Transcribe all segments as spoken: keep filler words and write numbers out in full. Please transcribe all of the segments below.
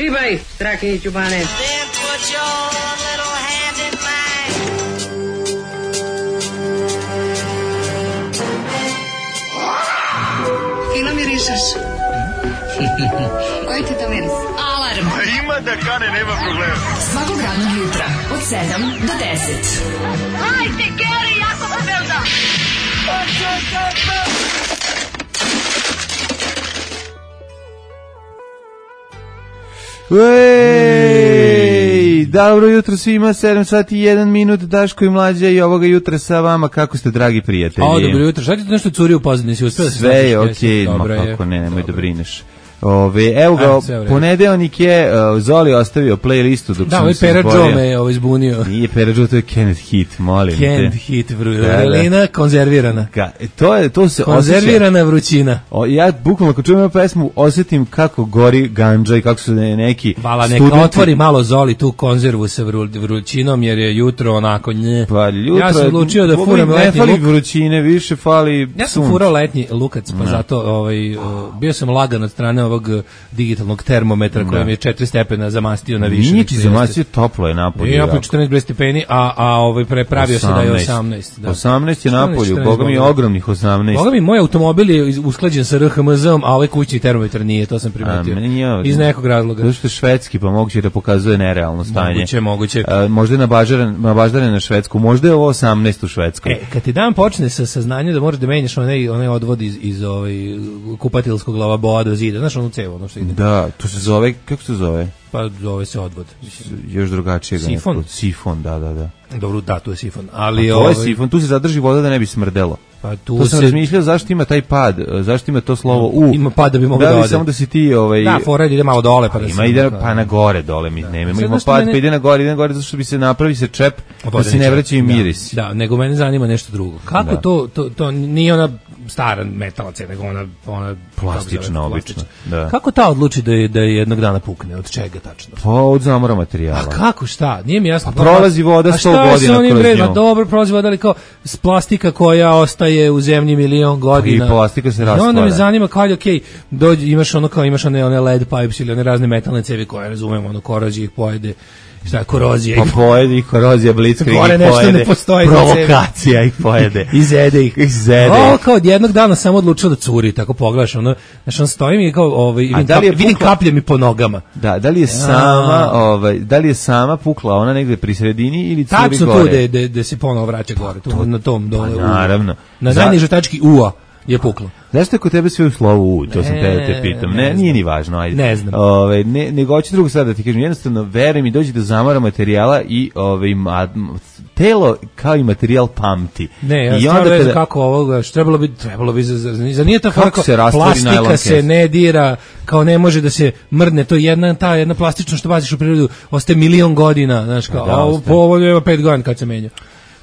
Šibaj, Strahinji Ćubane. Then put your little hand in mine. Fino mirišeš. Koji ti to miris? Alarm. Ima da kane, nema problema. Svakog radnog jutra od sedam do deset. Hajde, Geri, jako se velda. Ej, dobro jutro svima, sedam sati i jedan minut, Daško i Mlađa i ovoga jutra sa vama, kako ste dragi prijatelji? O, dobro jutro, šta ti to nešto curi u pozadini, si uspio da se sve je okej, okay, ma kako ne, nemoj da brineš. Ove, evo ga, Ajde, ponedeljnik je, uh, Zoli ostavio playlistu dok da, sam ovaj se Pera izborio. Joe me ovo izbunio. Nije Pera Joe, to je Kenneth Heat, molim Kenneth te. Heat, vru, Da, da. vrelina konzervirana. Ga, to, je, to se Konzervirana vrućina. O, ja bukvalno kad čujem ovu pesmu osjetim kako gori gandža i kako su ne- neki Vala, neka studenti- otvori malo Zoli tu konzervu sa vru, vrućinom, jer je jutro onako nje. Pa jutro, Ja sam odlučio da Boga, furam ne letnji fali luk. vrućine, više fali Ja sam sunce. furao letnji lukac, pa zato ovaj, uh, bio sam lagan od strane ovog uh, digitalnog termometra koji mi je četiri stepena zamastio na više. Nije nego ti što zamastio, toplo je napolju. I ja po jako. četrnaest stepeni, a, a ovaj prepravio se da je osamnaest. Da. osamnaest je napolju, četrnaest, boga mi je boga. ogromnih osamnaest. Boga mi, moj automobil je iz- usklađen sa R H M Z-om, a ovaj kućni termometar nije, to sam primetio. A, meni je- Iz nekog razloga. Zato što je švedski, pa moguće da pokazuje nerealno stanje. Moguće, moguće. A, možda je nabaždaren, nabaždaren na Švedsku, možda je ovo osamnaest u Švedskoj. E, kad ti dan počne sa saznanjem da moraš da menjaš onaj, onaj odvod iz, iz ovaj, kupatilskog lavaboa do zida, znaš onu cevu, ono što ide. Da, to se zove, kako se zove? Pa zove se odvod. Mislim, Još drugačije ga Sifon? neko- Sifon, da, da, da. dobro, da, tu je sifon. A Ali, to ovaj, je sifon, tu se zadrži voda da ne bi smrdelo. pa tu To sam se... razmišljao zašto ima taj pad, zašto ima to slovo U. Ima pad da bi mogao da da li ode. samo da si ti ovaj Da, fora ide malo dole, pa da ima se- ide pa na gore dole mi nemamo Sad ima znaš što pad mene- pa ide na gore ide na gore zato što bi se napravi se čep da se ne vraća i miris. Da, da, nego mene zanima nešto drugo. Kako Da. to, to, to nije ona stara metalac, nego ona, ona Plastična, kako se zove, obična, plastična. da. Kako ta odluči da je, da je jednog dana pukne? Od čega tačno? Pa od zamora materijala. A kako, šta? Nije mi jasno. Pa prolazi voda A sto šta je godina sa onim kroz bre- ma nju? dobro, prolazi voda, ali kao s plastika koja ostaje u zemlji milion godina. I plastika se I onda me rastvara. zanima kao, okej, dođe, imaš ono kao, imaš one, one led pipes ili one razne metalne cevi koje, razumemo, ono, korozije ih pojede. Šta je korozija? Pa pojede ih korozija, blitzkrieg Gore ih nešto pojede. ne postoji na Provokacija ih pojede. Izede ih. Izede Ovo ih. kao od jednog dana samo odlučio da curi, tako pogledaš, ono, znaš, on stoji mi kao, ovaj, vidim, da li je kap, vidim pukla- kaplje mi po nogama. Da, da li je sama, ovaj, da li je sama pukla ona negde pri sredini ili curi Tačno tu gore? da da se ponovo vraća gore, tu na tom dole. Pa u- naravno. Na Za- najnižoj tački U-a je puklo. Zašto je kod tebe sve u slovu U? To sam Ne, te, te pitam. ne Ne, znam. nije ni važno, ajde. Ne znam. Ove, ne, nego hoću drugu stvar da ti kažem. Jednostavno, veruj mi, dođe do zamora materijala i ove, ma, telo kao i materijal pamti. Ne, ja I stvarno onda ne znam kada- kako ovoga, što trebalo bi, trebalo bi, za, za, za nije ta Kako fora kao se rastvori plastika najlon se kesa? ne dira, kao ne može da se mrdne, to je jedna, ta jedna plastično što baziš u prirodu, ostaje milion godina, znaš, kao, Da, a ovo ostaje. po ovo ima pet godina kad se menja.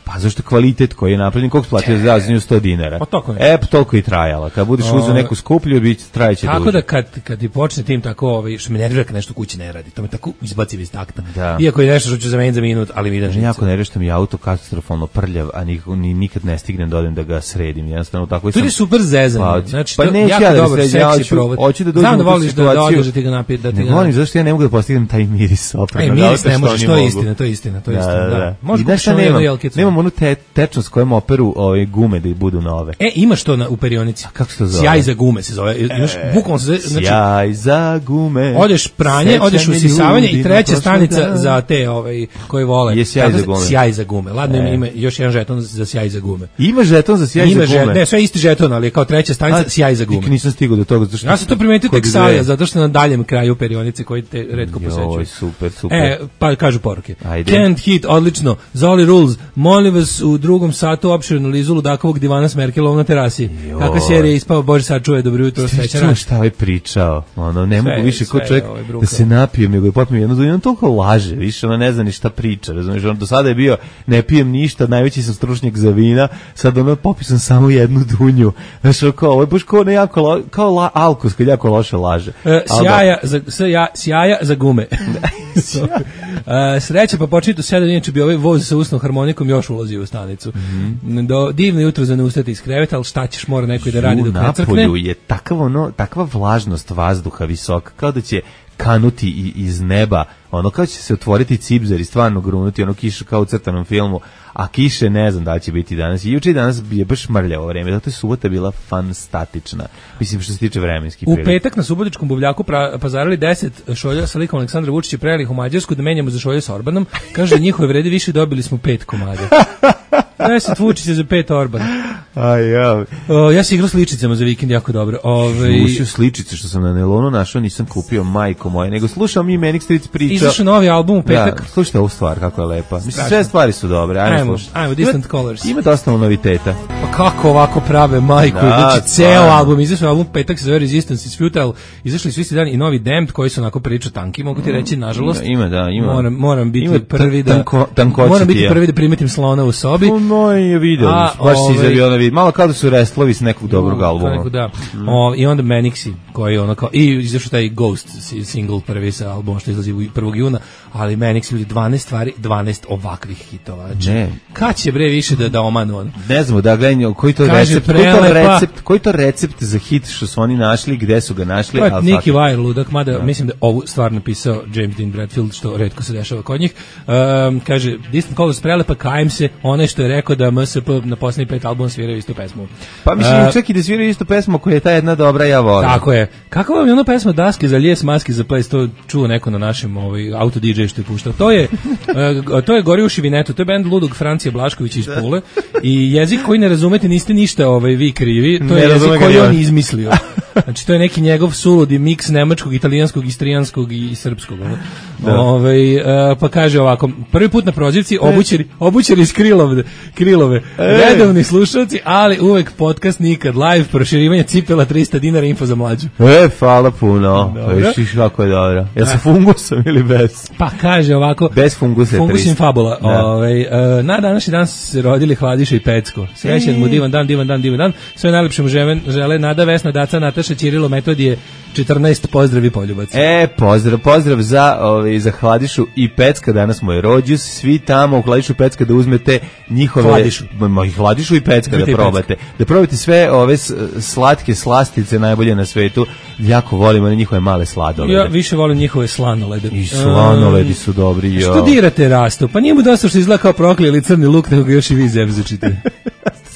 Pa zašto kvalitet koji je napravljen, koliko platio za nju sto dinara? Pa toliko je. E, pa toliko i trajala. Kad budeš uzeo neku skuplju, bit će trajeće Tako duže. da kad, kad ti počne tim tako, ovaj, što me nervira kad nešto kući ne radi, to me tako izbaci iz takta. Da. Iako je nešto što ću zameniti za minut, ali mi da Meni jako ne što mi je auto katastrofalno prljav, a nikako, ni, nikad ne stignem da odem da ga sredim. Jednostavno tako i To sam... je super zezanje. Pa, Znači, pa to neću jako ja da ga dobar, sredim, ja seksi hoću- provod. hoću da dođem Znam u da tu voliš da, da situaciju. odeš da ti ga napije, da ti Ne ga... volim, zašto ja ne mogu da postignem taj miris E, opravno. miris ne možeš, to je istina, to je istina, to je istina, da. Možeš I znaš šta kupiš jednu nemam? jelkicu. Nemam onu te, tečnost kojom operu ove gume da budu nove. E, imaš to na, u perionici. Kako se to zove? Sjaj za gume se zove. Imaš, bukvalno se zove, znači, Sjaj za gume. odeš pranje, sećanje odeš u sisavanje ljudi i na treća prošli stanica dan. za te ovaj, koji vole. Je sjaj Tako za se- gume. Sjaj za gume. Ladno ima, E. ima još jedan žeton za sjaj za gume. Ima žeton za sjaj Ima za gume. žet, ne, sve isti žeton, ali je kao treća stanica A, sjaj za nikad gume. nisam stigao do toga. Zato što Ja sam to primetio kod tek dve- sada, zato što na daljem kraju perionice koji te retko Joj, posećuju. super, super. E, pa kažu poruke. Ajde. Can't hit, odlično. Zoli rules. Molim vas u drugom satu opširnu lizu ludakovog divana s Merkelovom na terasi. Joj. Kakva serija ispava, Bože sačuvaj, dobro jutro, sreća Čuo raš. šta ovaj pričao, ono, ne Sve, mogu više ko sve čovjek je ovaj brukao. da se napijem, nego je potpuno jedno dunje, on toliko laže, više, ono ne zna ni šta priča, razumiješ, ono, do sada je bio, ne pijem ništa, najveći sam stručnjak za vina, sad ono, popisam samo jednu dunju, znaš, ono, kao, ovo je baš kao, ne, jako, lo, kao la, alkos, kad jako loše laže. E, Ali da- sjaja, za, sja, sjaja za gume. E, sreća, pa početi u sedam, inače bi ovaj voz sa usnom harmonikom još ulazio u stanicu. Mhm. Do, divno jutro za ne ustati iz kreveta, ali šta ćeš, mora neko i da radi U dok ne crkne. Napolju je takav ono, takva vlažnost vazduha visoka, kao da će kanuti i, iz neba, ono kao će se otvoriti cipzer i stvarno grunuti, ono kiša kao u crtanom filmu, a kiše ne znam da li će biti danas. I juče i danas je baš mrljavo vreme, zato je subota bila fantastična. Mislim što se tiče vremenskih prilika. U petak na Subotičkom buvljaku pra, pazarili deset šolja sa likom Aleksandra Vučića, prelih u Mađarsku da menjamo za šolje s Orbanom. Kaže, njihove vredi više, dobili smo pet komada. deset Vučića za pet Orban. Aj, ja. O, ja se igrao s ličicama za vikend jako dobro. Ove... Slušao sličice što sam na nelonu našao, nisam kupio, majko moje, nego slušao mi Manic Street priča. Izašao novi album u petak. Da, slušajte ovu stvar, kako je lepa. Mislim, sve stvari su dobre, ajmo, ajmo slušati. Ajmo, Distant ima, Colors. Ima dosta noviteta. Pa kako ovako prave, majko, da, znači ceo album, izašao album petak se zove Resistance is Futile, izašli su isti dan i novi Damned koji su onako priča tanki, mogu ti reći, nažalost. Ima, ima da, ima. Moram, moram biti ima prvi da, tanko, moram biti prvi da primetim slona u sobi. No, je video, A, baš ovaj, si izjavio na vid. Malo kao da su restlovi s nekog dobrog no, albuma. Neko, da. Mm. O, I onda Manixi, koji ono kao, i izašao taj Ghost single prvi sa albumom što izlazi prvog juna, ali Manixi ljudi dvanaest stvari, dvanaest ovakvih hitova. Ne. Kad će bre više da da omanu on? Ne znamo da gledaju koji to kaže, recept, koji to recept, koji to recept za hit što su oni našli, gde su ga našli, al Nicky Wire ludak, mada no. mislim da ovu stvar napisao James Dean Bradfield, što retko se dešava kod njih. Um, kaže Distant Colors prelepa, kajem se, onaj što je rekao da M S P na poslednjih pet albuma sviraju istu pesmu. Pa mislim uh, čak i da sviraju istu pesmu koja je ta jedna dobra, ja volim. Tako je. Kako vam je ona pesma Daske za lijes, maski za ples, to čuo neko na našem ovaj auto D J što je puštao. To je uh, to je Gori u Šivinetu, to je bend ludog Francije Blaškovića iz Pule i jezik koji ne razumete, niste ništa ovaj vi krivi, to ne je jezik koji on izmislio. Znači to je neki njegov suludi miks nemačkog, italijanskog, istrijanskog i srpskog. Ovaj uh, pa kaže ovako, prvi put na prozivci obućeri obućeri iz Krilove, Krilove. Redovni slušalci, ali uvek podcast nikad live, proširivanje cipela trista dinara, info za mlađu. E, hvala puno. Viš kako je dobro. Jel sa fungusom ili bez? Pa kaže ovako, bez fungusa. Fungus in fabula. Ovaj uh, na današnji dan se rodili Hladiša i Pecko. Srećan mu divan dan, divan dan, divan dan. Sve najlepše mu žele, žele Nada, Vesna, Daca, Nataša, Ćirilo, Metodije, četrnaest, pozdravi poljubac. E, pozdrav, pozdrav za, ovaj, za Hladišu i Pecka, danas mu je rođus, svi tamo u Hladišu i Pecka da uzmete njihove... Hladišu. Ma, Hladišu i Pecka da probate. Da probate sve ove slatke slastice najbolje na svetu. Jako volimo njihove male sladolede. Ja više volim njihove slanolede. I slanoledi su dobri, jo. Što dirate Rasto? Pa nije mu dosta što izgleda kao proklijeli crni luk, nego ga još i vi zevzučite.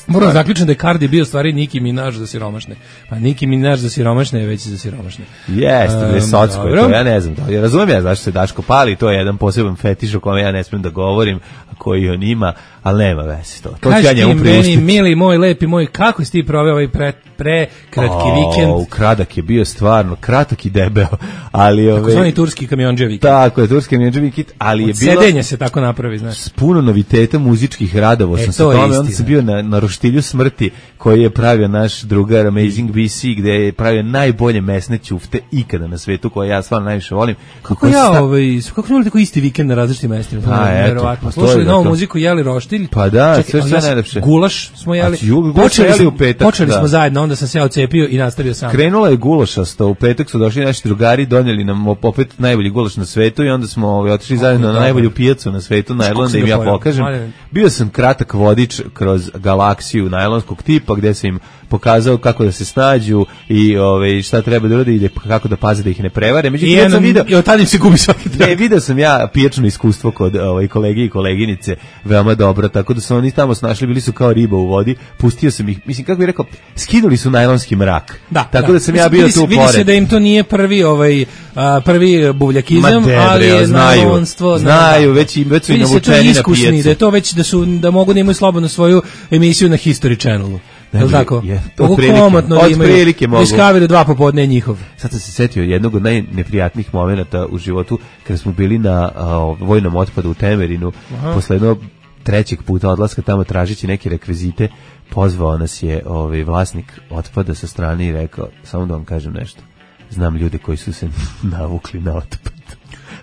Moram zaključiti da je Cardi bio stvari Nicki Minaj za siromašne. Pa Nicki Minaj za siromašne je već za siromašne. Jeste, um, visocko je to, ja ne znam to. Ja razumijem ja zašto se Daško pali, to je jedan poseban fetiš o kome ja ne smijem da govorim, koji on ima, ali nema veze to. To ću ja njemu priuštiti. Meni, mili moj, lepi moj, kako si ti proveo ovaj pre, pre kratki oh, vikend? Kratak je bio stvarno, kratak i debeo, ali... Tako ove, zvani turski kamionđe vikend. Tako je, turski kamionđe vikend, ali od je bilo... sedenja se tako napravi, znaš. S puno noviteta muzičkih radova e, sam se tome, onda sam bio na, na roštilju smrti koji je pravio naš drugar Amazing B C, gde je pravio najbolje mesne ćufte ikada na svetu, koje ja stvarno najviše volim. Kako ja, sta... ovaj, kako smo imali tako isti vikend na različitim mestima? Pa, eto, pa slušali novu muziku, jeli roštilj. Pa da, čekaj, sve sve najlepše. Gulaš smo jeli. Ju, počeli jeli smo, u petak, počeli da. smo zajedno, onda sam se ja ocepio i nastavio sam. Krenula je gulašasta, u petak su došli naši drugari, donijeli nam opet najbolji gulaš na svetu i onda smo ovaj, otišli zajedno na najbolju pijacu na svetu, najlon, da im ja pokažem. Bio sam kratak vodič kroz galaksiju najlonskog tipa, gde sam im pokazao kako da se snađu i ovaj šta treba da urade i kako da paze da ih ne prevare. Međutim, ja sam video, i od tada se gubi svaki trag. Ne, video sam ja pijačno iskustvo kod ovaj kolege i koleginice, veoma dobro, tako da su oni tamo snašli, bili su kao riba u vodi. Pustio sam ih, mislim kako bih rekao, skinuli su najlonski mrak. Da, tako da, da sam ja bio vidi, tu vidi pored. Vidi se da im to nije prvi ovaj a, prvi buvljakizam, debre, ali je znaju, najlonstvo, znaju, već im već su i navučeni na pijacu. Da je to već da su da mogu da imaju slobodno svoju emisiju na History Channelu. Je li tako? Je, to komotno da imaju. Discovery dva popodne je njihov. Sad sam se setio jednog od najneprijatnijih momenata u životu kada smo bili na uh, vojnom otpadu u Temerinu. Aha. Posle jednog trećeg puta odlaska tamo tražići neke rekvizite, pozvao nas je ovaj vlasnik otpada sa strane i rekao, samo da vam kažem nešto. Znam ljude koji su se navukli na otpad.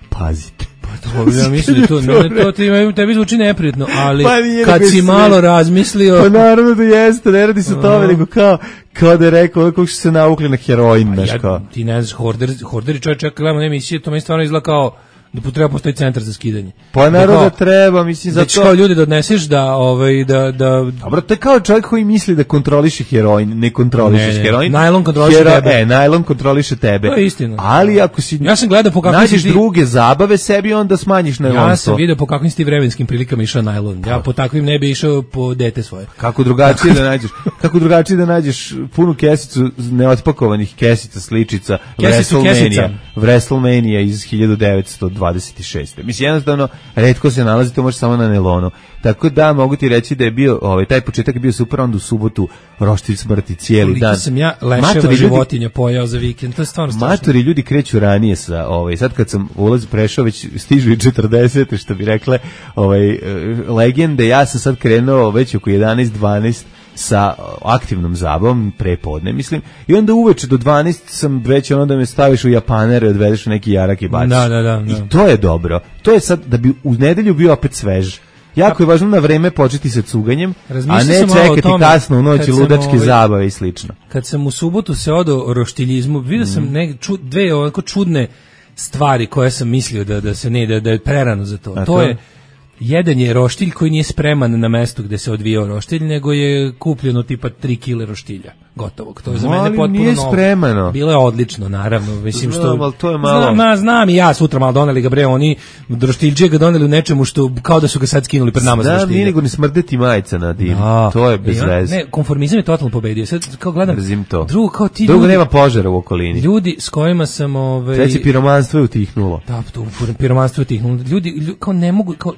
Pazite. To ja mislim da to, ne, to ti, tebi zvuči neprijatno, ali pa kad si malo sve razmislio... Pa naravno da jeste, ne radi se o tome, nego kao, kao da je rekao kako su se navukli na heroin, znaš ja, kao. Ti ne znaš, horder, horderi čovječ, čak gledamo emisije, to mi stvarno izgleda kao da treba postoji centar za skidanje. Pa naravno da da treba, mislim za da ćeš to. kao ljudi da odneseš da ovaj da da Dobro, to je kao čovjek koji misli da kontroliše heroin, ne kontrolišeš Ne, ne. heroin. Najlon kontroliše tebe. E, najlon kontroliše tebe. To je istina. Ali ako si Ja sam gledao po kakvim nađeš si ti- druge zabave sebi, onda smanjiš najlonstvo. Ja sam video po kakvim si ti vremenskim prilikama išao najlon. Ja po takvim ne bi išao po dete svoje. Kako drugačije da nađeš? Kako drugačije da nađeš punu kesicu neotpakovanih kesica sličica Kesicu WrestleMania, kesica. WrestleMania iz hiljadu devetsto dvadeset šeste. Mislim jednostavno retko se nalazi, to može samo na nelonu. Tako da mogu ti reći da je bio ovaj taj početak je bio super, onda u subotu roštilj smrti cijeli Koliko dan. sam ja leševa Matori ljudi- životinja pojao za vikend, to je stvarno strašno. Matori ljudi kreću ranije sa ovaj sad kad sam ulaz prešao već stižu i četrdesete što bi rekle ovaj e, legende, ja sam sad krenuo već oko jedanaest dvanaest sa aktivnom zabavom prepodne mislim i onda uveče do dvanaest sam već ono da me staviš u japanere, odvedeš u neki jarak i baciš. Da, da, da, da. I to je dobro. To je sad da bi u nedelju bio opet svež. Jako je važno na vreme početi sa cuganjem, a Razmišljao ne sam malo o čekati tome kasno u noći kad sam, ludačke ovaj, zabave i slično. Kad sam u subotu se odao roštiljizmu, vidio sam Mhm. neke ču, dve ovako čudne stvari koje sam mislio da da se ne da, da je prerano za to. A To to? je jedan je roštilj koji nije spreman na mestu gde se odvijao roštilj, nego je kupljeno tipa tri kile roštilja gotovog. To je za Ali mene potpuno nije novo. spremano. Bilo je odlično, naravno. Mislim što Znam, ali to je malo- Znam, ma, znam i ja sutra malo doneli ga bre, oni roštiljđe ga doneli u nečemu što kao da su ga sad skinuli pred nama za Da, roštilje. nije nego ni smrdeti majica na dim. Da. To je bez I on- veze. Ne, konformizam je totalno pobedio. Sad kao gledam. Mrzim to. Drugo kao ti Drugo ljudi, nema požara u okolini. ljudi s kojima sam ovaj Treće piromanstvo je utihnulo. da, to piromanstvo je tihnulo. Ljudi, ljudi kao ne mogu kao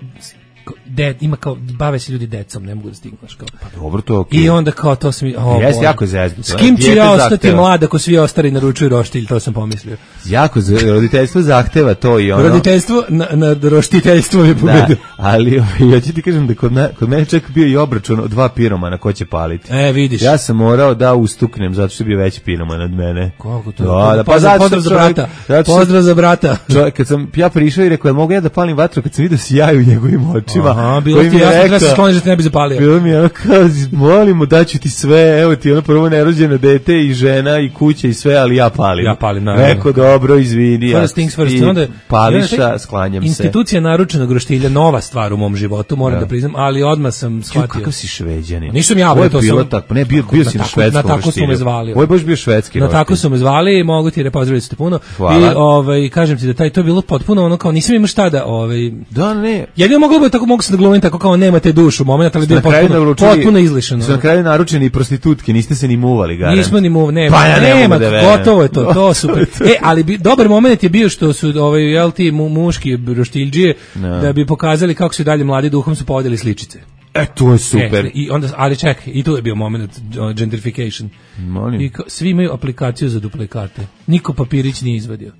kao, de, ima kao bave se ljudi decom, ne mogu da stignu znaš, kao. Dobro, to je okej. I onda kao to sam o, Jeste, Bože. jako je zeznuto. S kim ću Dijete ja ostati zahteva. mlad ako svi ostali naručuju roštilj, to sam pomislio. Jako za- roditeljstvo zahteva to i ono. Roditeljstvo na, na roštiteljstvo je Da, pobedio. ali ovaj, ja ću ti kažem da kod, na, kod mene čak bio i obračun od dva piromana ko će paliti. E, vidiš. Ja sam morao da ustuknem zato što je bio veći piroman od mene. Kako to? Da, da, pa pozdrav, zato pozdrav što za čovjek- brata. zato što- Pozdrav za brata. Čovjek, kad sam ja prišao i rekao, jel mogu ja da palim vatru, kad sam vidio sjaj u njegovim očima. Aha, bilo koji ti mi je jasno, treba se rekao- skloniš da te ne bi zapalio. Bilo mi je ono kao, molimo, daću ti sve, evo ti ono prvo nerođeno dete i žena i kuća i sve, ali ja palim. Ja palim, naravno. Rekao, dobro, izvini. First things first. I Onda, pališa, onda, sklanjam se. Institucija naručenog roštilja, nova stvar u mom životu, moram da, Da. priznam, ali odmah sam Ju, shvatio. kakav si šveđanin. Nisam ja, Ovo je bre, to bilo sam- tako, ne, bio, Tako, bio na si na tako- švedskom na tako su me roštilju. zvali. Ovo je baš bio švedski Na roštilj. tako su me zvali, mogu ti repozdraviti ste puno. Hvala. I ovaj kažem ti da taj to je bilo potpuno ono kao nisam imao šta da ovaj Da, ne. jedino moglo bi tako mogu se da glumim tako kao nemate dušu, momenat ali Ste bio na kraju potpuno, naručili- potpuno izlišano. Su na kraju naručeni i prostitutke, niste se ni muvali, garant. Nismo ni mu, nema, Pa ja ne nema, mogu da verujem. gotovo je to, to super. E, ali bi, dobar moment je bio što su ovaj jel ti mu, muški roštiljđije Da. da bi pokazali kako su i dalje mladi duhom su povodili sličice. E, to je super. E, I onda, ali čekaj, i tu je bio moment uh, gentrification. Molim. I kao, svi imaju aplikaciju za duplikate. Niko papirić nije izvadio.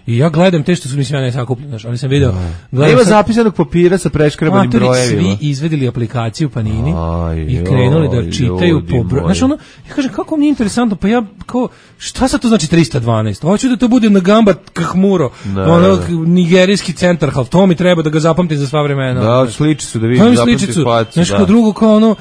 I ja gledam te što su mislim ja ne sakupljeno, znaš, ali sam video. Gledam Nema sad- zapisanog papira sa preškrabanim Matori, brojevima. svi izvedili aplikaciju Panini Aj, i krenuli da joj, čitaju ljudi po broju. moji. Znaš ono, ja kažem kako mi je interesantno, pa ja kao šta sad to znači trista dvanaest? Hoću da to bude Nagamba Kahmuro, Da, ono da. nigerijski centar, hal to mi treba da ga zapamtim za sva vremena. Da, sliči su da Pa vidim, mi zapamti sličicu, facu, znaš, da. kao drugo, kao ono,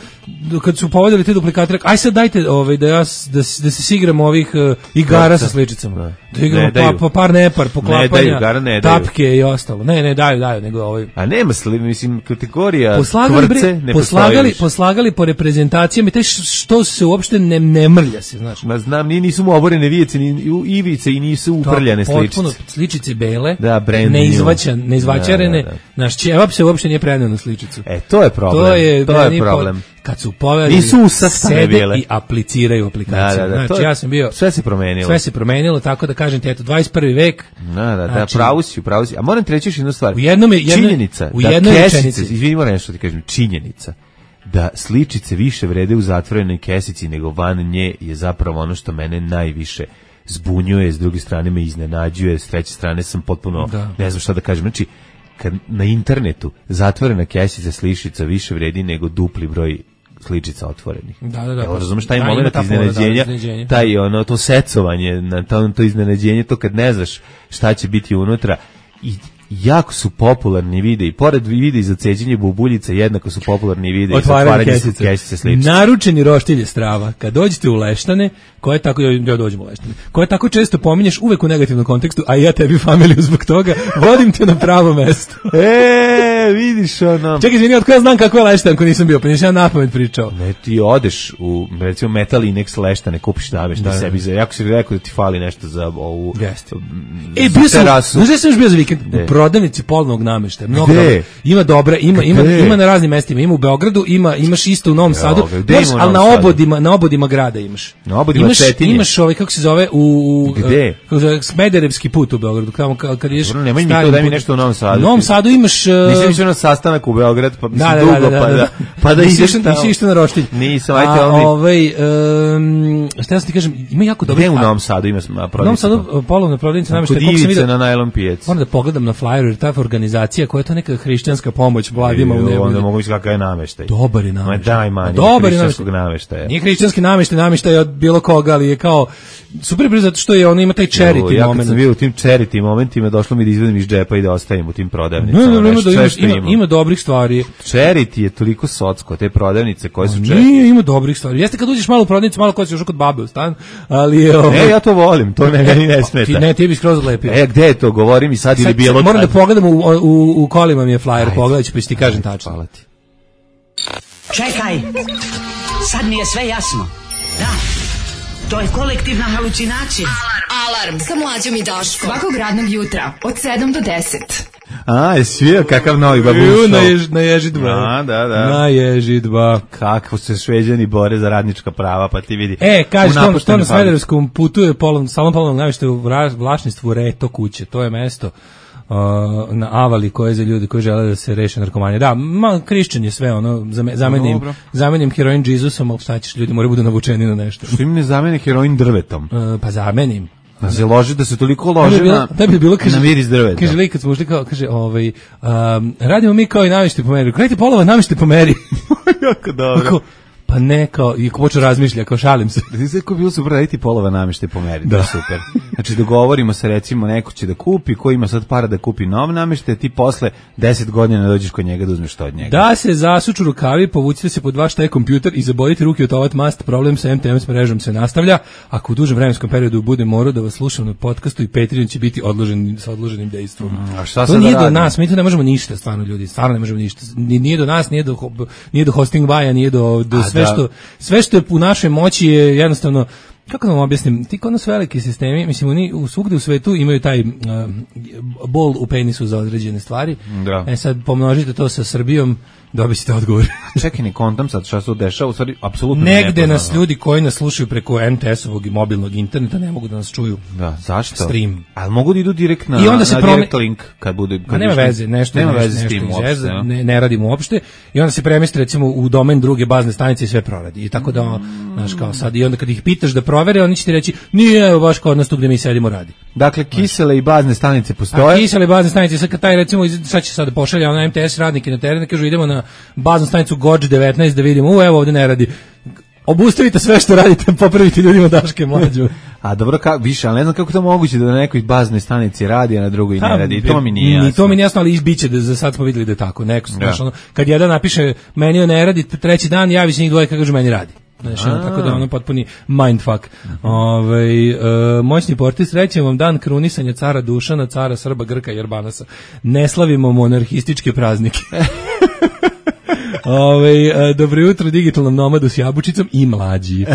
kad su povedali te duplikate, rekao, aj sad dajte ovaj, da, ja, s- da, s- da se sigramo ovih uh, igara Novca. sa sličicama. Da. Da igramo Ne pa, daju. pa par nepar, poklapanja, daju, igara ne daju. tapke i ostalo. Ne, ne, daju, daju, nego ovaj... A nema sli, mislim, kategorija Poslagali, kvrce bre, ne poslagali, postoji više. poslagali po reprezentacijama i te š- što se uopšte ne, ne mrlja se, znaš. Ma znam, ni nisu mu oborene vijece, ni u- ivice i nisu uprljane To, potpuno sličice. sličice bele, Da, brand neizvaćan, new. neizvaćarene, Da, da, da. naš ćevap se uopšte nije preneo na sličicu. E, to je problem. To je, to je meni po- problem. kad su povedali, Nisu usastane sede bile. i apliciraju aplikaciju. Da, da, da, Znači, to je- ja sam bio... sve se promenilo. Sve se promenilo, tako da kažem ti, eto, dvadeset prvi vek. Da, da, da, Znači- pravo si, pravo si. A moram ti reći još jednu stvar. U jednom je- jedno- činjenica u da jednoj kesice, rečenici. izvini, moram nešto ti kažem, činjenica da sličice više vrede u zatvorenoj kesici nego van nje je zapravo ono što mene najviše zbunjuje, s druge strane me iznenađuje, s treće strane sam potpuno, Da. ne znam šta da kažem, znači kad na internetu zatvorena kesica sličica više vredi nego dupli broj sličica otvorenih. Da, da, da. Evo, razumeš taj Da, ima moment ta fora, da, iznenađenja, iznenađenje. taj ono to secovanje, na to, to iznenađenje, to kad ne znaš šta će biti unutra i jako su popularni videi, pored videa za ceđenje bubuljica, jednako su popularni videi za otvaranje otvaranje kesice. kesice s lipsticom. Naručeni roštilj strava. Kad dođete u Leštane, koje tako, ja dođem u Leštane, koje tako često pominješ uvek u negativnom kontekstu, a ja tebi familiju zbog toga, vodim te na pravo mesto. E, vidiš ono. Čekaj, izvini, od koja znam kako je Leštan, ko nisam bio, pa nisam ja napamet pričao. Ne, ti odeš u, recimo, Metal Inex Leštane, kupiš nameštaj Da, da. sebi za, jako si rekao da ti fali nešto za ovu Jeste. m, E, za bio sam, terasu. znaš da sam još bio za vikend? Gde? U prodavnici polnog nameštaja. Mnogo Gde? dobro. Ima dobre, ima, ima, Gde? ima na raznim mestima. Ima u Beogradu, ima, imaš isto u Novom Sadu. ga, gde Moraš, ima u ali na Novom Sadu? obodima, na obodima grada imaš. Na obodima imaš, Cetinje? Imaš ovaj, kako se zove, u... u Gde? Kako se zove, Smederevski put u Beogradu. Tamo kad, kad ideš... Dobro, nemoj mi to, starim daj mi putem. nešto u Novom Sadu. U Novom Sadu imaš... uh, Nisam išao na sastanak u Beograd, pa mislim Da, da, dugo, da, da, pa da, da, da. pa da Nisi ideš išao- tamo. Nisi išao na roštilj. Nisam, ajte, A, ali- ovaj, um, šta sam ti kažem, ima jako dobro... Gde u Novom Sadu ima prodavnica? U Novom Sadu uh, polovna prodavnica nameštaja, Kod koliko sam Ivice vidio... na najlon pijaci. Moram da pogledam na flyeru, jer ta organizacija koja je to neka hrišćanska pomoć mladima u Onda nevolji. mogu misliti kakav je nameštaj. Dobar je Ma nameštaj. daj manje, Dobar je hrišćanskog nameštaj. nameštaja. Nije hrišćanski nameštaj, nameštaj od bilo koga, ali je kao super brzo zato što je ono ima taj charity Ja kad moment. sam bio u tim charity momentima, došlo mi da izvedim iz džepa i da ostavim u tim prodavnicama. Ne, ne, ne, ima, nešto, da sve ima, što ima, ima dobrih stvari. Charity je toliko socko, te prodavnice koje su charity. Nije, ima dobrih stvari. Jeste kad uđeš malo u prodavnicu, malo ko si još kod babe u stan, ali je ovo... Ne, ja to volim, to ne, meni ne Ti, smeta. ne, ti bi skroz odlepio. E, gde je to? Govori mi sad ili Sad- bilo moram da kad. pogledam, u, u, u kolima mi je flyer, Ajde. pogledaj ću pa ću ti kažem tačno. Hvala ti. Čekaj, sad mi je sve jasno. Da, to je kolektivna halucinacija. Alarm sa mlađom i Daškom. Svakog radnog jutra od sedam do deset. A, je svio kakav novi babun Ju, show. na, jež, na ježidba. A, da, da. Na ježidba. Kako se Šveđani bore za radnička prava, pa ti vidi. E, kaže, U to, to napuštenoj na fabrici. Smederevskom putu je polon, salon polovnog namještaja u vra- vlasništvu Reto kuće. To je mesto uh, na Avali koje je za ljudi koji žele da se reše narkomanije. Da, ma, krišćan je sve, ono, zame- zamenim, Dobro. zamenim heroin Jezusom, ali šta ćeš, ljudi moraju budu navučeni na nešto. Što im ne zamene heroin drvetom? Uh, pa zamenim. Da se loži, da se toliko Da loži bi bilo, na, da bi bilo, kaže, na miris drveta. Kaže, lik, kad smo ušli kao, kaže, ovaj, um, radimo mi kao i namještaj po meri. Krenite polova, namještaj po meri. Jako dobro. Ako, pa ne, kao, i ko počeo razmišlja, kao šalim se. Znači, ko bilo super raditi polova namještaj po meri, da. To je super. Znači, dogovorimo se, recimo, neko će da kupi, ko ima sad para da kupi nov namještaj, ti posle deset godina dođeš kod njega da uzmeš to od njega. Da se zasuču rukavi, povucite se pod vaš taj kompjuter i zabodite ruke od ovat mast, problem sa M T M s mrežom se nastavlja. Ako u dužem vremenskom periodu bude morao da vas slušam na podcastu i Patreon će biti odložen sa odloženim dejstvom. A šta To sad nije da do radimo? nas, mi tu ne možemo ništa, stvarno ljudi, stvarno ne možemo ništa. Ni- Nije do nas, nije do ho- nije do hosting baja, nije do, do A sve da. što sve što je u našoj moći je jednostavno, kako da vam objasnim, ti kod nas veliki sistemi, mislim, oni u svugde u svetu imaju taj uh, bol u penisu za određene stvari. Da. E sad pomnožite to sa Srbijom, dobit ćete odgovor. Čekaj, ne kontam sad šta se tu dešava, u stvari, apsolutno Negde nepoznano. nas ljudi koji nas slušaju preko M T S-ovog i mobilnog interneta ne mogu da nas čuju. Da, zašto? Stream. Ali mogu da idu direkt na, I onda se na prome- direct link kad bude... Kad Ma nema više- veze, nešto nema nešto, veze s nešto tim izveze, uopšte. ja. ne, ne radimo uopšte i onda se premesti recimo u domen druge bazne stanice i sve proradi. I tako da, znaš, kao sad, i onda kad ih pitaš da provere, oni će ti reći, nije, evo baš kod nas tu gde mi sedimo radi. Dakle, kisele i bazne stanice A postoje. kisele bazne stanice, sad kad taj recimo, iz- sad će sad da pošalja ona M T S radnike na teren, kažu idemo na baznu stanicu Gođ devetnaest da vidimo, u evo ovde ne radi. Obustavite sve što radite, popravite ljudima Daške mlađu. A dobro, ka, više, ali ne znam kako to moguće da na nekoj baznoj stanici radi, a na drugoj ne radi. I to mi nije jasno. Ni to mi nije jasno, ali izbiće da za sad smo videli da je tako. Neko, Da. znaš, ono, kad jedan napiše meni ne radi, treći dan javi se njih dvoje kad kažu meni radi. Znaš, ono, tako da ono potpuni mindfuck. Ovaj e, moćni portir, srećan vam dan krunisanja cara Dušana, cara Srba, Grka i Jerbanasa. Ne slavimo monarhističke praznike. Ovaj e, dobro jutro digitalnom nomadu s jabučicom i mlađi.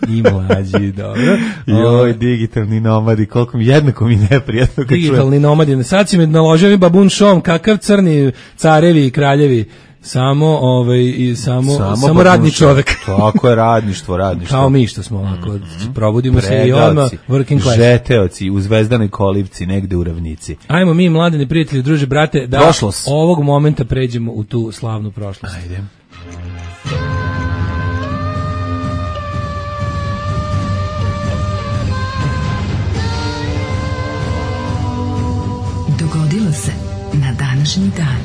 I mlađi, dobro. Joj, digitalni nomadi, koliko mi jednako mi neprijatno kad čujem. Digitalni nomadi. Sad si me naložio mi babun šom, kakav crni carevi i kraljevi. Samo, ovaj, i samo, samo, pa radni duša. čovek. Tako je, radništvo, radništvo. Kao mi što smo ovako, probudimo se i odmah working class. žeteoci u Zvezdanoj kolivci, negde u ravnici. Ajmo mi, mladeni prijatelji, druže, brate, da Prošlost. ovog momenta pređemo u tu slavnu prošlost. Ajde. Dogodilo se na današnji dan.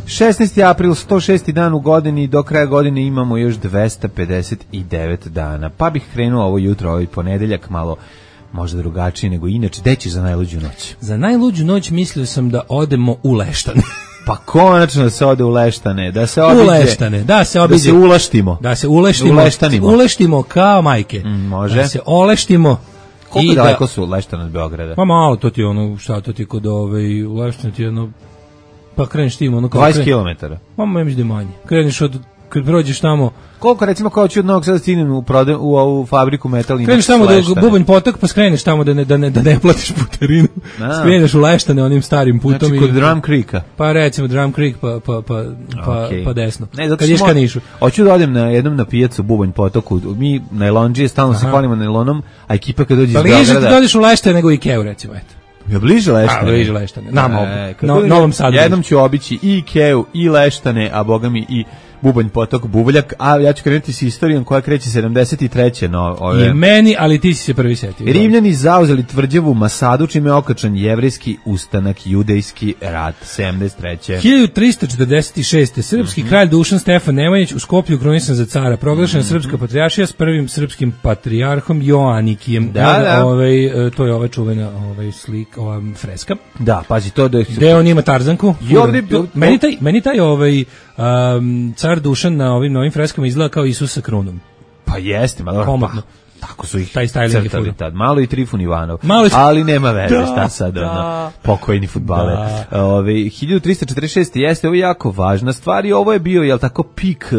šesnaesti april, sto šesti dan u godini, do kraja godine imamo još dvesta pedeset devet dana. Pa bih krenuo ovo jutro, ovaj ponedeljak, malo možda drugačiji nego inače. Gde ćeš za najluđu noć? Za najluđu noć mislio sam da odemo u Leštane. Pa konačno da se ode u Leštane, da se obiđe, u Leštane, da se obiđe, da se ulaštimo, da se uleštimo, uleštanimo. uleštimo kao majke, mm, može, da se oleštimo. Koliko daleko da, su Leštane od Beograda? Pa malo, to ti je ono, šta to ti kod ove, u Leštane ti je ono, pa kreneš tim, ono kao... dvadeset kilometara. Pa možda da manje. Kreneš od, kad prođeš tamo... Koliko, recimo, kao ću od Novog Sada stignem u, prode, u ovu fabriku metalina? Kreneš tamo do Bubanj potok, pa skreneš tamo da ne, da ne, da ne platiš putarinu. Skreneš u Leštane onim starim putom. Znači, kod Drum Creeka? Pa recimo Drum Creek, pa, pa, pa, pa, okay. pa desno. Ne, kad ješ ka Nišu. Hoću da odem na jednom na pijacu Bubanj potoku. Mi, najlonđije, stalno Aha. se hvalimo najlonom, a ekipa kad dođe pa iz Beograda... Pa liže da dođeš u Leštane nego Ikeu, recimo, eto. Ja bliže Leštane. A, bliže Leštane. Nama, e, no, Novom Sadu. Jednom ću obići i Ikeu, i Leštane, a boga mi i Bubanj potok, Buvljak, a ja ću krenuti s istorijom koja kreće sedamdeset treće No, ove... I meni, ali ti si se prvi setio. Rimljani zauzeli tvrđavu Masadu, čime je okačan jevrejski ustanak, judejski rat, sedamdeset treće hiljadu tristo četrdeset šeste Srpski mm-hmm. kralj Dušan Stefan Nemanjić u Skoplju krunisan za cara, proglašena mm-hmm. srpska patrijaršija s prvim srpskim patrijarhom Joanikijem. Da, da. Ovaj, to je ova čuvena ovaj, slik, ova freska. Da, pazi to da je... Gde on ima Tarzanku. Ovdje, meni taj, meni taj ovaj, um, car Dušan na ovim novim freskama izgleda kao Isus sa krunom. Pa jeste, malo komotno. Tako su ih taj crtali tad. Malo i Trifun Ivanov, Malo i... ali nema veze, da, šta sad, da. ono, pokojni fudbaler. Da. Ove, hiljadu tristo četrdeset šeste jeste, ovo je jako važna stvar i ovo je bio, jel tako, pik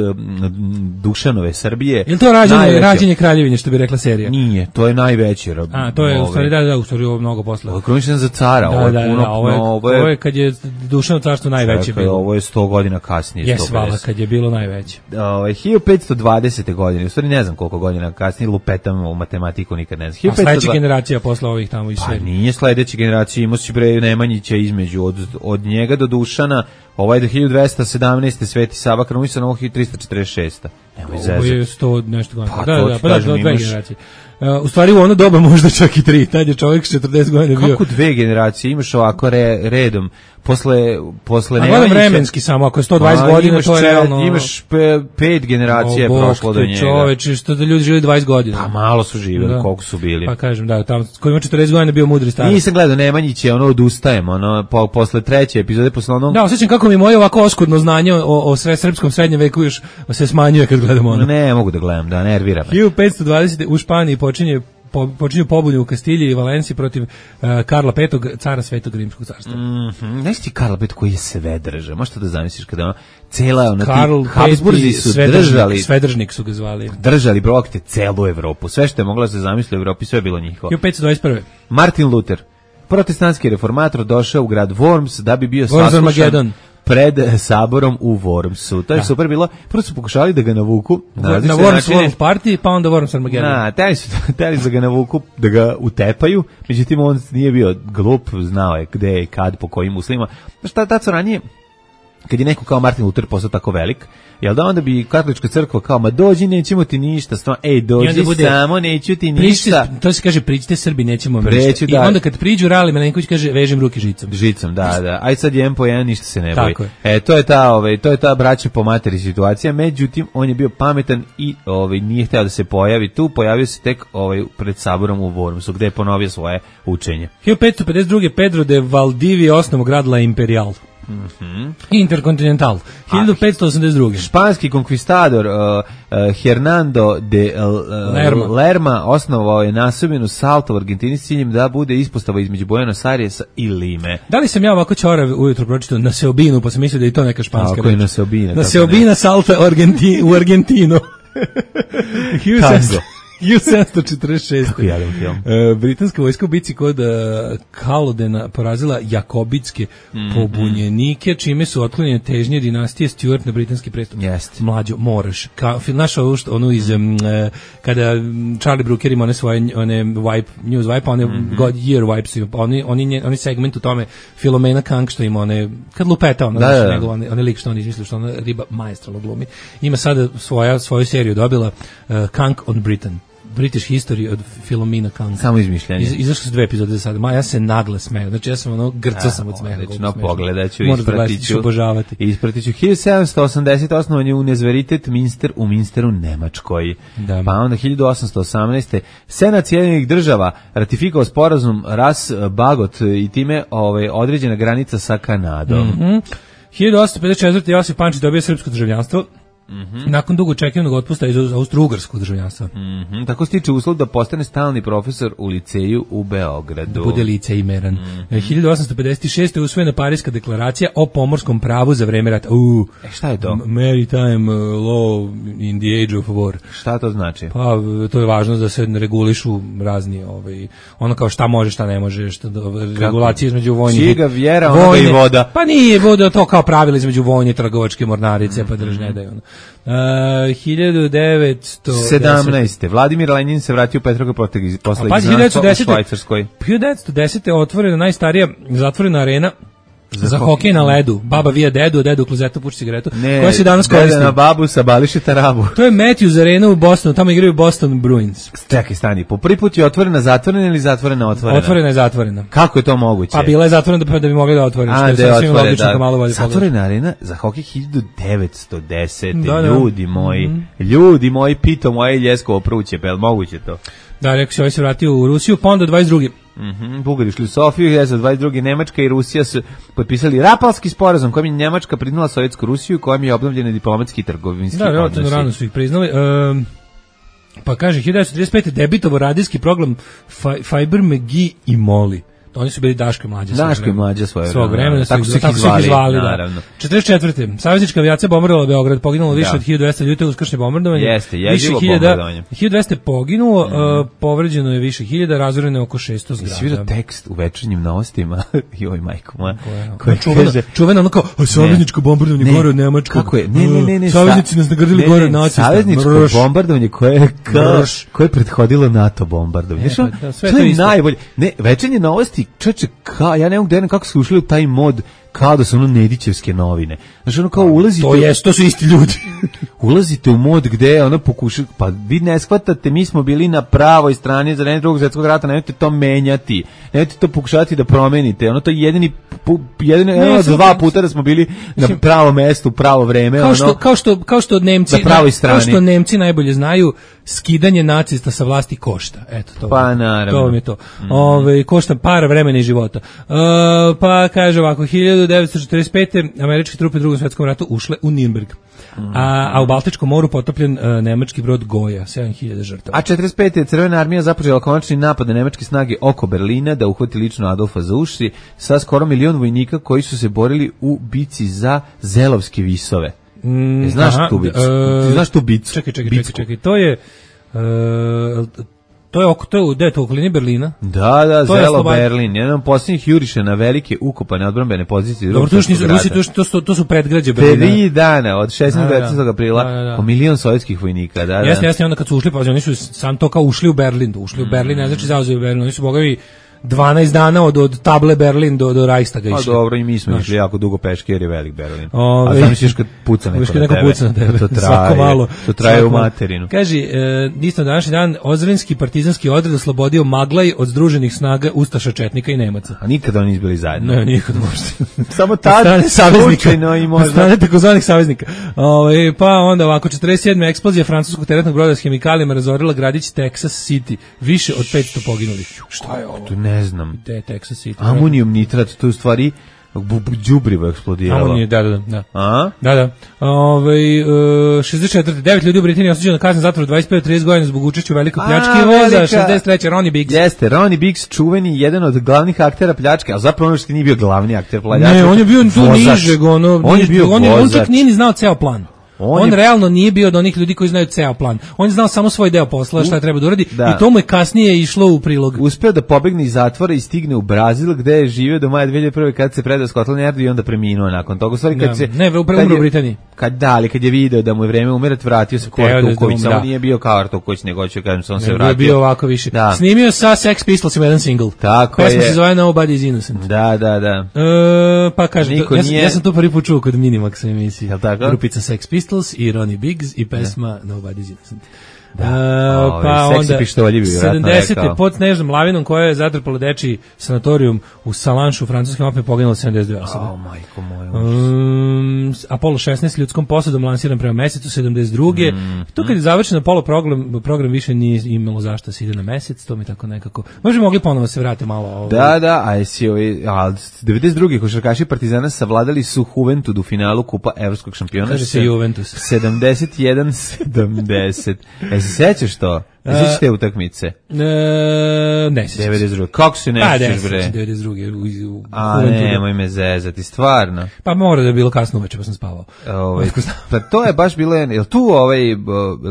Dušanove Srbije. Je li to rađenje, rađenje kraljevine, što bi rekla serija? Nije, to je najveći. A, to je, ove, u stvari, da, da, u stvari, ovo mnogo posle. Ovo je kruničan za cara, da, ovo je da, puno, da, ovo je, ovo je, ovo je kad je Dušano carstvo najveće bilo. Ovo je sto godina kasnije. Jes, vala, kad je bilo najveće. Ove, hiljadu petsto dvadesete godine, u stvari ne znam koliko godina kasnije, lupetam u matematiku nikad ne znam. A sledeća generacija posle ovih tamo i sve. Pa nije sledeća generacija, imao si bre Nemanjića između, od, od njega do Dušana, ovaj do hiljadu dvesta sedamnaeste Sveti Sava krunisan, ovo hiljadu tristo četrdeset šeste Evo ovo je sto nešto godina. Pa, da, da, pa da, dve generacije. Uh, u stvari u ono doba možda čak i tri, tad je čovjek četrdeset godina bio. Kako dve generacije, imaš ovako re, redom, posle, posle Nemanjića. A gledam vremenski samo, ako je sto dvadeset godina, to je realno... Imaš pe, pet generacija je prošlo do njega. Čoveče, što da ljudi živjeli dvadeset godina. Pa malo su živjeli, da. Koliko su bili. Pa kažem, da, tamo, ko ima četrdeset godina bio mudri starac. Nisam gledao Nemanjić je ono odustajem, ono, po, posle treće epizode, posle ono... Da, osjećam kako mi moje ovako oskudno znanje o, o sve srpskom srednjem veku još se smanjuje kad gledam ono. Ne, mogu da gledam, da, nervira me. hiljadu petsto dvadesete u Španiji počinje Po, počinju pobune u Kastilji i Valenciji protiv uh, Karla petog, cara Svetog Rimskog carstva. Mm-hmm. Znaš ti Karla petog koji je sve držao? Možeš to da zamisliš kada ono, cela ona Karl ti Habsburzi su Svedržnik, držali, Svedržnik su ga zvali. Držali brokte celu Evropu. Sve što je mogla se zamisliti u Evropi, sve je bilo njihovo. hiljadu petsto dvadeset prve Martin Luther, protestantski reformator, došao u grad Worms da bi bio saslušan pred saborom u Wormsu. To je da. super bilo. Prvo su pokušali da ga navuku na, na Worms World Party, pa onda Worms Armageddon. Na, teli su teli da ga navuku, da ga utepaju. Međutim, on nije bio glup, znao je gde i kad, po kojim uslovima. Šta tad su ranije, kad je neko kao Martin Luther postao tako velik, jel da onda bi katolička crkva kao, ma dođi, nećemo ti ništa, stvarno, ej, dođi bude, samo, neću ti ništa. Pričite, to se kaže, priđite Srbi, nećemo Preću, ništa. Da. I onda kad priđu Rali Milenković kaže, vežem ruke žicom. Žicom, da, da. Aj sad jedan po jedan, ništa se ne boji. Tako je. E, to je ta, ovaj, to je ta braća po materi situacija, međutim, on je bio pametan i ovaj, nije hteo da se pojavi tu, pojavio se tek ovaj, pred saborom u Wormsu, gde je ponovio svoje učenje. hiljadu petsto pedeset druge Pedro de Valdivia osnovu grad La Imperial. Mm-hmm. Intercontinental hiljadu petsto osamdeset druge Španski konkvistador uh, uh, Hernando de uh, Lerma. Lerma osnovao je nasobinu Salto u Argentini s ciljem da bude ispostava između Buenos Airesa i Lime. Da li sam ja ovako čorav ujutro pročitao na Seobinu, pa sam mislio da je to neka španska reč? Tako je na Seobina. Na Seobina Salta u, Argenti, u Argentinu. Tango. hiljadu sedamsto četrdeset šeste Kako jadan film. Uh, britanska vojska u bici kod uh, Kalodena porazila jakobitske mm-hmm. pobunjenike, čime su otklonjene težnje dinastije Stuart na britanski prestup. Jeste. Mlađo, moraš. Ka, naš onu iz, um, uh, kada Charlie Brooker ima one svoje one wipe, news wipe, one mm-hmm. God Year wipes, oni, oni, oni segment u tome Filomena Kang što ima one, kad lupeta ona, da, znači, da. nego one, one lik što on izmislio, što ona riba maestralno glumi. Ima sada svoja, svoju seriju dobila uh, Kang on Britain. British History od Philomena Kang. Samo izmišljanje. Iz, izašle su dve epizode za sada. Ma, ja se nagle smeju. Znači, ja sam ono, grcao sam od smeha. Odlično, pogledaću, ispratiću. Obožavati. Ispratiću. hiljadu sedamsto osamdeset. osnovan je Univerzitet Minster u Minsteru, Nemačkoj. Da. Pa onda hiljadu osamsto osamnaeste. Senat Sjedinjenih država ratifikovao sporazum Ras-Bagot i time ovaj, određena granica sa Kanadom. Mm-hmm. hiljadu osamsto pedeset četvrte. Josip Pančić dobio srpsko državljanstvo. Mm-hmm. Nakon dugo čekanog otpusta iz austro-ugarskog državljanstva. Mm-hmm. Tako stiče uslov da postane stalni profesor u liceju u Beogradu. Bude licej meran. Mm-hmm. hiljadu osamsto pedeset šeste. je usvojena Pariska deklaracija o pomorskom pravu za vreme rata. Uh, e, šta je to? Maritime law in the age of war. Šta to znači? Pa, to je važno da se regulišu razni, ovaj, ono kao šta može, šta ne može, šta, regulacije između vojnih. Čiga vjera, onoga i voda. Pa nije voda, to kao pravila između vojne, trgovačke mornarice, mm-hmm. pa drž ne daju ono. Uh, hiljadu devetsto sedamnaeste. Vladimir Lenin se vratio u Petrograd posle pa, izgnanstva u Švajcarskoj. hiljadu devetsto desete. otvorena najstarija zatvorena arena za, za hokej na ledu. Baba vija dedu, dedu u klozetu puši cigaretu. Ne, koja se danas koristi. Na babu sa bališe tarabu. To je Matthews Arena u Bostonu, tamo igraju Boston Bruins. Čekaj, stani, po prvi put je otvorena zatvorena ili zatvorena otvorena? Otvorena je zatvorena. Kako je to moguće? Pa bila je zatvorena da, da bi mogli da otvoriti. A, da je otvorena, da. Malo zatvorena arena za hokej hiljadu devetsto desete. Da, da. Ljudi moji, mm. ljudi moji, pito moje ljeskovo pruće, pa je li moguće to? Da, rekao se, ovaj se vratio u Rusiju, pa onda dvadeset druge. Mhm, Bugari išli u Sofiju, hiljadu dvadeset druge. Nemačka i Rusija su potpisali Rapalski sporazum kojim je Nemačka priznala Sovjetsku Rusiju, kojim je obnovljeni diplomatski i trgovinski da, odnosi. Da, rano su ih priznali. Um, pa kaže, hiljadu devetsto trideset pete. debitovo radijski program Fiber McGee i Molly. Oni su bili Daško i Mlađa. Daško i Mlađa svoje svog vremena. Tako su ih izvali, izvali da. četrdeset četvrte. Saveznička avijacija bombardovala Beograd, poginulo više da. od hiljadu dvesta ljudi u uskršnje bombardovanje. Jeste, jezivo bombardovanje. hiljadu dvesta poginulo, mm. uh, povređeno je više hiljada, razoreno je oko šesto zgrada. Si vidio tekst u večernjim novostima? Joj, majko moja. Koja kaže... Čuvena ono kao, savezničko bombardovanje gore od Nemačkog. Kako je? Ne, ne, ne. ne Saveznici nas nagrdili gore od nacista. Savezničko bombardovanje koje je prethodilo NATO bombardovanje. To je najbolje. Ne, večernje novosti, čoveče, Ka, ja ne mogu da jedem kako su ušli u taj mod kao da su ono Nedićevske novine. Znači ono kao ulazite... To jest, to su isti ljudi. ulazite u mod gde ono pokuša... Pa vi ne shvatate, mi smo bili na pravoj strani za vreme Drugog svjetskog rata, nemojte to menjati. Nemojte to pokušati da promenite. Ono to je jedini... jedini ne, ono, dva puta da smo bili na pravo mesto u pravo vreme. Kao, ono, što, kao, što, kao što Nemci... Na pravoj strani. Kao što Nemci najbolje znaju, skidanje nacista sa vlasti košta. Eto, to, pa naravno. To vam je to. Mm. Ove, košta par vremena i života. Uh, pa kaže ovako, hiljadu devetsto četrdeset pete. američke trupe u Drugom svjetskom ratu ušle u Nürnberg. Mm. A, a u Baltičkom moru potopljen uh, nemački brod Goja, sedam hiljada žrtava. A četrdeset pete. Crvena armija započela konačni napad na nemačke snage oko Berlina da uhvati lično Adolfa za uši sa skoro milion vojnika koji su se borili u bici za Zelovske visove. Mm, e, znaš aha, tu bicu? Uh, Ti znaš tu bicu? Čekaj, čekaj, čekaj, čekaj. To je... Uh, To je oko to je u to okolini Berlina. Da, da, to Zelo Berlin. Jedan od posljednjih juriša na velike ukopane odbrambene pozicije. Dobro, to su Rusi, to su to su predgrađe Berlina. Tri dana od šesnaestog aprila da, da, da. po milion sovjetskih vojnika, da, da. Jeste, jeste, onda kad su ušli, pa oni su sam to kao ušli u Berlin, ušli u Berlin, ne znači zauzeli Berlin, oni su bogovi dvanaest dana od od table Berlin do do Reichstaga išli. A dobro, i mi smo išli jako dugo peške jer je velik Berlin. Ove, a zamisliš kad puca neko, neko na puca na tebe. To traje, malo, to traje u materinu. Kaže, e, isto današnji dan Ozrenski partizanski odred oslobodio Maglaj od združenih snaga ustaša, četnika i Nemaca. A nikada oni izbili zajedno. Ne, nikada možda. Samo tad slučajno i možda. Strane takozvanih saveznika. Ove, pa onda ovako, četrdeset sedme eksplozija francuskog teretnog broda s hemikalijama razorila gradić Texas City. Više od petsto poginulih. Šta je ovo? Ne znam. Te Texas City. Amonijum nitrat, to je u stvari đubrivo eksplodiralo. Amonijum, da, da, da. A? Da, da. Ove, uh, šezdeset četvrte. devet ljudi u Britaniji osuđeno na kaznu zatvora dvadeset pet do trideset godina zbog učešća u velikoj pljački voza. šezdeset treće. Ronnie Biggs. Jeste, Ronnie Biggs, čuveni, jedan od glavnih aktera pljačke, a zapravo ono što nije bio glavni akter pljačke. Ne, on je bio tu nižeg, ono, on je bio on, on čak nije ni znao ceo plan. On, on je... realno nije bio od onih ljudi koji znaju ceo plan. On je znao samo svoj deo posla, šta treba da uradi, da. I to mu je kasnije išlo u prilog. Uspeo da pobegne iz zatvora i stigne u Brazil, gde je živio do maja dve hiljade prve kad se predao Scotland Yardu i onda preminuo nakon toga. U stvari kad da. se ne, umro u Britaniji. Kad da, ali kad je video da mu je vreme umirati, vratio se kao Artuković, samo da. Nije bio kao Artuković, nego hoće kažem se on ne, se vratio. Bio ovako više. Da. Snimio sa Sex Pistolsima jedan single. Tako pesma je. Pesma se zove Nobody is Innocent. Da, da, da. E, pa kaže, ja, nije... ja sam to prvi put čuo kod Minimaxa emisije. Grupica Sex Pistols i Ronnie Biggs i pesma da. Nobody's Innocent. Da. Uh, Ove, pa seksi onda pištolji bi vjerojatno sedamdesete rekao. pod snežnom lavinom koja je zatrpala dečiji sanatorijum u Salanšu u francuskim Alpima poginulo sedamdeset dve osobe. O, majko moja. Um, Apollo šesnaest ljudskom posadom lansiran prema mesecu sedamdeset druge Mm, to kad je završen Apollo program, program više nije imalo zašto se ide na mesec, to mi tako nekako. Možda mogli ponovo se vratiti malo. Ovaj. Da, da, a jesi ovaj, a devedeset druge košarkaši Partizana savladali su Juventud u finalu Kupa evropskog šampiona. Kaže se Juventus. sedamdeset jedan sedamdeset. E se sećaš to? Ne sećaš te utakmice? E, ne sećam se. devedeset druge. Kako se ne Pa, sećaš, bre? devedeset druge u, u A Juventudu. nemoj me zezati, stvarno. Pa mora da je bilo kasno uveče, pa sam spavao. Ovaj, pa to je baš bilo, jel tu ovaj, jel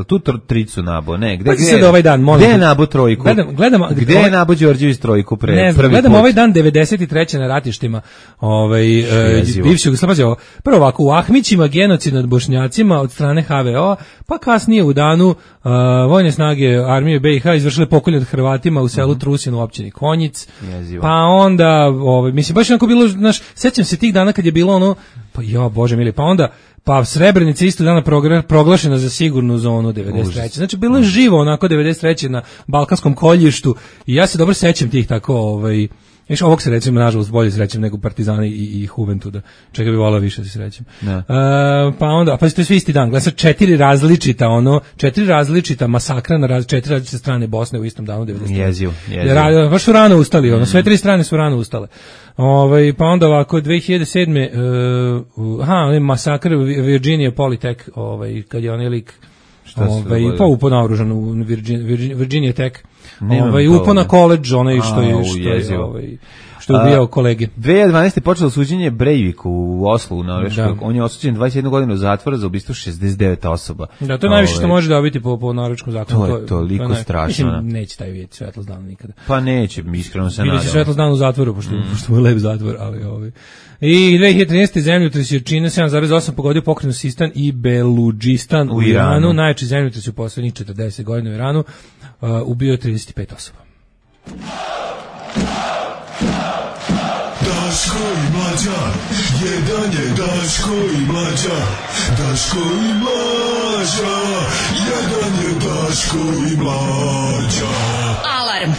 tu tr- tricu nabo, ne? Gde, Pa gde, sad ovaj dan, molim gde je te. nabo trojku? Gledam- gledam- gde ovaj- je nabo Đorđević trojku pre Ne znam, prvi gledam put? ovaj dan devedeset treće na ratištima ovaj, e, Jezivo. bivši Jugoslavije. Ovo. Prvo ovako, u Ahmićima genocid nad Bošnjacima od strane H V O, pa kasnije u danu uh, vojne snage armije B i H izvršile pokolj nad Hrvatima u selu Trusin u općini Konjic. Jezivo. Pa onda, ovaj, mislim, baš onako bilo, znaš, sećam se tih dana kad je bilo ono, pa jo, bože mili, pa onda, pa Srebrenica isto dana progra- proglašena za sigurnu zonu devedeset treće. Znači, bilo je živo onako devedeset treće na Balkanskom koljištu i ja se dobro sećam tih tako, ovaj, Viš, ovog se recimo, nažalost, bolje srećem nego Partizani i, i Juventuda. Čega bi volao više se srećem. Da. Uh, pa onda, pa to je svi isti dan. Gleda sad četiri različita, ono, četiri različita masakra na raz, četiri različite strane Bosne u istom danu devedeset treće. Jezivo, jezivo. Ra, baš su rano ustali, ono, sve tri strane su rano ustale. Ovaj, pa onda ovako, dve hiljade sedme. Uh, aha, onaj masakr Virginia Polytech, ovaj, kad je onaj lik Šta se ovaj, dogodilo? pa upo naoružan u Virginia, Virginia, Virginia Tech. Nemam Ovaj, to, upo na ne. koledž, onaj što je, Au, što je, jezivo. ovaj, što je ubijao kolege. dve hiljade dvanaeste. počelo suđenje Breiviku u Oslu, u Norveškoj. Da. On je osuđen dvadeset jednu godinu zatvora za ubistvo šezdeset devet osoba. Da, to je najviše što Ovaj, može dobiti po, po norveškom zakonu. To je toliko naj- strašno, Mislim, da. neće taj vidjeti svetlost dana nikada. Pa neće, iskreno se Bili će nadam. svetlost dana u zatvoru, pošto, mm. pošto mu je lep zatvor, ali ovaj. I dve hiljade trinaeste. zemljotres jačine sedam zarez osam pogodio pokrajinu Sistan i Beludžistan u, U Iranu. Iranu. Najjači zemljotres u poslednjih četrdeset godina u Iranu. Uh, ubio je trideset pet osoba. Daško i Mlađa, jedan je Daško i Mlađa, Daško i Mlađa, jedan je Daško i Mlađa. Alarm.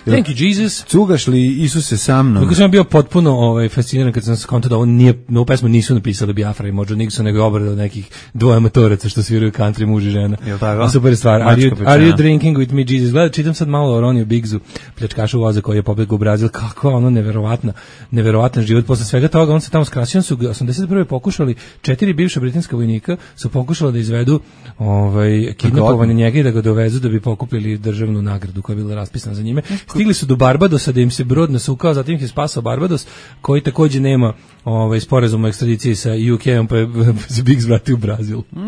Thank you, Jesus. Cugaš li Isuse sa mnom? Kako sam bio potpuno ovaj, fasciniran kad sam skontao da ovo nije, na ovu pesmu nisu napisali Biafra i Modžo Nixon, nego je obrada nekih dvoje amatoraca što sviraju country, muž i žena. Jel tako? A super stvar. Are Mačka you, pečena. are you drinking with me, Jesus? Gleda, čitam sad malo o Roniju Biggsu, pljačkašu voza koji je pobegao u Brazil. Kako ono neverovatna, neverovatan život. Posle svega toga on se tamo skrasio. On su ga osamdeset prve pokušali, četiri bivša britanska vojnika su pokušala da izvedu ovaj, kidnapovanje njega i da ga dovezu da bi pokupili državnu nagradu koja je bila raspisana za njime. Stigli su do Barbadosa da im se brod nasukao, zatim ih je spasao Barbados, koji takođe nema ovaj, sporazum o ekstradiciji sa U K-om, pa je se Biggs vratio u Brazil. Mm,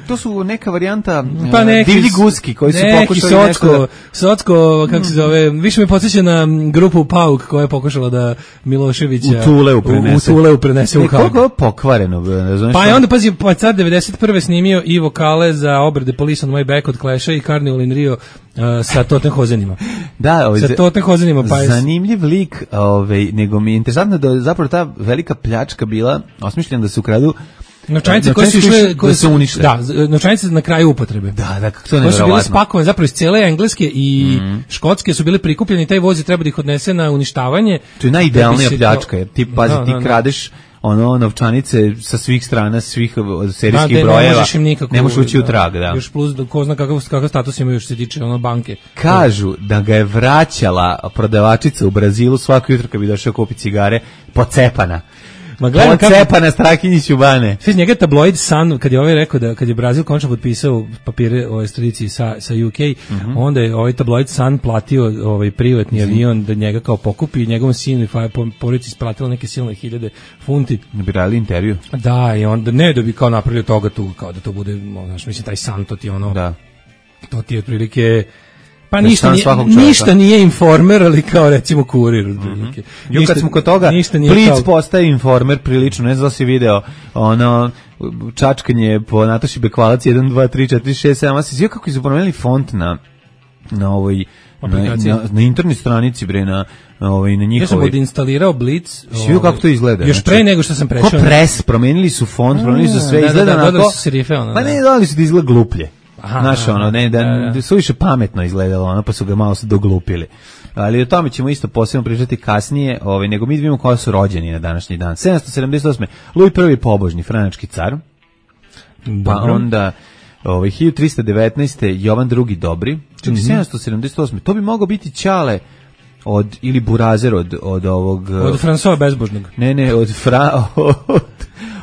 to su neka varijanta Pa e, neki divlji guski koji su neki pokušali nešto socko, da... socko, kako se zove, više me podsjeća na grupu Pauk koja je pokušala da Miloševića U Tuleu prenese. U, u Tuleu prenese u E, Hag. koliko je pokvareno, ne znaš Pa šta? je onda, pazi, pa car devedeset prve snimio i vokale za obrade Police on My Back od Clash-a i Carnival in Rio uh, sa Tottenhozenima. Da, ovaj, Sa za- Tottenhozenima, pa je... zanimljiv lik, ovaj, nego mi je interesantno da je zapravo ta velika pljačka bila osmišljena da se ukradu Novčanice e, koje su išle, da se unište. Da, z- novčanice na kraju upotrebe. Da, da, kako to je Koje su bile neverovatno. spakovane zapravo iz cele engleske i škotske su bile prikupljene i taj voz je treba da ih odnese na uništavanje. To je najidealnija Da bi se pljačka, to- jer ti, pazi, Da, ti da, da. kradeš ono novčanice sa svih strana, svih uh, Da, serijskih da, ne brojeva, možeš im nikako, ne možeš ući u trag, da. Još plus, da, ko zna kakav, kakav status imaju još se tiče ono banke. Kažu da ga je vraćala prodavačica u Brazilu svako jutro kad bi došao kupiti cigare, pocepana. Ma gledam kako... Pocepana Strahinjić u bane. Sve iz njega je tabloid Sun, kad je ovaj rekao da kad je Brazil konačno potpisao papire o ekstradiciji sa, sa U K, Mhm. onda je ovaj tabloid Sun platio ovaj privatni avion da njega kao pokupi i njegovom sinu i fa- po- porodici isplatilo neke silne hiljade funti. Ne bi radili intervju. Da, i onda ne da bi kao napravili od toga tu, kao da to bude, ono, znaš, mislim, taj Sun, to ti je ono, Da. to ti je otprilike... Pa Da ništa san nije, svakog čovjeka. ništa nije informer, ali kao recimo kurir. otprilike. Jo, kad smo kod toga, ništa nije Blic kao- postaje informer prilično, ne znam da si video, ono, čačkanje po Nataši Bekvalac, jedan, dva, tri, četiri, šest, sedam, osam, svi kako su promenili font na, na ovoj, na, Aplikaciji. na, na internet stranici, bre, na, na, ovoj, na Ja sam njihovoj. odinstalirao Blitz. Si vidio kako to izgleda? Još pre nego što sam prešao. Ko pres, promenili su font, promenili su sve, da, da, izgleda da, onako... dodali su serife, ono, Pa da. ne, dodali su da izgleda gluplje. Aha, Znaš, ono, ne, da, da, da. su više pametno izgledalo, ono, pa su ga malo se doglupili. Ali o tome ćemo isto posebno pričati kasnije, ovaj, nego mi vidimo koja su rođeni na današnji dan. sedamsto sedamdeset osme. Luj prvi pobožni, franački car. Pa Dobro. onda ovaj, hiljadu trista devetnaeste. Jovan drugi Dobri. Čekaj, Mhm. sedamsto sedamdeset osme. To bi mogao biti Ćale od, ili Burazer od, od ovog... Od Fransova bezbožnog. Ne, ne, od, Fra, od,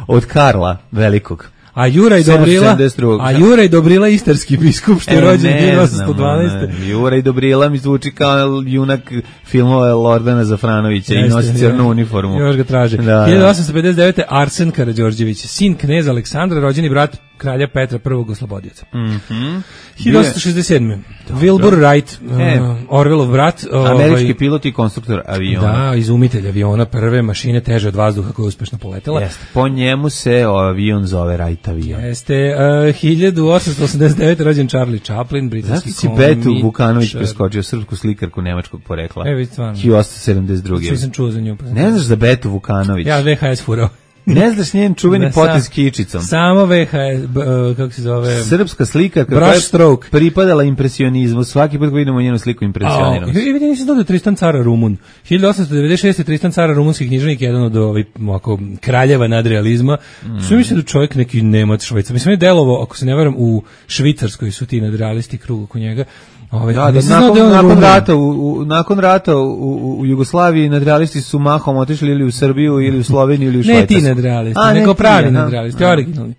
od Karla Velikog. A Juraj Dobrila, sedamsto sedamdeset druge. a Juraj Dobrila istarski biskup što je E, rođen ne hiljadu znam, osamsto dvanaeste. ono, Jura i Dobrila mi zvuči kao junak filmova Lordana Zafranovića i Jeste, nosi ja. crnu uniformu. Još ga traže. Da, da. hiljadu osamsto pedeset devete. Arsen Karađorđević, sin kneza Aleksandra, rođeni brat kralja Petra prvog oslobodioca. Mhm. hiljadu osamsto šezdeset sedme. Wilbur Wright, E. uh, Orwellov brat. Američki ovaj, pilot i konstruktor aviona. Da, izumitelj aviona, prve mašine teže od vazduha koja je uspešno poletela. Jeste. Po njemu se o, avion zove Wright avion. Jeste, uh, hiljadu osamsto osamdeset devete. rođen Charlie Chaplin, britanski Zašto si Betu komičar. Vukanović preskočio, srpsku slikarku nemačkog porekla? E, vidi stvarno. hiljadu osamsto sedamdeset druge. Što sam čuo za nju. Pa Ne znaš za Betu Vukanović? Ja V H S furao. Ne znaš njen čuveni Da, potez sa- kičicom? Samo V H S, b, uh, kako se zove? Srpska slikarka Brush koja je stroke. pripadala impresionizmu. Svaki put kad vidimo njenu sliku A, impresioniramo. se. i vidi, nisam dodao Tristan Cara Rumun. hiljadu osamsto devedeset šeste. Tristan Cara Rumunski književnik, jedan od ovih ovako kraljeva nadrealizma. Mm. Sve mislim da čovjek neki Nemac, Švajcar. Mislim je delovo, ako se ne varam, u Švicarskoj su ti nadrealisti krug oko njega. Ovaj, Da, da, nisam znao nakon, je on nakon Rumun. rata, u, u, nakon rata u, u, u Jugoslaviji nadrealisti su mahom otišli ili u Srbiju, ili u Sloveniju, ili u Švajcarsku. Ne ti nadrealisti, A, ne nego ti, pravi aha. nadrealisti, originalni.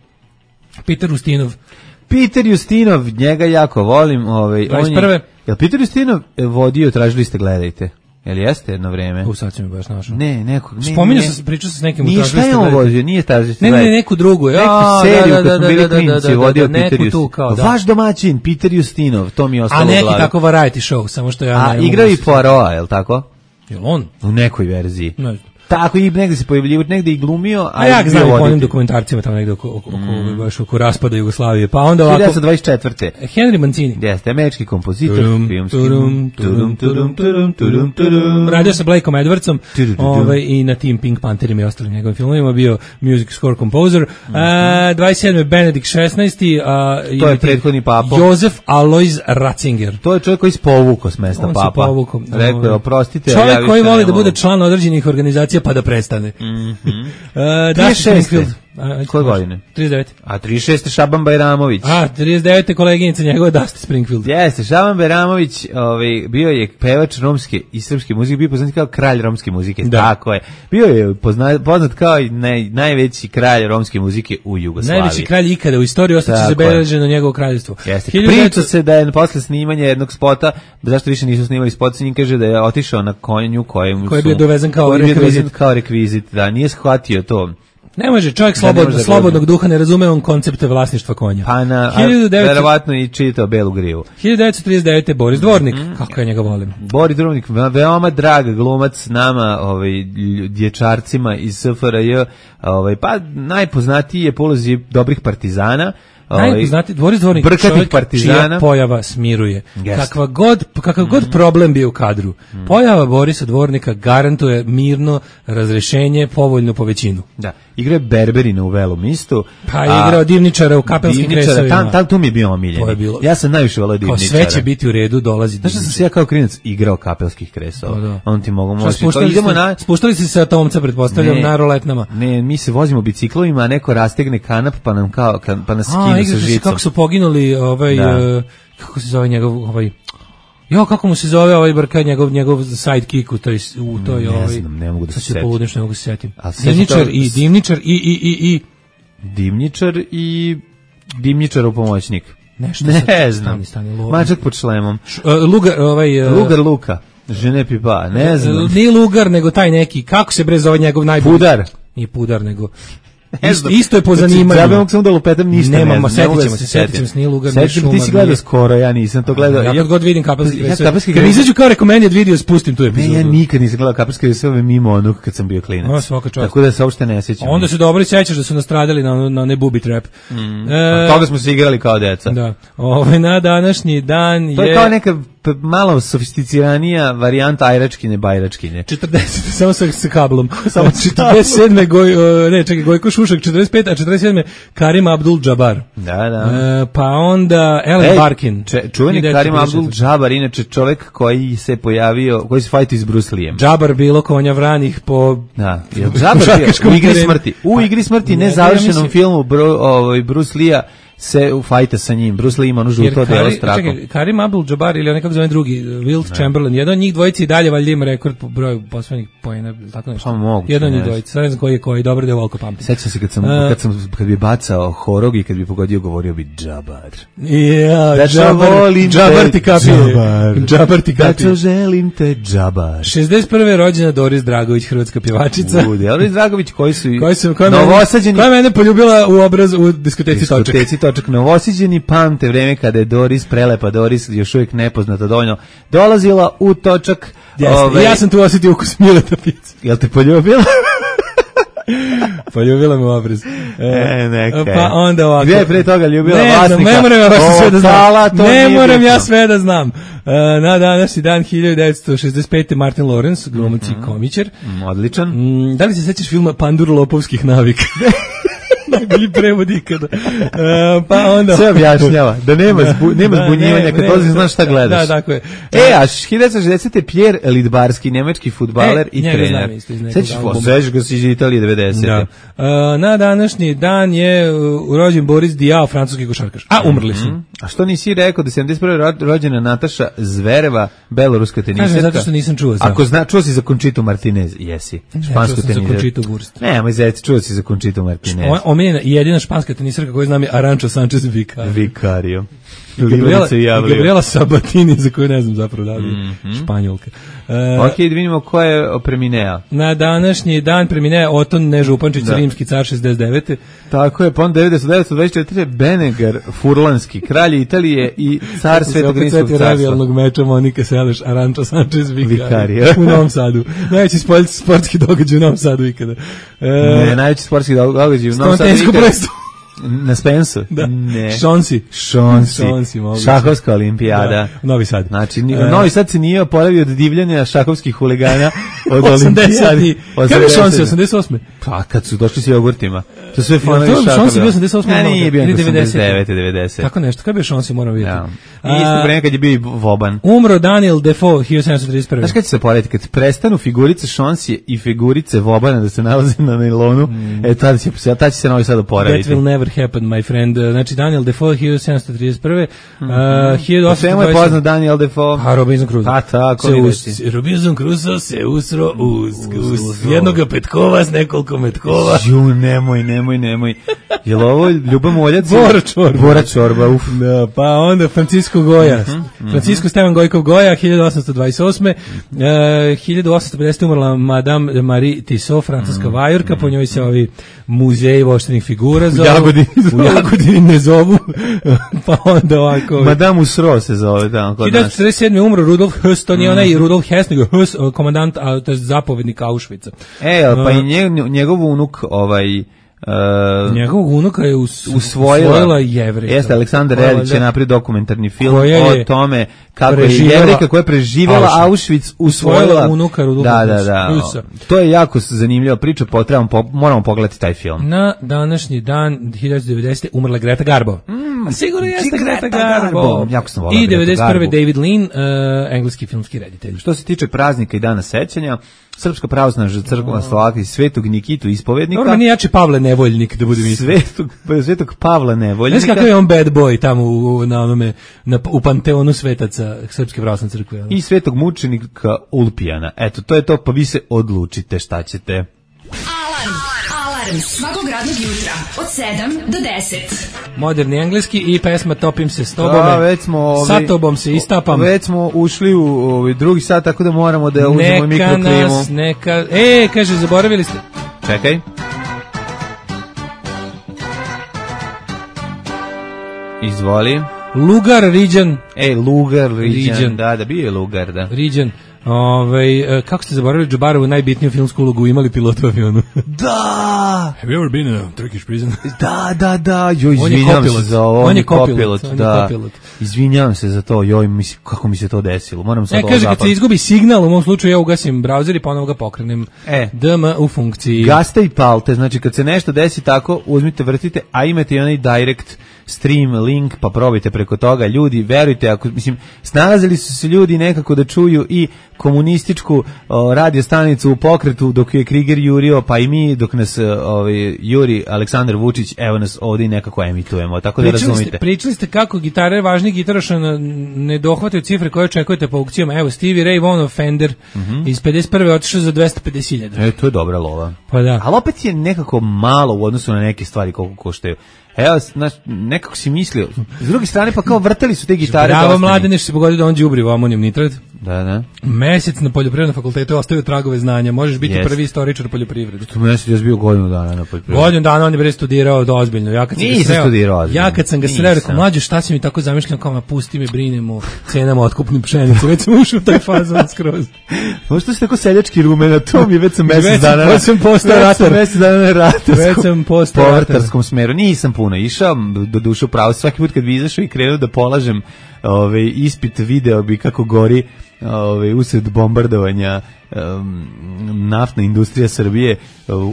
Peter Ustinov. Peter Justinov, njega jako volim. Ovaj, on dvadeset je, prve. jel Peter Justinov e, vodio, tražili ste, gledajte. Jel jeste jedno vreme? U, sad si mi baš našao. Ne, nekog. Ne, Spominjao ne. sam, pričao sam s nekim u Nije, šta tražili je ste on gledajte. vodio? Nije tražili ste Ne, ne, ne, gledajte. neku drugu. Ja, Neku seriju da, da, kad smo da, bili da, da, klinci, da, da, vodio da, Peter neku tu Justinov. kao, da. Vaš domaćin, Peter Justinov, to mi je ostalo A u neki glavi. tako variety show, samo što ja A, ne mogu igrao i da se- Poirot, je li tako? Jel on? U nekoj verziji. Ne znam. Tako i negde se pojavljivo, negde i glumio, A ja ga bio znam i po onim voditelj. dokumentarcima tamo negde oko, oko, oko, baš oko raspada Jugoslavije. Pa onda ovako... hiljadu devetsto dvadeset četvrte. Henry Mancini. Jeste, američki kompozitor, Turum, filmski. turum, turum, turum, turum, turum, turum. Radio sa Blakeom Edwardsom Tudu-du-du. ovaj, i na tim Pink Pantherima i ostalim njegovim filmovima bio music score composer. A, dvadeset sedme. Benedikt šesnaesti. A, To je imati prethodni papo. Josef Alois Ratzinger. To je čovjek koji se povukao s mesta On se papa. povukao. Rekao je, oprostite. Čovjek ja više koji ne voli da mogu. bude član određenih organizacija pa da prestane. Mm trideset šeste. Koje godine? trideset devete. A trideset šeste. Šaban Bajramović. A, trideset devete. koleginica njegova Dusty Springfield. Jeste, Šaban Bajramović ovaj, bio je pevač romske i srpske muzike, bio poznat kao kralj romske muzike, Da. tako je. Bio je pozna, poznat kao i naj, najveći kralj romske muzike u Jugoslaviji. Najveći kralj ikada u istoriji, ostaće Tako zabeleženo njegovo kraljevstvo. Jeste. hiljadu Priča devetsto se da je posle snimanja jednog spota, zašto više nisu snimali spot, s njim kaže da je otišao na konju kojem Koji je su- bio dovezen kao koji je bio rekvizit. dovezen kao rekvizit, da, nije shvatio to. Ne može, čovjek Da, ne slobodno, može da slobodnog gleda. duha ne razume on koncepte vlasništva konja. Pa na, hiljadu devetsto verovatno i čitao Belu grivu. hiljadu devetsto trideset devete. Boris Dvornik, Mhm. kako ja njega volim. Boris Dvornik, veoma drag glumac nama, ovaj, lj- dječarcima iz S F R J, ovaj, pa najpoznatiji je po ulozi dobrih partizana, ovaj, Najpoznati Boris Dvornik, brkatih čovjek partizana. čija pojava smiruje. Jeste. Kakva god, kakav god Mhm. problem bio u kadru, pojava Borisa Dvornika garantuje mirno razrešenje, povoljno po većinu. Da, igra je Berberina u Velom istu. Pa je igrao divničara u Kapelskim Divničara, kresovima. Tam, tam, tu mi je bio omiljeni. To je bilo- Ja sam najviše volao Kao divničara. sve će biti u redu, dolazi Znaš što sam divničar. se ja kao klinac igrao Kapelskih kresova? Da, da. On ti mogu Šta, moći. spuštali, Idemo ste, na... spuštali ste se sa Tomca, pretpostavljam, Ne. na roletnama. Ne, mi se vozimo biciklovima, a neko rastegne kanap pa nam kao ka- pa nas A, skine sa igrate se žicom. kako su poginuli ovaj, Da. e, kako se zove njegov, ovaj, jo, kako mu se zove ovaj brka, njegov, njegov sidekick u toj, u toj, Ne ovaj, znam, ne mogu da sad se ću setim. poludniš, ne mogu se setim. A sećam Divničar to- i divničar i, i, i, i, Dimnjičar i Dimnjičarov pomoćnik. nešto Ne sad- znam. stani, stani, lo- Mačak pod šlemom. Š- e, Lugar, ovaj, e, Lugar Luka. Žene pipa, ne znam. e, Nije Lugar, nego taj neki, kako se bre zove njegov najbolji? Pudar. Nije Pudar, nego... Ne Isto, znam. isto je po Znači, zanimanju. ja bih mogu samo da lupetam ništa. Nemamo, ne znam, setit ne mogu da ćemo se, setit ćemo se, nije Lugar, nije Setit ćemo, ti si Šumar, gledao nije- skoro, ja nisam to gledao. Ja kad god vidim Kapelski Ja kresove, Kapelski kad mi kresove- izađu kao recommended video, spustim tu epizodu. Ne, ja nikad nisam gledao Kapelske kresove mimo onog kad sam bio klinac. O, svaka čast. Tako da se uopšte ne sjećam. Onda se dobro sećaš da su nastradali na na ne booby trap. Mm. E, Toga smo se igrali kao deca. da. Ovaj na današnji dan je To je kao neka p- malo sofisticiranija varijanta ajračkine, bajračkine. četrdeset samo sa, sa kablom. Samo četrdeset sedme Goj, ne, čekaj, Gojko Šušak, četrdeset pete, a četrdeset sedme Karim Abdul-Džabar. Da, da. E, pa onda Ellen Ej, Barkin. Če, čuveni Karim Abdul-Džabar, inače čovjek koji se pojavio, koji se fajti s Bruce Lijem. Džabar bilo konja vranih po... Da, je Džabar bio u igri smrti. U igri smrti, nezavršenom filmu Bru, ovaj, Bruce Lija se u fajta sa njim. Bruce Lee ima ono žuto delo s trakom. Čekaj, Karim Abdul-Jabbar ili nekako zove drugi, Wilt Chamberlain, jedan od njih dvojici i dalje valjda ima rekord po broju poslednjih poena, tako nešto. Pa moguće. Jedan od njih dvojici, sad ne znam koji je koji, dobro da je volko pamtim. Sećam se kad sam, uh, kad sam kad bi bacao horog i kad bi pogodio, govorio bi Džabar. Ja, da Džabar, Džabar ti kapije. Džabar ti kapije. Da želim te Džabar. šezdeset prve rođena Doris Dragović, hrvatska pjevačica. U, Doris Dragović koji su koji su koja novosađeni, koja mene poljubila u obraz u diskoteci Točak. Diskoteci Točak, novosađeni pamte vreme kada je Doris, prelepa Doris, još uvijek nepoznata dovoljno, dolazila u Točak. Ove, ja sam tu osjetio ukus Mileta pice. Jel te poljubila? Poljubila me u obraz. E, neka. Pa onda ovako. Gdje je pre toga ljubila ne vlasnika? Ne moram ja baš sve da znam. Ne moram bitno. ja sve da znam. Uh, na današnji dan hiljadu devetsto šezdeset pete Martin Lawrence, glumac i komičar. Mm, odličan. Mm, da li se sećaš filma Pandur lopovskih navika? Najbolji prevod ikada. Uh, pa onda... Sve objašnjava. Da nema, zbu, nema da, zbunjivanja, ne, kad ne, dolazi znaš šta gledaš. Da, tako je. E, a hiljadu devetsto šezdesete Pierre Lidbarski, nemački fudbaler e, i trener. Sećaš ga si iz Italije devedesete. Da. Uh, na današnji dan je uh, rođen Boris Diaw, francuski košarkaš. A, umrli su. Mm-hmm. A što nisi rekao da sedamdeset prve rođena Nataša Zvereva, beloruska teniserka? Kažem, zato što nisam čuo za. Ako zna, čuo si za Conchitu Martinez, jesi. Špansku ja, teniserku. Za Conchitu Wurst. Ne, moj zec, čuo si za Conchitu Martinez. O, omiljena i jedina španska teniserka koju znam je Arančo Sanchez Vicario. Vicario. Gabriela, Gabriela Sabatini, za koju ne znam zapravo da li mm-hmm. Španjolka. Uh, ok, da vidimo ko je preminea. Na današnji dan preminea Oton Nežupančić, da. Rimski car šezdeset devete. Tako je, pa on devetsto dvadeset četiri Benegar Furlanski, kralj Italije i car Svetog Rimskog carstva. Revijalnog meča Monika Seleš, Arančo Sanchez Vicario. U Novom Sadu. Najveći sportski događaj u Novom Sadu ikada. Uh, ne, najveći sportski događaj u Novom Sadu ikada. Na Spensu? Da. Ne. Šonsi. Šonsi. Šonsi Šahovska olimpijada. Da. Novi Sad. Znači, uh, Novi Sad se nije oporavio od divljanja šahovskih huligana od olimpijade. Kada je Šonsi, osamdeset osme? Pa, kad su došli s jogurtima. To sve fanovi šahova. Šonsi bio osamdeset osme? Ne, nije bio osamdeset devete devedesete. Tako nešto, kada je Šonsi, moram vidjeti. Ja. I isto vreme kad je bio i Voban. Umro Daniel Defoe, hiljadu sedamsto trideset prve. Znaš kada će se porediti? Kad prestanu figurice Šonsije i figurice Vobana da se nalaze na nailonu, mm. e, tada će, tada će se Novi Sad oporaviti. That will never happen, my friend. Znači, Daniel Defoe, hiljadu sedamsto trideset prve. Mm-hmm. Uh, hiljadu osamsto dvadeset. Svema je poznat Daniel Defoe. A, Robinson Crusoe. Pa, tako, se Robinson Crusoe se usro uz, uz, uz jednoga petkova s nekoliko metkova. Ju, nemoj, nemoj, nemoj. Je li ovo Ljuba Moljac? Bora Čorba. Bora Čorba, uf. Da, pa onda Francisco Goja. Mm-hmm. Francisco Stevan Gojkov Goja, hiljadu osamsto dvadeset osme. Uh, hiljadu osamsto pedesete umrla Madame Marie Tissot, francuska mm-hmm. vajurka, po njoj se ovi muzeji voštenih figura zovu. U Jagodini. U Jagodini ne zovu. Pa onda ovako. Madame Usro se zove tamo kod nas. hiljadu devetsto četrdeset sedme umro Rudolf Höss, to nije onaj Rudolf Hess, nego Höss, komandant, a, to je zapovednik Auschwitza. E, pa i njegov, njegov unuk, ovaj... Uh, njegovog unuka je us, usvojila, usvojila Jevrika. Jeste, Aleksandar Redić je napravio dokumentarni film o tome kako je Jevrika koja je preživjela Auschwitz usvojila unuka Rudolfa da, da, da. Husa. To je jako zanimljiva priča, potrebamo, po, moramo pogledati taj film. Na današnji dan hiljadu devetsto devete. umrla Greta Garbo. Mm, A sigurno jeste Greta Garbo. Garbo. Jako sam volao I devedeset prve. David Lean, uh, engleski filmski reditelj. Što se tiče praznika i dana sećanja, Srpska pravoslavna crkva Slovaka i Svetog Nikitu ispovednika. Dobro, nije jači Pavle Nevoljnik, da budem iskren. Svetog, Svetog Pavla Nevoljnika. Znaš kako je on bad boy tamo u, na onome, na, u panteonu svetaca Srpske pravoslavne crkve. I Svetog mučenika Ulpijana. Eto, to je to, pa vi se odlučite šta ćete. Alarm, alarm, svakog radnog jutra, od sedam do deset. Moderni engleski i pesma Topim se s tobom. Da, već smo ovi, sa tobom se istapam. Već smo ušli u ovi drugi sat, tako da moramo da uzmemo mikroklimu. Neka nas, neka... E, kaže, zaboravili ste. Čekaj. Izvoli. Lugar Riđan. E, Lugar Riđan. Da, da, bio je Lugar, da. Riđan. Ove, kako ste zaboravili Džabarovu najbitniju filmsku ulogu, imali pilot u avionu? Da! Have you ever been in a Turkish prison? Da, da, da, joj, On je izvinjavam kopilot. se za ovo. On je kopilot, on je da. kopilot. Izvinjavam se za to, joj, mi, kako mi se to desilo. Moram sad E, ovo kaže, kad zapamtiti. se izgubi signal, u mom slučaju ja ugasim browser i ponovo ga pokrenem. E. D M u funkciji. Gaste i palte, znači kad se nešto desi tako, uzmite, vrtite, a imate i onaj direct stream link, pa probajte preko toga. Ljudi, verujte, ako, mislim, snalazili su se ljudi nekako da čuju i komunističku o, radio stanicu u pokretu dok je Kriger jurio, pa i mi dok nas ovaj, juri Aleksandar Vučić, evo nas ovdje i nekako emitujemo, tako da Pričali razumite. ste, pričali ste kako gitare, važni gitaraša na- ne dohvataju cifre koje očekujete po aukcijama. Evo, Stevie Ray Vaughan Fender Mhm. iz pedeset prve otišao za dvesta pedeset hiljada. E, to je dobra lova. Pa da. Ali opet je nekako malo u odnosu na neke stvari koliko koštaju. Evo, znaš, nekako si mislio. S druge strane, pa kao vrtali su te gitare. Bravo, dosta mlade, mi. nešto se pogodio da on đubrivo amonijum nitrat. Da, da. Mesec na poljoprivrednom fakultetu je ostavio tragove znanja. Možeš biti Jest. prvi istoričar poljoprivrede. Tu mjesec je bio godinu dana na poljoprivredu. Godinu dana on je bre studirao da ozbiljno. Ja kad sam ga Nisam sreo, studirao ozbiljno. ja kad sam ga sreo, Nisam. rekao, mlađe, šta si mi tako zamišljam, kao, ma pusti me, brinem o cenama otkupnim pšenice. Već sam ušao u taj fazon skroz. Možda si tako seljački rumen, a to mi već sam Već mjesec sam- dana. već sam postao već sam ratar. mjesec dana na ratarskom. Već sam postao ratar. povrtarskom smeru. Nisam puno išao, do duše u pravo. Svaki put kad bi izašao i krenuo da polažem ovaj, ispit, video bi kako gori ovaj, usred bombardovanja um, naftna industrija Srbije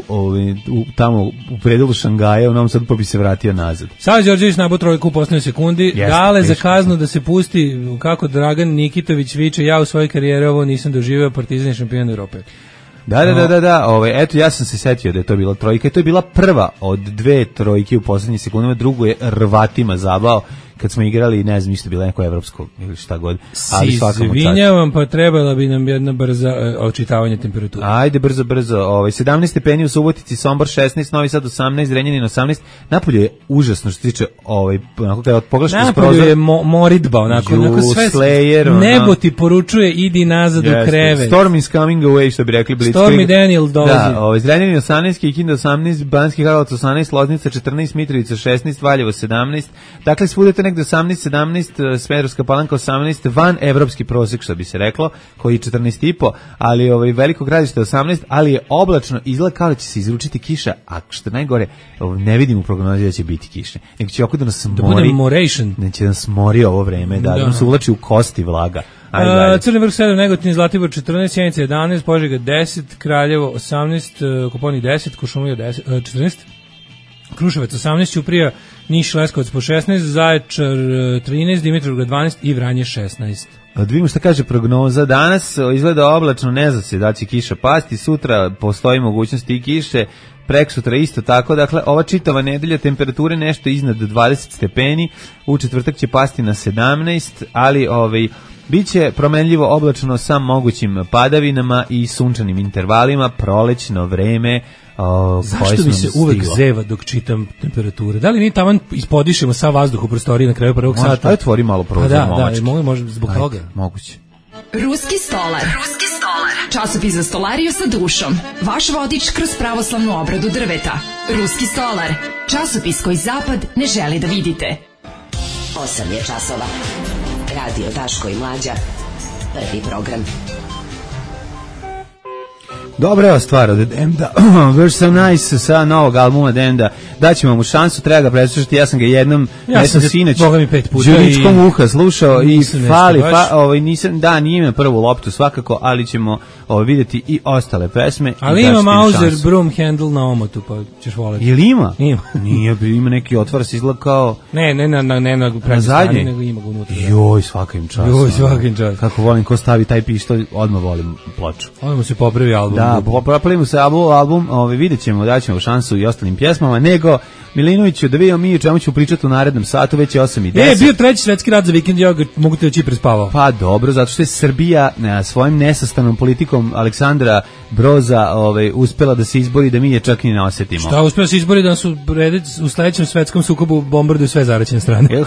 ovaj, u, tamo u predelu Šangaja, u Novom Sadu, pa bi se vratio nazad. Sava Đorđević nabao trojku u poslednjoj sekundi. Jeste, Dale za teško. kaznu da se pusti kako Dragan Nikitović viče, ja u svojoj karijeri ovo nisam doživeo, Partizan je šampion Evrope. Da, da, da, da, da, ovaj, eto, ja sam se setio da je to bila trojka i to je bila prva od dve trojke u poslednjih sekundama, drugu je rvatima zabao kad smo igrali, ne znam, isto bilo neko evropsko ili šta god, ali Si svakamo čast. izvinjavam, pa trebala bi nam jedna brza e, očitavanje temperature. Ajde, brzo, brzo. Ovaj, sedamnaest stepeni u Subotici, Sombor šesnaest, Novi Sad osamnaest, Zrenjanin osamnaest. Napolje je užasno što se tiče, ovaj, onako kada pogledaš kroz Napolju prozor. je mo, moridba, onako, Ju, onako sve, Slayer, ono. nebo ti poručuje, idi nazad u Jeste. krevet. Storm is coming away, što bi rekli Blitzkrieg. Stormy Daniel dolazi. Da, ovaj, Zrenjanin osamnaest, Kikinda osamnaest, Banski Karlovac osamnaest, Loznica četrnaest, Mitrovica šesnaest, Valjevo sedamnaest. Dakle, svudete negde osamnaest, sedamnaest, Smederevska Palanka osamnaest, van evropski prosek, što bi se reklo, koji je četrnaest i po, ali ovaj, Veliko Gradište osamnaest, ali je oblačno, izgleda kao da će se izručiti kiša, a što najgore, ovaj, ne vidim u prognozi da će biti kiše, nego će oko da nas Da mori, bude moration. da će nas mori ovo vreme, da, da, Da. nam se uvlači u kosti vlaga. Ajde, A, dalje. Crni vrh sedam, Negotin, Zlatibor četrnaest, Sjenica jedanaest, Požega deset, Kraljevo osamnaest, e, Koponik deset, Kuršumlija deset, e, četrnaest, Kruševac osamnaest, Ćuprija, Niš, Leskovac po šesnaest, Zaječar e, trinaest, Dimitrovgrad dvanaest i Vranje šesnaest. Da vidimo šta kaže prognoza. Danas o, izgleda oblačno, ne zna se da će kiša pasti, sutra postoji mogućnost i kiše, preksutra isto tako, dakle ova čitava nedelja temperature nešto iznad dvadeset stepeni, u četvrtak će pasti na sedamnaest, ali ovaj, biće promenljivo oblačno sa mogućim padavinama i sunčanim intervalima, prolećno vreme. O, koje Zašto su mi nam se uvek stiglo. zeva dok čitam temperature? Da li mi taman ispodišemo sav vazduh u prostoriji na kraju prvog Može, sata? ajde otvori malo prozor, Pa da, momački. da, može, može zbog Ajde, toga. moguće. Ruski stolar. Ruski stolar. Časopis za stolariju sa dušom. Vaš vodič kroz pravoslavnu obradu drveta. Ruski stolar. Časopis koji zapad ne želi da vidite. osam je časova. Radio Daško i Mlađa. Prvi program. Dobra je stvar od Demda, We're So Nice sa novog albuma Demda, daćemo mu šansu, treba ga preslušati, ja sam ga jednom, Ja ne sam sam ga, sinoć, Boga mi, pet puta đuričkom i- uha slušao i Nisam nešto fali, baš. fa, ovaj, nisam, da, nije me prvu loptu svakako, ali ćemo ovaj, vidjeti i ostale pesme. i Ali daćete ima im Mauser šansu. broom handle na omotu, pa ćeš voleti. Jel ima? Ima. Nije, ima neki otvor se izgleda kao Ne, ne na, na, ne na na prednjoj zadnji. strani, nego ima ga unutra. Joj, svaka im čast. Joj, ono. svaka im čast. Kako volim, ko stavi taj pištolj, odmah volim ploču. Ovo mu se popravi album. Da, popravimo se album, album ovaj, vidjet ćemo, daćemo šansu i ostalim pjesmama, nego Milinoviću, da vidimo mi o čemu ću pričati u narednom satu, već je osam i E, deset. bio treći svetski rat za vikend, ja ga mogu te oči prespavao. Pa dobro, zato što je Srbija na svojim nesastanom politikom Aleksandra Broza ovaj, uspela da se izbori da mi je čak i ne osetimo. Šta, uspio se izbori da su u sledećem svetskom sukobu bombarduju sve zaraćene strane. Jel?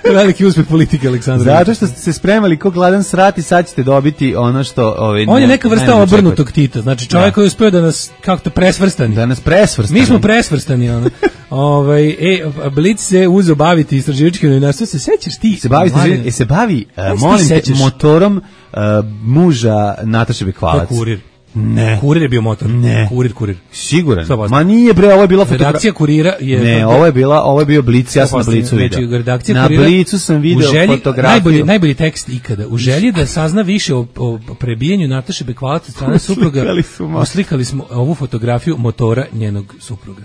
Veliki uspeh politike Aleksandra. Zato što ste se spremali ko gladan srat i sad ćete dobiti ono što... Ovaj, On je ne- neka vrsta ne obrnutog Tita, znači čovjek Da. koji je uspio da nas, kako to, presvrstani. Da nas presvrstani. Mi smo presvrstani, ono. Ovaj e Blic se uzeo baviti istraživačkim novinarstvom. Se sećaš ti? Se bavi se, se bavi uh, molim te, motorom uh, muža Nataše Bekvalac. Kurir. Ne. Kurir je bio motor. Ne. Kurir, kurir. Siguran. sto posto. Ma nije bre, ovo je bila fotografija. Redakcija Kurira je... Ne, ovo je bila, ovo je bio Blic, ja sam na Blicu video. Znači, redakcija na Kurira, Blicu sam video želji, fotografiju. Najbolji, najbolji tekst ikada. U želji da sazna više o, o prebijenju Nataše Bekvalac od strane supruga, uslikali smo ovu fotografiju motora njenog supruga.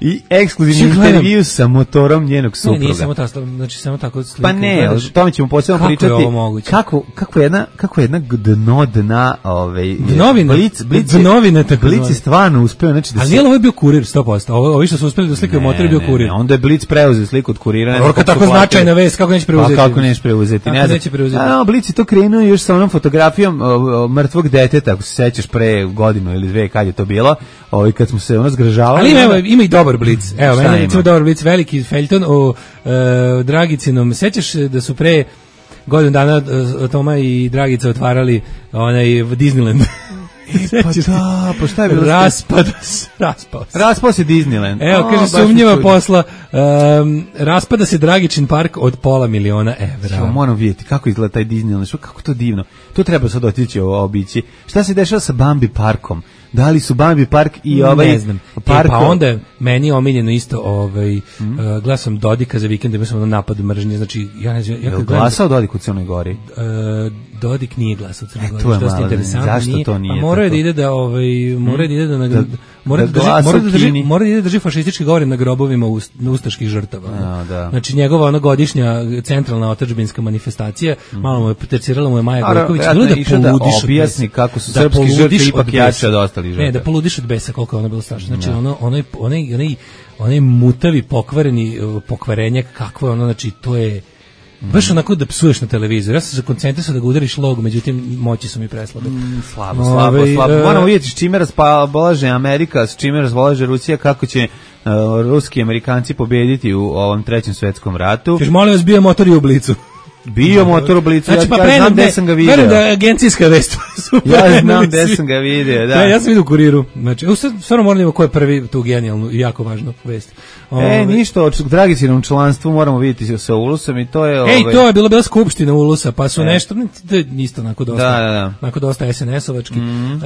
I ekskluzivni intervju sa motorom njenog supruga. Ne, nije samo tako, znači samo tako slike. Pa ne, o tome ćemo posebno pričati. Kako je ovo moguće? Kako, kako jedna, kako jedna dno dna, ovaj, Dnovina, Blic, Blic, dnovina tako. Blic je stvarno uspeo, znači da ali se... Ali ovo je bio kurir sto posto, ovo, ovi što su uspeli da slikaju motor je bio kurir. Ne, onda je Blic preuzeo sliku od kurira. Orka tako značajna vest, kako neće preuzeti? Pa kako neće preuzeti, kako ne znam. Neće preuzeti? A, no, Blic je to krenuo još sa onom fotografijom o, o, mrtvog deteta, ako se sećaš pre godinu ili dve kad je to bilo, ovaj, kad smo se ono zgražavali. Ali ima, evo, ima i dobar Blic. Evo, meni recimo dobar Blic, veliki feljton o e, Dragicinom. Sećaš da su pre godinu dana e, Toma i Dragica otvarali onaj Disneyland? E, pa da, pa šta je bilo? Raspada se, raspao se. Raspao se Disneyland. Evo, kaže, sumnjiva posla, um, raspada se Dragičin park od pola miliona evra. Što moram vidjeti kako izgleda taj Disneyland, što, kako to divno. To treba sad otići obići. Šta se dešava sa Bambi parkom? Da li su Bambi park i ovaj ne znam. Park? E, pa onda je meni omiljeno isto, ovaj, mm. uh, glasam Dodika za vikend, ima sam ono napad mržnje, znači, ja ne znam, ja kad gledam... Glasao Dodik u Crnoj Gori? Uh, Dodik nije glasao u Crnoj Gori, e, to je dosta malo, interesantno. zašto nije, to nije? Pa mora da ide da, ovaj, mora da ide da, da, mora da, drži, mora da drži, mora da ide da drži fašistički govor na grobovima ust, na ustaških žrtava. A, da. Znači, njegova ona godišnja centralna otadžbinska manifestacija, mm. malo mu je tercirala mu je Maja Gojković, bilo da poludiš da objasni kako su srpski žrtve ipak jače od ostalih žrtava. Ne, da poludiš od besa koliko je ona bila strašna. Znači, no. ono, onaj, onaj, onaj, onaj mutavi, pokvareni pokvarenjak, kakvo je ono, znači, to je baš onako da psuješ na televizor. Ja sam se koncentrisao da ga udariš log, međutim, moći su mi preslabe. Mm, slabo, slabo, Ove, slabo. Moramo vidjeti s čime raspolaže Amerika, s čime raspolaže Rusija, kako će uh, ruski Amerikanci pobediti u ovom trećem svetskom ratu. Kaži, molim vas, bio motor i u Blicu. Bio motor u Blicu, znači, ja, pa ja znam gde sam ga video. Verujem da je agencijska vest. Ja znam gde sam ga video, da. Da, ja sam vidio u Kuriru. Znači, stvarno moram da imamo ko je prvi tu genijalnu i jako važnu vest. Ove, e, ništa, o Dragicinom članstvu moramo vidjeti sa Ulusom i to je... Ej, ovaj... to je bila bila skupština Ulusa, pa su e. nešto, to je isto onako dosta, da, da, da. onako dosta es en es-ovački. Mm. Uh,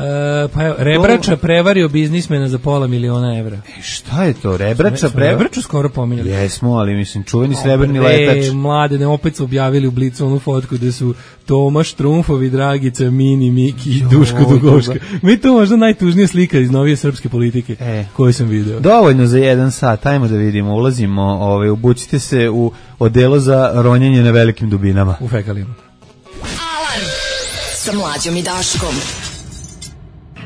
pa evo, Rebrača prevario biznismena za pola miliona evra. E, šta je to, Rebrača prevario? Rebraču skoro pominjali. Jesmo, ali mislim, čuveni srebrni letač. E, mlade, ne, opet su objavili u Blicu onu fotku gde su Tomaš Trumfovi, Dragica, Mini, Miki i Duško Dugovška. Mi to možda najtužnija slika iz novije srpske politike e. koju sam video. Dovoljno za jedan sat, ajmo da vidimo, ulazimo, ovaj, obucite se u odelo za ronjenje na velikim dubinama. U fekalijama. Alarm sa Mlađom i Daškom.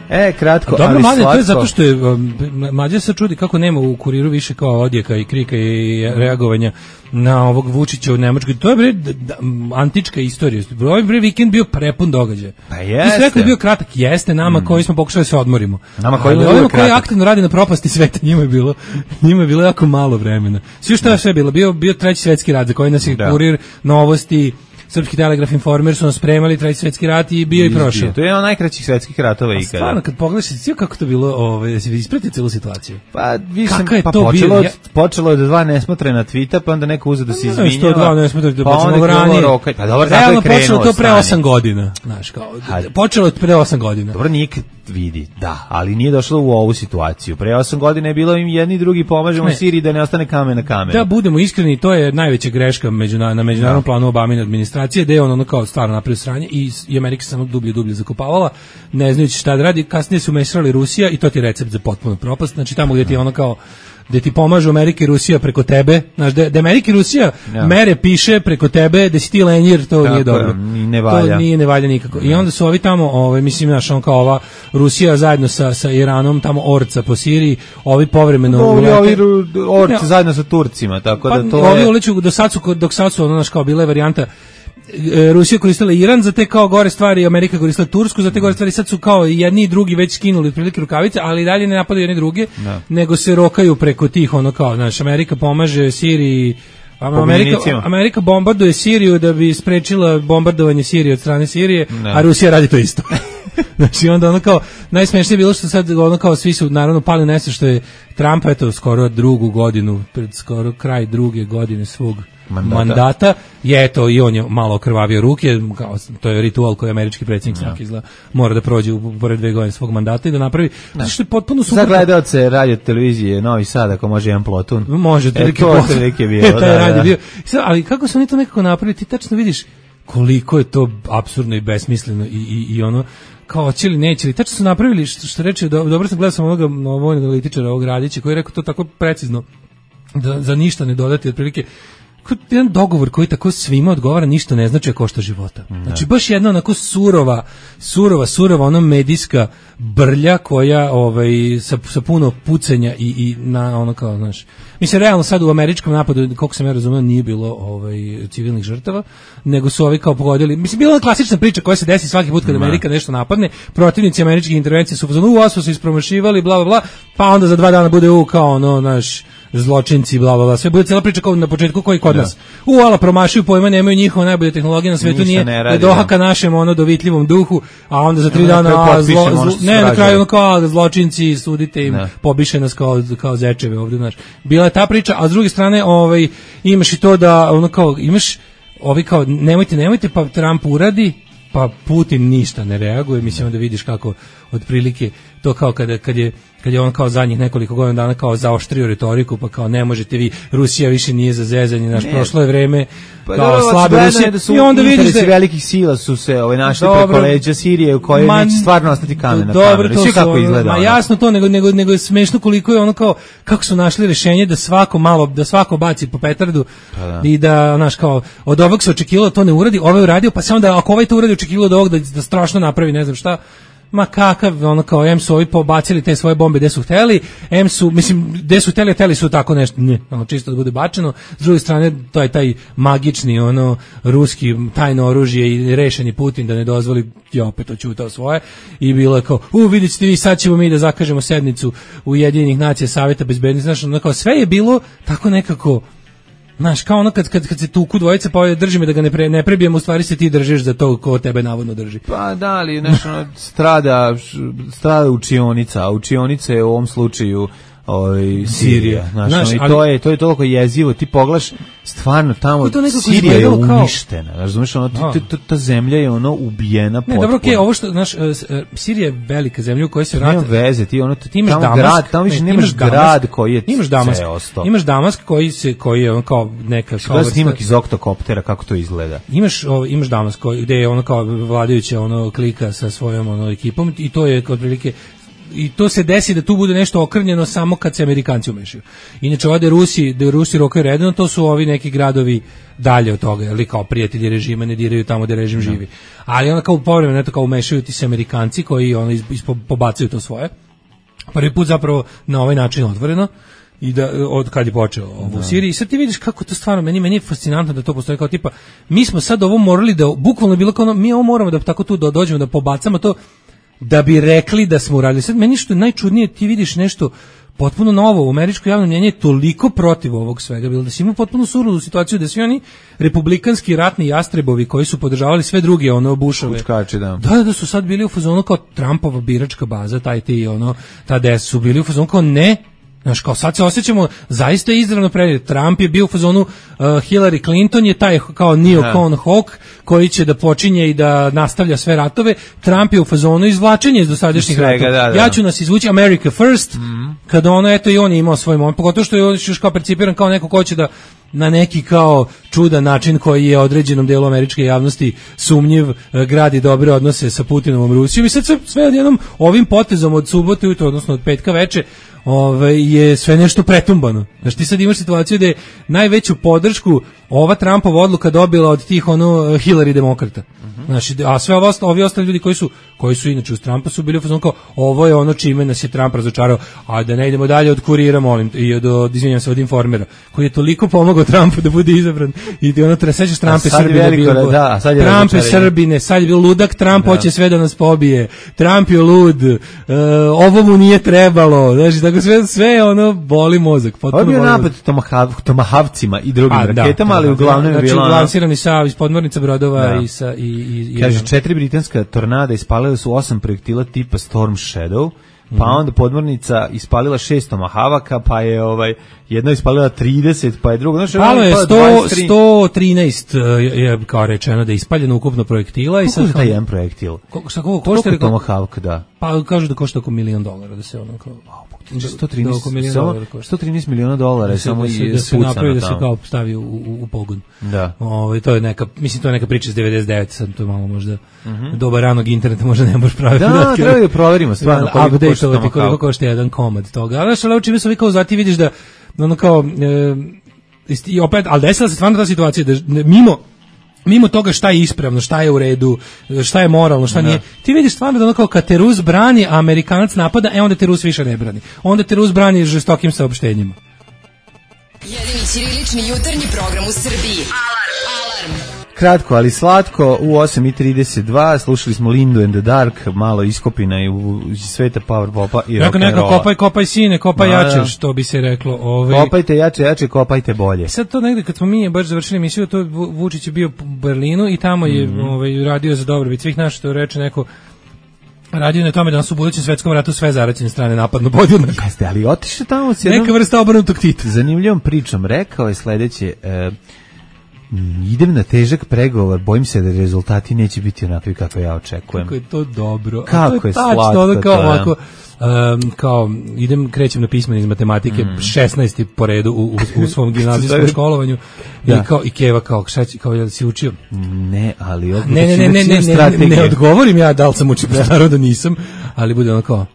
E, kratko, dobro, ali mladen, slatko. To je zato što je, um, Mlađa se čudi kako nema u Kuriru više kao odjeka i krika i reagovanja na ovog Vučića u Nemačkoj. To je bre d, d, antička istorija. Ovaj bre vikend bio prepun događaja. Pa jeste. Ti si rekao da je bio kratak, jeste nama mm. koji smo pokušali da se odmorimo. Nama koji ali ovima koji aktivno radi na propasti sveta, njima je bilo, njima je bilo jako malo vremena. Sve što je sve bilo, bio, bio treći svetski rat za koji nas je da. Kurir, Novosti, Srpski telegraf, Informer su nas spremali treći svetski rat i bio i prošao. To je jedan od najkraćih svetskih ratova ikada. Stvarno, kad pogledaš, sve kako to bilo, ovaj, da se isprati celu situaciju. Pa, više, pa počelo, bilo? Od, počelo od dva nesmotrena tvita, pa onda neko uzeo da se izvinjava. Što dva nesmotrena, da pa počelo ranije. Roka, pa dobro, realno tako je krenuo. Počelo to pre osam godina. Znaš, kao, počelo od pre osam godina. Dobro, nikad vidi, da, ali nije došlo u ovu situaciju. Pre osam godina je bilo im jedni i drugi pomažemo ne. Siriji da ne ostane kamen na kamenu. Da budemo iskreni, to je najveća greška međuna, na međunarodnom da. Planu Obamine administracije, da je on ono kao stvarno napravio sranje i, i Amerika se samo dublje i dublje zakopavala, ne znajući šta da radi. Kasnije su umešali Rusija i to ti je recept za potpuno propast. Znači tamo gdje ti je ono kao gde ti pomažu Amerika i Rusija preko tebe, znaš, da, da Amerika i Rusija ja. Mere piše preko tebe, da si ti lenjir, to tako nije dobro. Ne valja. To nije ne valja nikako. I onda su ovi tamo, ovaj, mislim, znaš, on kao ova Rusija zajedno sa, sa Iranom, tamo orca po Siriji, ovi povremeno... Ovi, ovi orci ne, zajedno sa Turcima, tako pa, da to ovi je... uliču, do sad su, dok sad su, ono, znaš, kao bila je varijanta Rusija koristila Iran za te kao gore stvari, Amerika koristila Tursku za te gore stvari, sad su kao jedni i drugi već skinuli otprilike rukavice, ali dalje ne napadaju jedni druge, no. Nego se rokaju preko tih, ono kao, znaš, Amerika pomaže Siriji, Amerika, Amerika bombarduje Siriju da bi sprečila bombardovanje Sirije od strane Sirije, no. A Rusija radi to isto. Znači onda ono kao najsmešnije je bilo što sad ono kao svi su naravno pali na što je Trump eto skoro drugu godinu, pred skoro kraj druge godine svog mandata, mandata je eto i on je malo okrvavio ruke, kao, to je ritual koji američki predsjednik ja. svaki izgleda mora da prođe u pored dve godine svog mandata i da napravi da. što je potpuno suprotno. Za gledaoce radio televizije Novi Sad ako može jedan plotun. Može, e, to otprilike bilo. E, taj radi bio. Ali kako su oni to nekako napravili, ti tačno vidiš koliko je to apsurdno i besmisleno i, i, i ono kao će li neće li, tačno su napravili što, što reče, do, dobro sam gledao sam onoga vojnog analitičara ovog Radića koji je rekao to tako precizno da za ništa ne dodati otprilike jedan dogovor koji tako svima odgovara ništa ne znači košta života. Znači baš jedna onako surova, surova, surova ono medijska brlja koja ovaj sa, sa puno pucenja i, i na ono kao znaš. Mislim realno sad u američkom napadu koliko sam ja razumeo nije bilo ovaj civilnih žrtava, nego su ovi kao pogodili. Mislim bila je klasična priča koja se desi svaki put kad Amerika nešto napadne, protivnici američkih intervencija su u vas su ispromašivali bla bla bla, pa onda za dva dana bude u kao ono naš zločinci bla bla bla. Sve bude cela priča kao na početku koji kod nas. U ala promašuju pojma, nemaju njihove najbolje tehnologije na svetu, nije ne dohaka našem ono dovitljivom duhu, a onda za tri dana a, zlo, zlo, ne na kraju ono kao zločinci sudite im, ne. Pobiše nas kao kao zečeve ovdje, znaš. Bila je ta priča, a s druge strane ovaj imaš i to da ono kao imaš ovi kao nemojte nemojte pa Trump uradi pa Putin ništa ne reaguje, mislim da vidiš kako otprilike to kao kada kad je kad je on kao zadnjih nekoliko godina dana kao zaoštrio retoriku, pa kao ne možete vi, Rusija više nije za zezanje, naš prošlo je vreme pa kao slabe Rusije da su i onda vidiš da velikih sila su se ovaj našli dobro, preko leđa Sirije u kojoj ma, neće stvarno ostati kamen na kameru. Sve kako izgleda. Ma jasno to, nego nego nego je smešno koliko je ono kao kako su našli rješenje da svako malo da svako baci po petardu pa da. I da znaš kao od ovog se očekivalo to ne uradi, ovaj uradio, pa se onda ako ovaj to uradi očekivalo od ovog da, da strašno napravi ne znam šta. Ma kakav, ono kao, em su ovi pobacili te svoje bombe gde su hteli, em su, mislim, gde su hteli, hteli su tako nešto, ne, ono, čisto da bude bačeno, s druge strane, to je taj magični, ono, ruski tajno oružje i rešeni Putin da ne dozvoli, je opet oćutao svoje, i bilo je kao, u, vidjet ćete vi, sad ćemo mi da zakažemo sednicu Ujedinjenih nacija Saveta bezbednosti, znaš, ono kao, sve je bilo tako nekako, znaš, kao ono kad, kad, kad se tuku dvojice, pa drži me da ga ne, pre, ne prebijemo, u stvari se ti držiš za to ko tebe navodno drži. Pa da, ali nešto strada, strada učionica, a učionica je u ovom slučaju ovaj Sirija, znaš, znaš i to je to je toliko jezivo, ti pogledaš stvarno tamo Sirija je uništena, kao... razumeš, ono ta, ta, ta zemlja je ono ubijena potpuno. Ne, dobro, okej, okay, ovo što znaš, Sirija je velika zemlja u kojoj se rata. Nema veze, ti ono ti imaš tamo Damask, grad, tamo više nemaš imaš grad koji je imaš Damask, imaš Damask koji se koji je on kao neka kao snimak iz oktokoptera kako to izgleda. Imaš o, imaš Damask koji gde je ono kao vladajuća ono klika sa svojom ono ekipom i to je otprilike i to se desi da tu bude nešto okrnjeno samo kad se Amerikanci umešaju. Inače ovde Rusi, da Rusi rokaju redno, to su ovi neki gradovi dalje od toga, ali kao prijatelji režima ne diraju tamo gde režim živi. Ali onda kao povremeno eto kao umešaju ti se Amerikanci koji ono pobacaju to svoje. Prvi put zapravo na ovaj način otvoreno i da od kad je počeo ovo u Siriji. I sad ti vidiš kako to stvarno meni meni je fascinantno da to postoji kao tipa mi smo sad ovo morali da bukvalno bilo kao ono, mi ovo moramo da tako tu dođemo da pobacamo to da bi rekli da smo uradili. Sad meni što je najčudnije, ti vidiš nešto potpuno novo, u američko javno mnjenje je toliko protiv ovog svega, bilo da si imao potpuno suludu situaciju da svi oni republikanski ratni jastrebovi koji su podržavali sve druge ono Bushove. Kučkači, da. Da, da su sad bili u fazonu kao Trumpova biračka baza, taj ti ono, ta des su bili u fazonu kao ne, znaš, kao sad se osjećamo zaista izravno predmet. Trump je bio u fazonu, uh, Hillary Clinton je taj kao neocon hawk koji će da počinje i da nastavlja sve ratove. Trump je u fazonu izvlačenja iz dosadašnjih ratova. Da, da. Ja ću nas izvući America first, mm-hmm. Kada ono, eto i on je imao svoj moment, pogotovo što je on još kao percipiran kao neko ko će da na neki kao čudan način koji je određenom delu američke javnosti sumnjiv, gradi dobre odnose sa Putinovom Rusijom i sad sve, sve odjednom ovim potezom od subote ujutro, odnosno od petka veče, Ove, je sve nešto pretumbano. Znači ti sad imaš situaciju da je najveću podršku ova Trumpova odluka dobila od tih ono Hillary demokrata. Uh-huh. Znači, a sve ovo, ovi ostali ljudi koji su koji su inače uz Trumpa su bili u fazonu kao ovo je ono čime nas je Trump razočarao, a da ne idemo dalje od kurira, molim, i od, od izvinjam se, od informera, koji je toliko pomogao Trumpu da bude izabran i ono treba sećaš Trump je Srbine bio. Da, sad je Trump je Srbine, sad je bio ludak, Trump da. Hoće sve da nas pobije. Trump je lud. Uh, ovo mu nije trebalo. Znači, nego sve, sve ono boli mozak. Ovo je bio napad tomahav, tomahavcima i drugim A, raketama, da, ali da, uglavnom znači, je bilo... lansirani sa iz podmornica brodova da. i sa... I, i, i, Kaže, četiri britanska tornada ispalila su osam projektila tipa Storm Shadow, pa onda podmornica ispalila šest tomahavaka, pa je ovaj jedna ispalila trideset, pa je drugo, znači palo je sto, sto trinaest je kao rečeno da je ispaljeno ukupno projektila. Kako i sad je taj jedan projektil? Koliko šta koliko košta? Koliko tomahavka, da? Pa kažu da košta oko milion dolara, da se ono kao sto trinaest miliona dolara je samo i da se napravi, da se kao stavi u, u, u pogon. Da. Ovaj to je neka, mislim to je neka priča iz devedeset devete, sad to je malo možda mm-hmm. doba ranog interneta, možda ne možeš praviti. Da, treba da proverimo stvarno koliko košta tomahavka. Koliko košta jedan komad toga. Ali što čime su vi kao zati vidiš da ono kao e, i opet, ali desila se stvarno ta situacija da mimo mimo toga šta je ispravno, šta je u redu, šta je moralno, šta ne. Nije. Ti vidiš stvarno da ono kao kad te Rus brani, a Amerikanac napada, e onda te Rus više ne brani. Onda te Rus brani žestokim saopštenjima. Jedini ćirilični jutarnji program u Srbiji. Alarm! Alarm! Kratko, ali slatko, u osam i trideset dva slušali smo Lindu and the Dark, malo iskopina i u sveta power popa i rock and rolla. Kopaj, kopaj sine, kopaj da, jače, što bi se reklo. Ovaj... Kopajte jače, jače, kopajte bolje. Sad to negde, kad smo mi baš završili emisiju, to Vučić je bio u Berlinu i tamo je mm-hmm. ovaj, radio za dobrobit svih naših, to reče neko, radio na tome da nas u budućem svetskom ratu sve zaraćene strane napadno podjednako. Jeste, ali otišao tamo s jednom... Neka vrsta obrnutog Tita. Zanimljivom pričom, rekao je sledeće... E, idem na težak pregovor, bojim se da rezultati neće biti onakvi kako ja očekujem. Kako je to dobro. Kako to je, je tačno, slatko ono kao, to. Ovako, um, kao, idem, krećem na pismeni iz matematike, mm. šesnaesti po redu u, u, u svom gimnazijskom školovanju da. i kao, i Keva kao, šta će, kao, jel si učio? Ne, ali ovdje ne, ne, ne, ne, ne, ne, ne odgovorim ja da li sam učio, pa naravno da nisam, ali bude ono kao,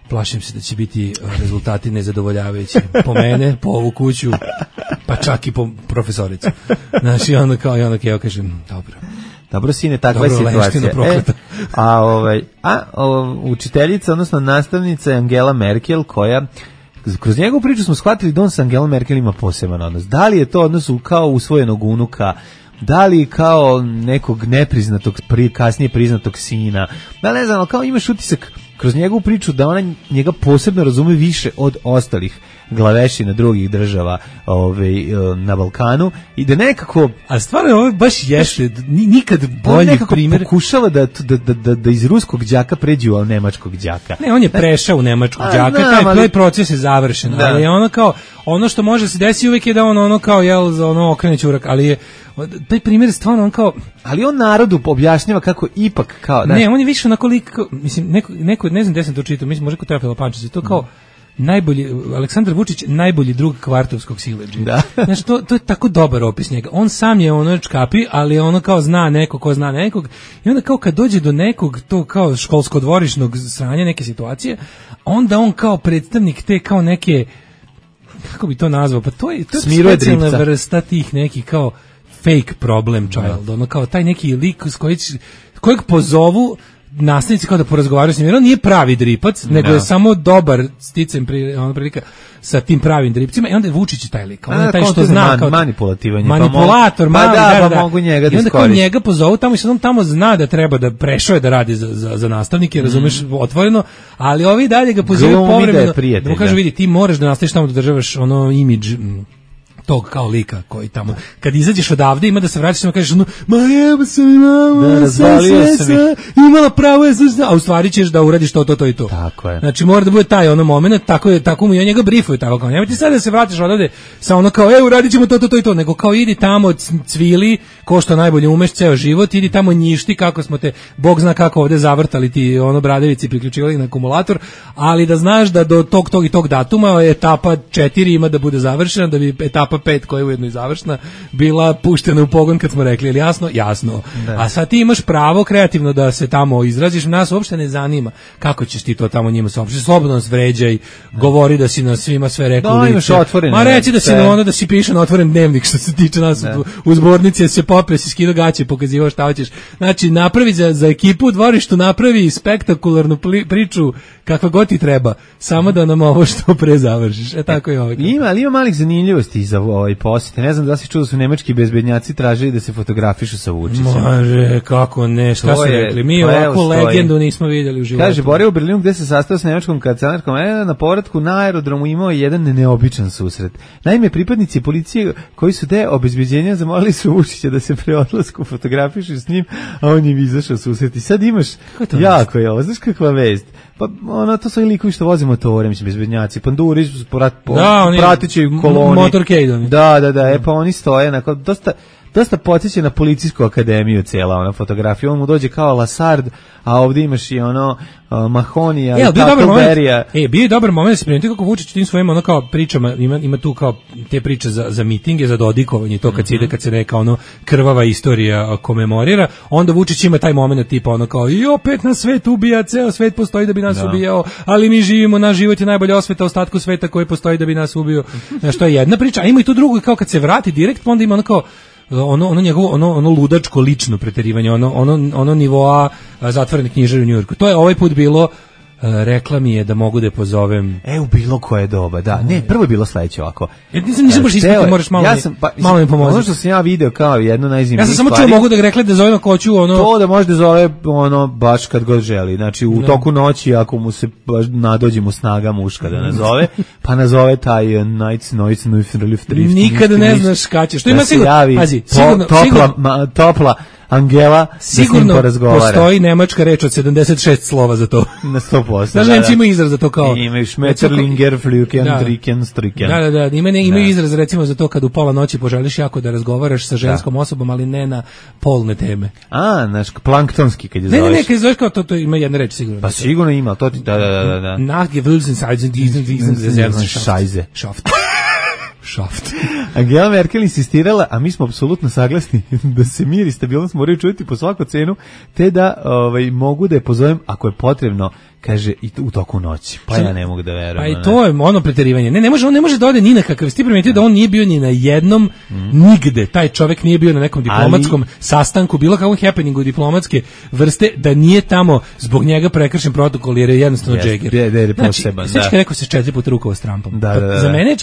plašim se da će biti rezultati nezadovoljavajući po mene, po ovu kuću, pa čak i po profesoricu. Znači, onda kao, i onda kao, kažem, dobro. Dobro, sine, takva je situacija. E, a, ovaj, a o, učiteljica, odnosno nastavnica je Angela Merkel, koja, kroz njegovu priču smo shvatili da on sa Angela Merkel ima poseban odnos. Da li je to odnos kao usvojenog unuka, da li kao nekog nepriznatog, pri, kasnije priznatog sina, da ne znam, ali kao imaš utisak kroz njegovu priču da ona njega posebno razume više od ostalih glavešina drugih država ovaj, na Balkanu i da nekako... A stvarno ovo baš jeste, nikad bolji nekako primjer... pokušava da, da, da, da iz ruskog đaka pređe u nemačkog đaka. Ne, on je prešao u nemačkog đaka, taj, ali, taj proces je završen, da. Ali ono kao, ono što može se desiti uvijek je da on ono kao, jel, za ono okrene ćurak, ali je, taj primjer je stvarno on kao... Ali on narodu objašnjava kako ipak kao... Da. Ne, on je više onako lik, mislim, neko, neko ne znam gde sam to čitao, mislim, možda kod Teofila Pančića, to kao... najbolji, Aleksandar Vučić najbolji drug kvartovskog siledžije. Da. Znači, to, to je tako dobar opis njega. On sam je ono čkapi, ali ono kao zna neko ko zna nekog i onda kao kad dođe do nekog to kao školsko-dvorišnog sranja neke situacije, onda on kao predstavnik te kao neke, kako bi to nazvao, pa to je, to je specijalna vrsta tih nekih kao fake problem child, ono kao taj neki lik s koji, kojeg pozovu nastavnici kao da porazgovaraju s njim, jer on nije pravi dripac, nego no. je samo dobar sticam pri, ono prilika sa tim pravim dripcima i onda je Vučić taj lik, on je taj što zna man, kao manipulativan, manipulator, pa mali, da, da, pa da. mogu njega da i onda kao njega pozovu tamo i sad on tamo zna da treba da prešao je da radi za, za, za nastavnike, mm. razumeš, otvoreno, ali ovi dalje ga pozivaju povremeno, da mu kažu, vidi, ti moraš da nastaviš tamo da državaš ono imidž tog kao lika koji tamo, kad izađeš odavde ima da se vraćaš i kažeš ono, ma jeba sam imala, da, razvalio sam sve, imala pravo je, a u stvari ćeš da uradiš to, to, to i to. Tako je. Znači mora da bude taj ono moment, tako je, tako mu i on njega brifuju, tako kao, nemoj ti sad da se vratiš odavde sa ono kao, e, uradit ćemo to, to, to i to, nego kao idi tamo, cvili, ko što najbolje umeš ceo život, idi tamo njišti kako smo te, Bog zna kako ovde zavrtali ti ono bradevici priključivali na akumulator, ali da znaš da do tog, tog i tog datuma etapa četiri ima da bude završena, da bi etapa pet koja je ujedno i završna bila puštena u pogon kad smo rekli, ili jasno? Jasno. Da. A sad ti imaš pravo kreativno da se tamo izraziš, nas uopšte ne zanima kako ćeš ti to tamo njima saopštiti. Slobodno nas vređaj, da. Govori da si na svima sve rekao. Da, imaš otvoren. Ma reci da si na ono da si piše na otvoren dnevnik što se tiče nas da. u, u zbornici, se popio, si skido gaće, pokazivao šta hoćeš. Znači, napravi za, za ekipu u dvorištu, napravi spektakularnu pli, priču kakva god ti treba, samo da nam ovo što pre završiš. E tako je ovo. Ima, ali ima malih zanimljivosti za ovaj posjete. Ne znam da si čuo da su nemački bezbednjaci tražili da se fotografišu sa Vučićem. Može, kako ne, šta To su je- rekli? Mi to evo ovako stoji. legendu nismo vidjeli u životu. Kaže, borio u Berlinu gde se sastao s nemačkom kancelarkom, e, na povratku na aerodromu imao je jedan neobičan susret. Naime, pripadnici policije koji su te obezbeđenja zamolili su Vučića da se pre odlasku fotografišu s njim, a on im izašao susret. I sad imaš, to jako je ovo, znaš kakva vest? Pa ono, to su i likovi što voze motore, mislim, bezbednjaci, panduri, prat, Da, oni pratići koloni. motorcade oni. Da, da, da, e pa oni stoje, onako, dosta, dosta podsjeća na policijsku akademiju cijela ona fotografija, on mu dođe kao Lasard, a ovdje imaš i ono uh, Mahonija, E, ali bio je dobar moment. Berija. E, bio je dobar moment da se primeti kako Vučić tim svojim ono kao pričama, ima, ima tu kao te priče za, za mitinge, za dodikovanje, to kad se ide, kad se neka ono krvava istorija a, komemorira, onda Vučić ima taj moment tipa ono kao i opet nas svet ubija, ceo svet postoji da bi nas Da. ubijao, ali mi živimo, naš život je najbolja osveta ostatku sveta koji postoji da bi nas ubio. Znaš, to je jedna priča, a ima i tu drugu, kao kad se vrati direkt, pa onda ima ono kao ono ono njegovo ono ono ludačko lično preterivanje, ono ono ono nivoa a, zatvorene knjižare u Njujorku. To je ovaj put bilo, a, rekla mi je da mogu da je pozovem. E, u bilo koje doba, da. Ne, prvo je bilo sledeće ovako. Ja nisam nisam baš Hteo ispratio, je- moraš malo ja mi- sam, pa, malo mi pomozi. Ono što sam ja video kao jedno najzimnijih Ja sam samo čuo stvari, mogu da ga rekla da zovem ako hoću ono. to da može da zove ono baš kad god želi. Znači u Da. toku noći ako mu se baš nadođe mu snaga muška da nazove, pa nazove taj uh, Nights Noise Nuif Relief Drift. Nikada ne ništa, znaš kad će. Što da ima se sigurno. javi Pazi, po- sigurno, topla, sigurno, ma, topla Angela da s njim sigurno porazgovara. postoji nemačka reč od sedamdeset šest slova za to. Na sto posto. Znaš, Nemci imaju izraz za to kao. Imaju Schmetterlinger, Flüken, Da. Triken, Striken. Da, da, da, ima ne, imaju Da. izraz recimo za to kad u pola noći poželiš jako da razgovaraš sa ženskom osobom, ali ne na polne teme. A, znaš, planktonski kad je Ne, ne, zoveš. ne, kad zoveš kao to, to ima jedna reč sigurno. Pa sigurno ima, to ti, da, da, da, da. Nachgewülzen, diesen, diesen, diesen, Šajze. Schaft. Schaft. Angela Merkel insistirala, a mi smo apsolutno saglasni da se mir i stabilnost moraju čuvati po svaku cenu, te da ovaj, mogu da je pozovem ako je potrebno, kaže, i u toku noći. Pa ja ne mogu da verujem. Pa i ono, to je ono preterivanje. Ne, ne može, on ne može da ode ni na kakav. Ti primetio da on nije bio ni na jednom, nigde. Taj čovjek nije bio na nekom diplomatskom sastanku, bilo kakvom happeningu diplomatske vrste, da nije tamo zbog njega prekršen protokol jer je jednostavno Jeste, džeger. da je- da je Znači, poseban, sveći da. kad rekao se četiri puta rukovao s Trumpom. Da, Pa da, da. Za mene,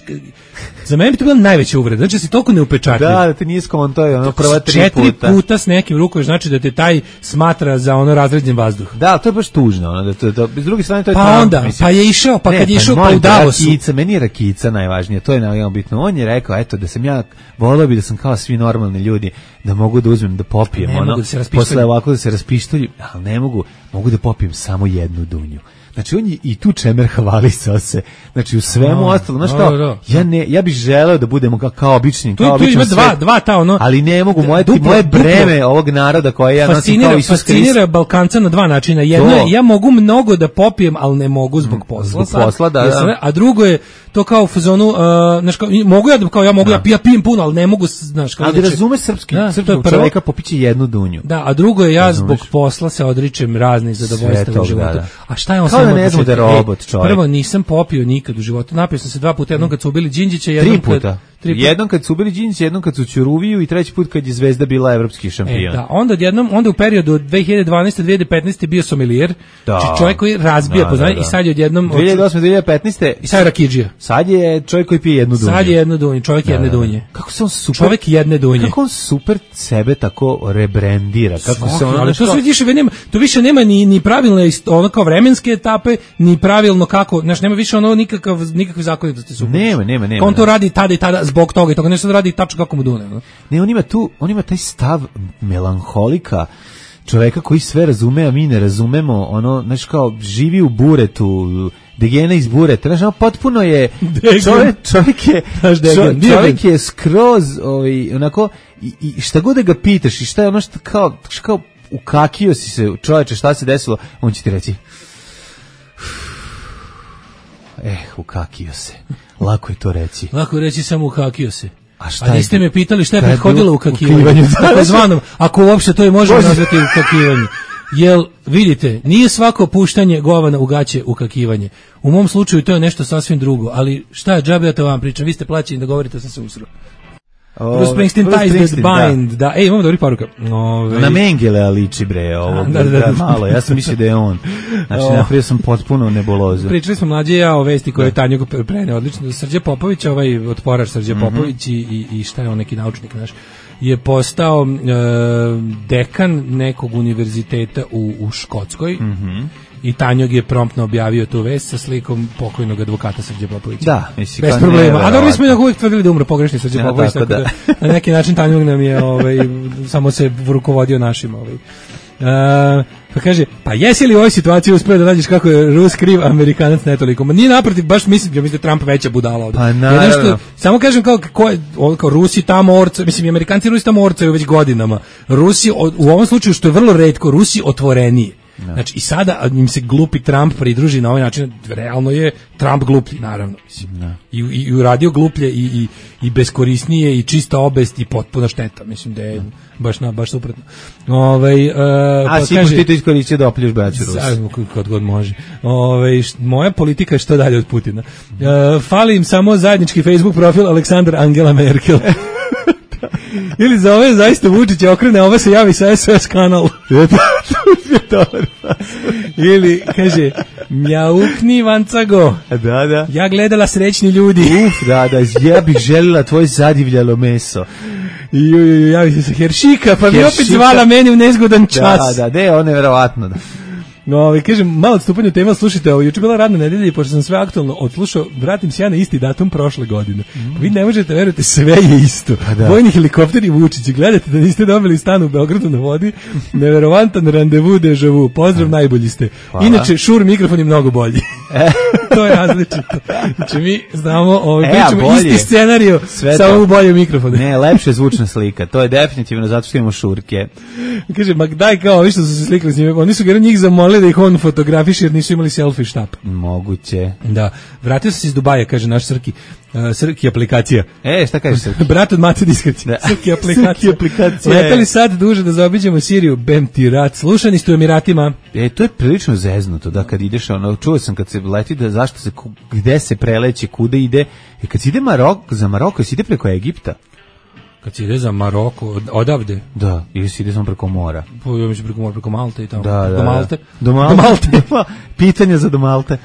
za mene bi to bila najveća uvreda. Znači da si toliko neupečatljiv. Da, da te nije skonto, je ono prva tri Četiri puta. puta s nekim rukuješ, znači da te taj smatra za ono razređen vazduh. Da, to je baš tužno, ono, da to, da, s druge strane to je Pa Trump, onda, mislim. pa je išao, pa Ne, kad je išao pa molim u te, Davosu. Rakica, meni je Rakica najvažnije, to je najvažnije bitno. On je rekao, eto, da sam ja, volio bi da sam kao svi normalni ljudi, da mogu da uzmem, da popijem, Ne ono, mogu da se raspištolju. posle ovako da se raspištolju, ali ne mogu, mogu da popijem samo jednu dunju. Znači, on je i tu čemer hvalisao se. Znači, u svemu A, ostalo, znaš da, kao, da. ja, ne, ja bih želeo da budemo kao, kao obični, Tu, kao tu ima običan dva, svet, dva ta ono. ali ne mogu, moje, duplo- moje duplo- breme ovog naroda koje ja nosim fascinira, kao Isus Hrist. fascinira Balkanca na dva načina. Jedno To. je, ja mogu mnogo da popijem, ali ne mogu zbog posla. zbog sad. posla, da, Jer da. sam- A drugo je to kao u fazonu, uh, znaš, kao, i- mogu ja da, kao ja mogu, ja, ja pijem puno, ali ne mogu, znaš, kao Ali inače- razume srpski, Da, to je srpskog prvo. čoveka popiće jednu dunju. Da, a drugo je ja Razumeš. zbog posla se odričem raznih zadovoljstava Sve u tog, životu. da, da. A šta je on Kao sve da imao ne od znamo da je početka? robot Ej, čovjek. Prvo, nisam popio nikad u životu. Napio sam se dva puta, jednom kad su ubili Đinđića, jednom Tri puta. kad... Tri puta. Jednom kad su ubili Đinđić, jednom kad su Ćuruviju i treći put kad je Zvezda bila evropski E, šampion. da, onda odjednom, onda u periodu od dve hiljade dvanaeste do dve hiljade petnaeste bio somelijer, Da. znači čovjek koji razbija Da, poznanje da, da. i sad je odjednom... dve hiljade osme do dve hiljade petnaeste. I sad je Rakidžija. Sad je čovjek koji pije jednu dunju. Sad je jedno dunje, čovjek jedne Da, da, da. dunje. Kako se on super... Čovjek jedne dunje. Kako on super sebe tako rebrandira. Kako se on... ali znaš to kao- sve više nema, to više nema ni ni pravilne ist- ono kao vremenske etape, ni pravilno kako, znači nema više ono nikakav nikakve zakonitosti su. Nema, nema, nema, Kao on to da. radi tada i tada zbog toga i toga, ne sad radi tačno kako mu dune. ono. Ne, on ima tu, on ima taj stav melanholika, čoveka koji sve razume, a mi ne razumemo, ono, znaš kao, živi u buretu, degena iz bureta, znaš, ono, potpuno je, Degen. čovjek, čovjek je, Znaš, degen, čovjek, degen. čovjek je skroz, ovaj, onako, i, i šta god da ga pitaš, i šta je ono što kao, što kao, ukakio si se, čoveče, šta se desilo, on će ti reći, eh, ukakio se, lako je to reći. Lako reći samo ukakio se. A šta A je niste bilo? me pitali šta je Šta je prethodilo bilo? ukakivanju. Ukakivanju, da. Takozvanom, ako uopšte to i možemo Može. nazvati ukakivanje. Jel, vidite, nije svako puštanje govana u gaće ukakivanje. U mom slučaju to je nešto sasvim drugo, ali šta je džabe ja to vam pričam, vi ste plaćeni da govorite sa se usro. Bruce Springsteen, Bruce Ties That Springsteen, Bind. Da. Ej, imamo dobri poruka. Ove... Na Mengelea liči bre, ovo. Da, da, da. Da, malo, ja sam mislio da je on. Znači, O. napravio sam potpuno nebulozu. Pričali smo mlađe ja o vesti koje je Tanjugo prene odlično. Srđe Popović, ovaj otporač Srđe Mhm. Popović i, i, i šta je on, neki naučnik naš, je postao e, dekan nekog univerziteta u, u Škotskoj. Mhm. I Tanjog je promptno objavio tu vest sa slikom pokojnog advokata Srđe Popovića. Da, mislim, bez kao problema. A neverovatno. dobro, mi smo uvijek tvrdili da umro pogrešni Srđe Ja, Popović, tako tako da. da. Na neki način Tanjog nam je ovaj, samo se rukovodio našim. Ovaj. Uh, pa kaže, pa jesi li u ovoj situaciji uspio da nađeš kako je Rus kriv, Amerikanac ne toliko? Ma nije naprotiv, baš mislim, ja mislim da je Trump veća budala ovdje. Pa naravno. Što, samo kažem kao, ko je, on, kao Rusi tamo orca, mislim i Amerikanci i Rusi tamo orcaju već godinama. Rusi, o, u ovom slučaju što je vrlo retko, Rusi otvoreniji. No. Znači i sada im se glupi Trump pridruži na ovaj način, realno je Trump gluplji, naravno. Mislim. No. I, i, i uradio gluplje i, i, i beskorisnije i čista obest i potpuna šteta. Mislim da je no. baš, na, baš suprotno. Ovaj, uh, A pa si ti to iskoristio da opljuš braću Rusi. Kad god može. Ovaj, moja politika je što dalje od Putina. Uh, fali im samo zajednički Facebook profil Aleksandar Angela Merkel. Ili za ove zaista Vučić okrene, ova se javi sa S O S kanal. Ili kaže mjaukni vancago. Da, da. Ja gledala srećni ljudi. Uf, da, da, ja bih željela tvoj zadivljalo meso. I ju, ju, javi se sa Heršika, pa mi opet Heršika. zvala meni u nezgodan čas. Da, da, da, on je verovatno, da. No, ovaj, kažem, malo odstupanje od tema, slušajte, ovo, juče bila radna nedelja i pošto sam sve aktualno odslušao, vratim se ja na isti datum prošle godine. Mm. Vi ne možete verujete, sve je isto. Da. Vojni helikopteri Vučić, gledate da niste dobili stan u Beogradu na vodi, neverovantan randevu deja vu, pozdrav, najbolji ste. Hvala. Inače, Šur mikrofon je mnogo bolji. To je različito. Znači, mi znamo, ovaj, E, pričamo bolje. isti scenario, Sve samo to. u bolje mikrofone. Ne, lepše zvučna slika, to je definitivno zato što imamo šurke. Kaže, ma daj kao, ovi što su se slikali s njima, oni su njih zamolili da ih on fotografiše jer nisu imali selfie štap. Moguće. Da, vratio sam se iz Dubaja, kaže naš Srki, uh, Srki aplikacija. E, šta kažeš Srki? Brat od Mate diskrecija. Da. Srki aplikacija. Srki aplikacija. Letali sad duže da zaobiđemo Siriju, bem ti rat. Slušani ste u Emiratima. E, to je prilično zeznuto, da, kad ideš, ono, čuo sam kad se leti, da zašto se, ku- gde se preleće, kuda ide, i kad se ide Marok, za Maroko, se ide preko Egipta, Kad se ide za Maroko, od, odavde, da, ili se ide samo preko mora. po, ja mislim preko, mora, preko Malte i tamo. Da, da, do Malte. Do Malte. Do Malte. Pitanje za do Malte.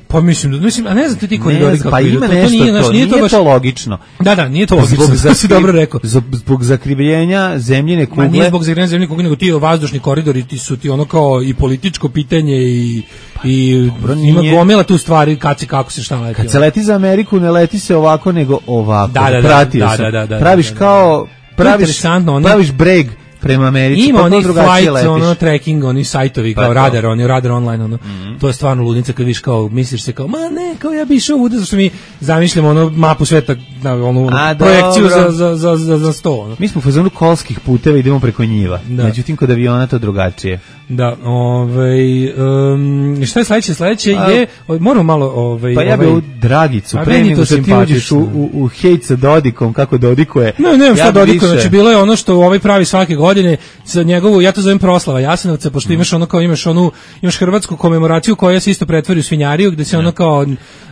Pa mislim, da- mislim, a ne znam ti ti koridori Ne, kako pa idu, ima to- to nešto nije, to, znaš, nije, nije to baš... to logično. Da, da, nije to logično, to si zakri- dobro rekao. Zbog, zbog zakrivljenja zemljine Ma nije kugle. zbog zagranja zemlje kugle, nego ti vazdušni koridori ti su ti ono kao i političko pitanje i, i dobro, ima nije. gomila tu stvari kad se, kako se šta leti. Kad se leti za Ameriku, ne leti se ovako, nego ovako. Da, da, da, Pratio da, sam. da, da, da, praviš da, da. kao, praviš, interesantno, ono- praviš breg prema Americi, Ima pa onih drugačije flight, letiš. ono tracking, oni sajtovi kao Pa to. radar, oni radar online, ono. To je stvarno ludnica kad viš kao, misliš se kao, ma ne, kao ja bi išao uda, zašto mi zamišljamo ono mapu sveta, na, onu A, projekciju dobro. za, za, za, za, za sto, ono. Mi smo u fazonu kolskih puteva, idemo preko njiva. Da. Međutim, kod aviona to drugačije. Da, ovaj, um, šta je sledeće? Sledeće A- je, moramo malo, ovaj, Pa ja bi ovaj, ovu Dragicu, A pre meni nego to što ti simpatično. uđeš u, u, u hejt sa Dodikom, kako Dodikuje. Ne, ne, šta ja bi Dodiko, više- znači bilo je ono što ovaj pravi svake godine za njegovu, ja to zovem proslava Jasenovca, pošto imaš ono kao imaš onu imaš hrvatsku komemoraciju koja se isto pretvori u svinjariju, gde se ono kao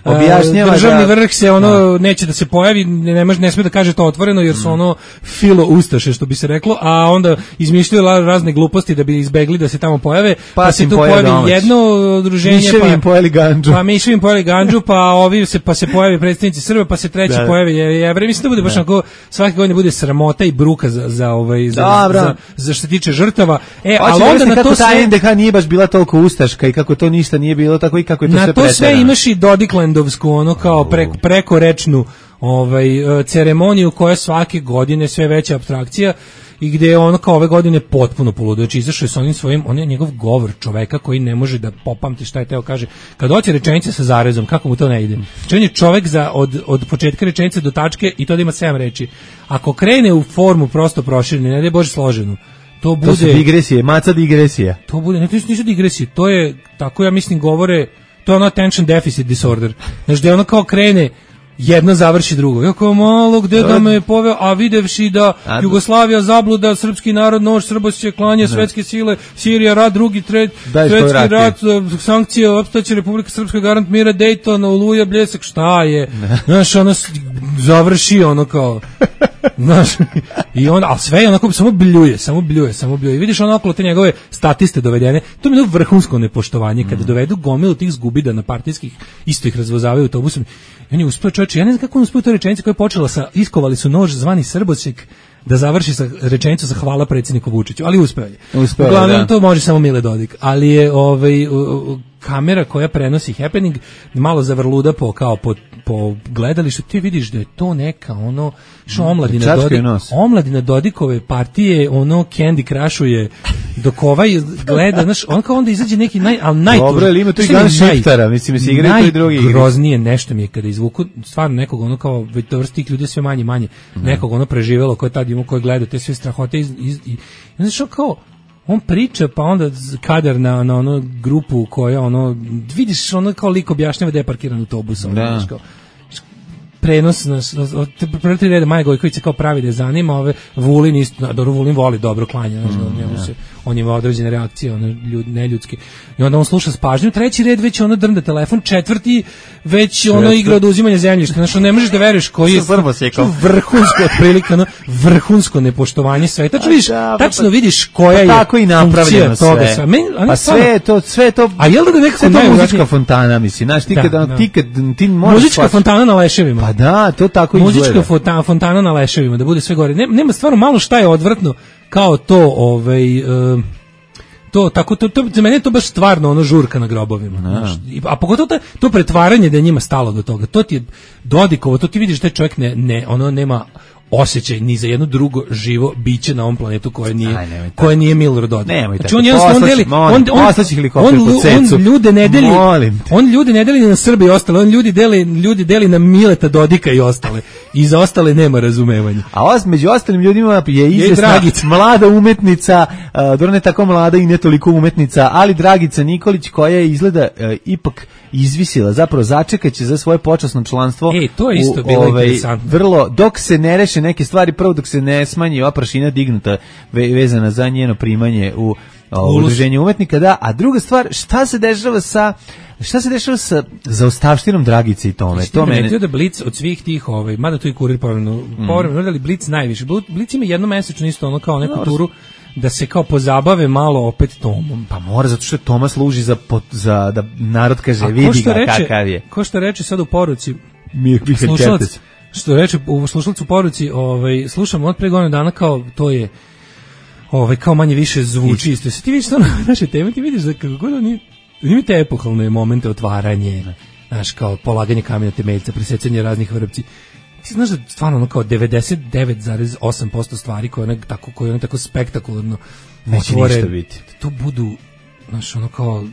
a, Objašnjava državni da- vrh se ono neće da se pojavi, ne, ne može ne sme da kaže to otvoreno jer su ono filo ustaše što bi se reklo, a onda izmišljaju la- razne gluposti da bi izbegli da se tamo pojave, pa, Pa se im tu pojave pojavi domaći. jedno udruženje, Miševi pa im pojeli ganđu. Pa miševi im pojeli ganđu, pa ovi se pa se pojavi predstavnici Srba, pa se treći Da. pojavi je- Jevreji. Mislim da bude baš onako svake godine bude sramota i bruka za za ovaj za, Dobro. za, za što se tiče žrtava. E, Hoće ali da onda objasni na kako to ta sve N D H nije baš bila toliko ustaška i kako to ništa nije bilo tako i kako je to na sve to sve preterano. imaš i Dodiklandovsku ono kao preko prekorečnu ovaj e, ceremoniju koja svake godine sve veća apstrakcija i gde je ono kao ove godine potpuno poludo. Znači izašao je sa onim svojim, on je njegov govor čoveka koji ne može da popamti šta je teo kaže. Kad hoće rečenica sa zarezom, kako mu to ne ide? Znači on je čovek za, od, od početka rečenice do tačke i to da ima sedam reči. Ako krene u formu prosto proširene, ne daj Bože složenu, to bude... To su digresije, maca digresija. To bude, ne, to nisu digresije, to je, tako ja mislim govore, to je ono attention deficit disorder. Znači da je ono kao krene, jedno završi drugo. Ja kao malo gde da me je poveo, a videvši da A- Jugoslavija zabluda, srpski narod, nož, Srbosće, klanje, svetske sile, Sirija, rat, drugi, tret, Daj svoj svetski rat, rat, sankcije, opstaće Republika Srpska, garant mira, Dayton, Oluja, Bljesak, šta je? Znaš, ono s- završi ono kao... Znaš, i on, a sve je onako, samo bljuje, samo bljuje, samo bljuje. I vidiš ono okolo te njegove statiste dovedene, to mi je vrhunsko nepoštovanje, kada dovedu gomilu tih zgubida na partijskih, isto ih razvozavaju autobusom. I on je uspeo, čovječe, ja ne znam kako on uspeo to rečenicu koja je počela sa, iskovali su nož zvani Srbosjek, da završi sa rečenicom sa hvala predsjedniku Vučiću, ali uspeo je. Uspeo je, Uglavnom, da. to može samo Mile Dodik, ali je ovaj, kamera koja prenosi happening malo zavrluda po, kao po, po gledalištu, ti vidiš da je to neka ono, što omladina, Dodik, omladina Dodikove partije, ono Candy Crushuje, dok ovaj gleda, znaš, on kao onda izađe neki naj, ali najtuž. Dobro, ali ima tu i Gun Shiftera, mislim, se igraju to i drugi. Najgroznije nešto mi je kada izvuku, stvarno nekog ono kao, vrst tih ljudi sve manje manje, mm. nekog ono preživelo koje tad ima, koje gleda te sve strahote iz, iz, i, znaš, kao, on priča, pa onda kadar na, na ono grupu koja, ono, vidiš, ono kao lik objašnjava da je parkiran autobus, ono, da. Kao, prenos na prvi tri reda Maja Gojković se kao pravi da je zanima, ove Vulin isto, dobro, Vulin voli dobro klanja, znači mm, njemu se, on ima određene reakcije, one ljud, neljudske. I onda on sluša s pažnjom, treći red već ono drnda telefon, četvrti već ono Četvrti. igra od uzimanja zemljišta. Znači ne možeš da veruješ koji je vrhunsko otprilike, ono vrhunsko nepoštovanje sveta. Tačno vidiš, tačno vidiš koja je tako i napravljeno sve. sve. Men, pa sve je to, sve to. A jel da nekako ne muzička fontana, misli, znaš, ti kad da, ti kad ti možeš muzička fontana na leševima. Pa da, to tako izgleda. Muzička fontana, fontana na leševima, da bude sve gore. Ne, nema stvarno malo šta je odvrtno kao to, ovaj, uh, to, tako, to, to, za mene je to baš stvarno ono žurka na grobovima. Znaš, a pogotovo to, to pretvaranje da je njima stalo do toga. To ti je Dodikovo, to ti vidiš da taj čovjek ne, ne, ono nema osjećaj ni za jedno drugo živo biće na ovom planetu koje nije Aj, koje nije Milorad Dodik. Znači on jednostavno deli on on on, on, on ljude ne deli. On ljude ne deli na Srbe i ostale, on ljudi deli ljudi deli na Mileta Dodika i ostale. I za ostale nema razumevanja. A os među ostalim ljudima je izvesna mlada umetnica, uh, dobro ne tako mlada i ne toliko umetnica, ali Dragica Nikolić koja je izgleda uh, ipak izvisila, zapravo začekaće za svoje počasno članstvo. E, to je isto u, bilo ovaj, interesantno. Vrlo, dok se ne reše neke stvari, prvo dok se ne smanji ova prašina dignuta ve, vezana za njeno primanje u udruženje umetnika, da, a druga stvar, šta se dešava sa šta se dešava sa zaostavštinom Dragice i tome? To mene... da Blic od svih tih, ovaj, mada to i Kurir povremeno, mm. povremeno, ali Blic najviše. Blic ima jednomesečno isto ono kao neku no, turu da se kao pozabave malo opet Tomom. Pa mora, zato što Toma služi za, za da narod kaže, vidi ga reče, kakav je. Ko što reče sad u poruci, mi, mi slušalac, što reče u slušalcu poruci, ovaj, slušamo od pre godinu dana kao to je ovaj, kao manje više zvuči isto. Se ti vidiš to na naše teme, ti vidiš da kako god oni imate epohalne momente otvaranje, znaš, kao polaganje kamena temeljca, presecanje raznih vrpci. Ti znaš da stvarno ono kao devedeset devet zarez osam posto stvari koje one tako, koje one tako spektakularno neće otvore, ništa biti. To budu, znaš, ono kao,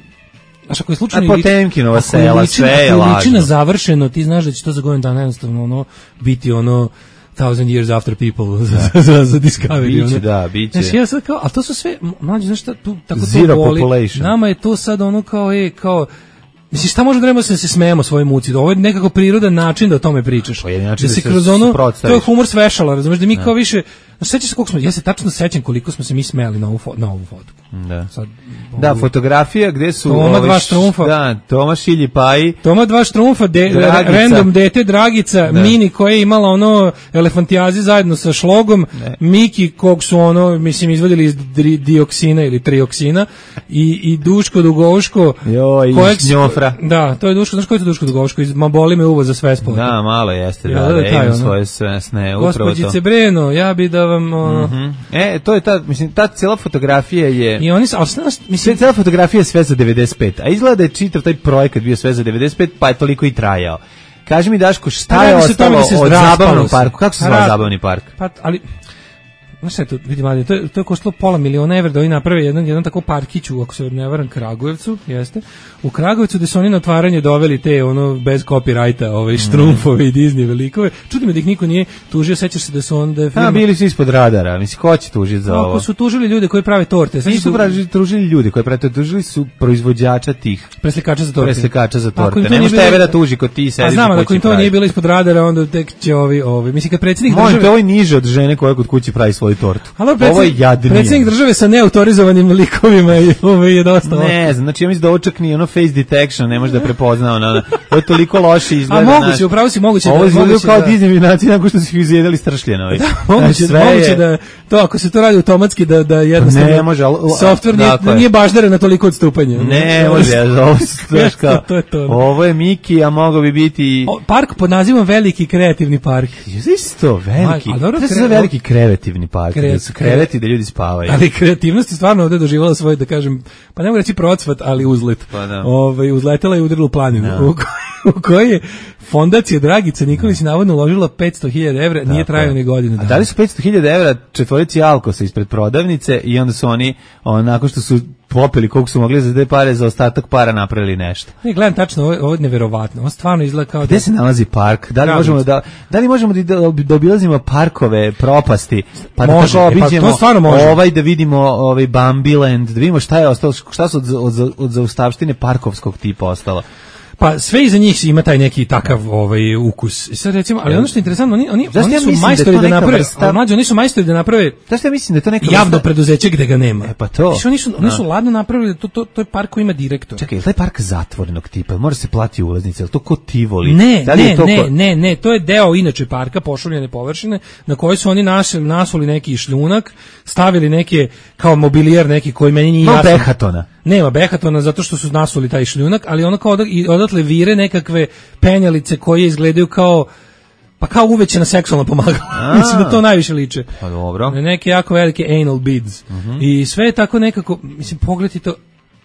znaš, ako je slučajno... A Potemkinova sela, sve je lažno. Ako je ličina završeno, ti znaš da će to za godinu dana jednostavno ono, biti ono thousand years after people za, za, za Discovery. Biće, da, biće. Znaš, ja sad kao, ali to su sve, mlađi, znaš šta, tu, tako Zero to boli. Population. Nama je to sad ono kao, e, kao, mislim, šta možemo da trebamo da se smejemo svojoj muci? Da ovo je nekako prirodan način da o tome pričaš. Pa je način da, da se kroz ono, to je humor svešala, razumiješ, da mi kao više, sećaš se koliko smo, ja se tačno sećam koliko smo se mi smejali na ovu, fo, na ovu fotku. Da. Sad, da, fotografija gde su Toma dva štrumfa. Da, Toma Šilji Paji. Toma dva štrumfa, de, random dete Dragica, da. Mini koja je imala ono elefantijazi zajedno sa šlogom, ne. Miki kog su ono, mislim, izvadili iz dri, dioksina ili trioksina i, i Duško Dugoško. Jo, i Šnjofra. Da, to je Duško, znaš ko je to Duško Dugoško? Iz Maboli me uvo za sve spolete. Da, malo jeste, da, ja, da, da, da taj, imam svoje svesne, upravo to. Gospođice Breno, ja bi da vam... Ono, mm-hmm. E, to je ta, mislim, ta cijela fotografija je... I oni su, ali znaš, mislim... Cijela fotografija je sve za devedeset pet, a izgleda da je čitav taj projekat bio sve za devedeset pet, pa je toliko i trajao. Kaži mi, Daško, šta je ostalo da od zabavnog parku? Kako se zvao zabavni park? Pa, ali... Znaš šta je to, vidi mladi, to je, to je koštalo pola miliona evra da oni naprave jedan, jedan tako parkiću, ako se ne varam, Kragujevcu, jeste, u Kragujevcu gde su oni na otvaranje doveli te, ono, bez copyrighta, ove štrumfove i Disney velikove, čudim da ih niko nije tužio, sećaš se da su onda... Da firma... A, bili su ispod radara, misli, ko će tužiti za ovo? Ako su tužili ljude koji prave torte. Nisu su... tužili ljude koji prave torte, tužili su proizvođača tih... Preslikača za torte. Preslikača za torte. Ne možeš tebe da tuži kod ti sediš. A znam, ako im to nije bilo ispod radara, onda tek će ovi, ovi, mislim, kad predsjednik države... Možete, ovo je niže od žene koja kod kući pravi svoju svoju tortu. Ali Ovo je jadnije. Predsjednik države sa neautorizovanim likovima i ovo je dosta. Ne znam, znači ja mislim da ovo čak ni ono face detection ne može da prepozna ono, ono. Ovo je toliko loše izgleda. A moguće, upravo si moguće ovo da... Ovo izgledaju kao da... Disney vinaci nakon što su ih izjedali stršljenovi. Da, moguće, sve moguće je... da to, ako se to radi automatski, da, da jednostavno ne može, ali, software nije, dakle, nije baždara na toliko odstupanja. Ne može, ovo, to, to je to. Ovo je Miki, a mogao bi biti... O, park pod nazivom Veliki kreativni park. Isto, veliki. Ma, dobro, to se kre... zove veliki kreativni park. Kre... Da su kreveti da ljudi spavaju. Ali kreativnost je stvarno ovde doživala svoj, da kažem, pa ne mogu reći procvat, ali uzlet. Pa da. Ove, uzletela i udarila u planinu. No. U, koj, u kojoj je fondacija Dragica Nikolić navodno uložila petsto hiljada evra, nije trajao ni godinu dana. A dali su petsto hiljada evra četvorici Alkosa ispred prodavnice i onda su oni, on, nakon što su popili koliko su mogli za te pare, za ostatak para napravili nešto. Ne, gledam tačno, ovo je, ovo je neverovatno. Ovo stvarno izgleda kao... Gde da... se nalazi park? Da li Gravica. možemo da da li možemo da, da obilazimo parkove, propasti? Pa može, da tako obiđemo e, pa to stvarno može. Ovaj da vidimo ovaj Bambiland, da vidimo šta je ostalo, šta su od, od, od zaustavštine parkovskog tipa ostalo. Pa sve iza njih ima taj neki takav ovaj ukus. I sad recimo, ali ono što je interesantno, oni oni Zašto oni ja su mislim majstori da, da, da naprave, vrsta... mlađi, oni su majstori da naprave. Zašto ja mislim da je to neka javno vrsta... preduzeće gde ga nema. E pa to. Znači, oni su oni su ladno napravili, to to to je park koji ima direktor. Čekaj, je taj park zatvorenog tipa? Mora se plati ulaznica, je to ko Tivoli? Ne, da li ne, je to ne, ko... ne, ne, to je deo inače parka, pošuljene površine na kojoj su oni nasuli, nasuli neki šljunak, stavili neke kao mobilijer neki koji meni nije no, jasan. Behatona. Nema Behatona zato što su nasuli taj šljunak, ali ono kao odak, i odatle vire nekakve penjalice koje izgledaju kao pa kao uvećena seksualna pomagala. Mislim da to najviše liče. Pa dobro. Neke jako velike anal beads. Uh-huh. I sve je tako nekako, mislim, pogledajte to.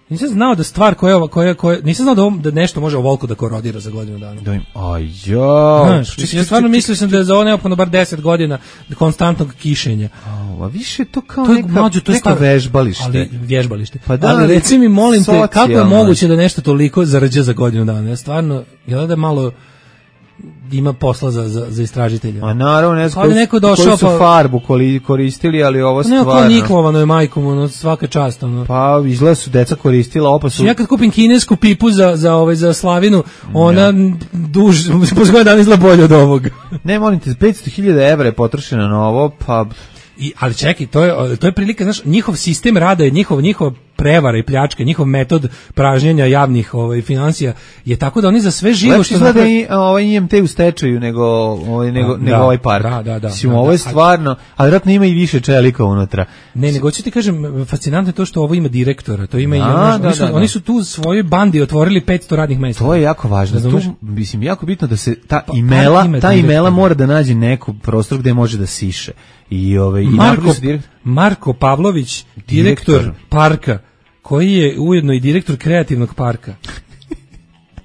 Nisam znao da stvar koja ova koja koja nisam znao da ovom, da nešto može ovoliko da korodira za godinu dana. Da im, ajo. Znaš, ja stvarno mislio sam da je za ovo neophodno bar deset godina konstantnog kišenja. A više to kao to je, neka, mađu, to je neka vežbalište. Ali vježbalište. Pa da, ali reci mi, molim te, kako je socijalno. moguće da nešto toliko zarađa za godinu dana? Ja stvarno, jel da malo ima posla za, za, za istražitelja. A naravno, ne znam koji, neko došao, koji su pa, farbu koristili, ali ovo stvarno... Neko niklovano je majkom, ono, svaka čast. Ono. Pa izgleda su deca koristila, opa su... Ja kad kupim kinesku pipu za, za, ovaj, za slavinu, ona ja. duž, posle godina dana izgleda bolje od ovog. Ne, molim te, petsto hiljada evra je potrošeno na ovo, pa... I, ali čekaj, to je, to je prilika, znaš, njihov sistem rada je njihov, njihova prevara i pljačka, njihov metod pražnjenja javnih ovaj, financija je tako da oni za sve živo lepši što napravi... Lepši izgleda i ovaj I M T u stečaju nego, ovaj, nego, da, nego ovaj park. Da, da, da. Mislim, da, ovo je da, stvarno, ali vjerojatno ima i više čelika unutra. Ne, nego ću ti kažem, fascinantno je to što ovo ima direktora, to ima da, i ono, da, oni, su, da, da. oni su tu u svojoj bandi otvorili petsto radnih mesta. To je jako važno. Da, tu, mislim, jako bitno da se ta pa, imela, ta imela mora da nađe neku prostor gde može da siše. I ovaj i Marko, Marko Pavlović, direktor, direktor parka, koji je ujedno i direktor kreativnog parka.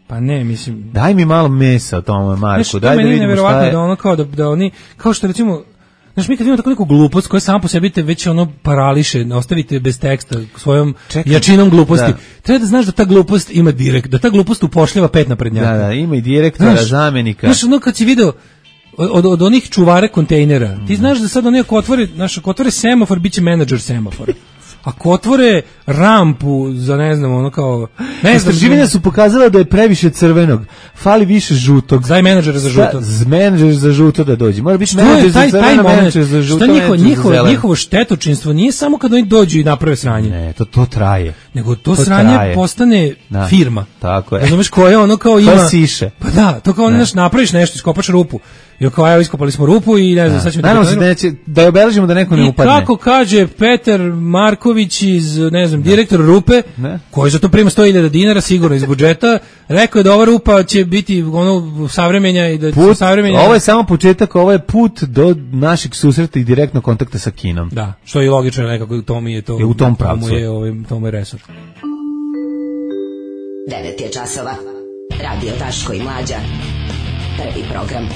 Pa ne, mislim... Daj mi malo mesa o tome, Marko, znaš, daj da vidimo šta je... Da ono kao da, da oni, kao što recimo, znaš, mi kad vidimo tako neku glupost koja sama po sebi te već ono parališe, ostavite bez teksta svojom Čekaj, jačinom gluposti. Da. Treba da znaš da ta glupost ima direkt, da ta glupost upošljava pet naprednjaka. Da, da, ima i direktora, znaš, zamenika. Znaš, ono kad si video od, od onih čuvara kontejnera, ti znaš da sad oni ako otvore, znaš, ako otvore semafor, bit će menadžer semafora. Ako otvore rampu za, ne znam, ono kao... Ne znam, istraživanja su pokazala da je previše crvenog, fali više žutog. Daj menadžera za žuto. Za menadžer za žuto da dođe. Mora biti menadžer za crveno, menadžer za žuto, njihovo, njihovo, njihovo štetočinstvo nije samo kad oni dođu i naprave sranje. Ne, to, to traje. Nego to, to sranje traje. Postane da. Firma. Tako je. Razumeš koje ono kao ima... To siše. Pa da, to kao ne. Napraviš nešto, iskopaš rupu. I kao, evo, iskopali smo rupu i ne znam, sad ćemo... Naravno se da, neće, da je obeležimo da neko ne upadne. I kako kaže Petar Marković iz, ne znam, direktor rupe, ne. Koji za to prima sto hiljada dinara, sigurno iz budžeta, rekao je da ova rupa će biti ono savremenja i da put, savremenja... Ovo je samo početak, ovo je put do našeg susreta i direktnog kontakta sa Kinom. Da, što je logično nekako, to mi je to... Je u tom pravcu. To mu je, ovaj, to mu je resor. devet je časova. Radio Daško i Mlađa. Prvi program.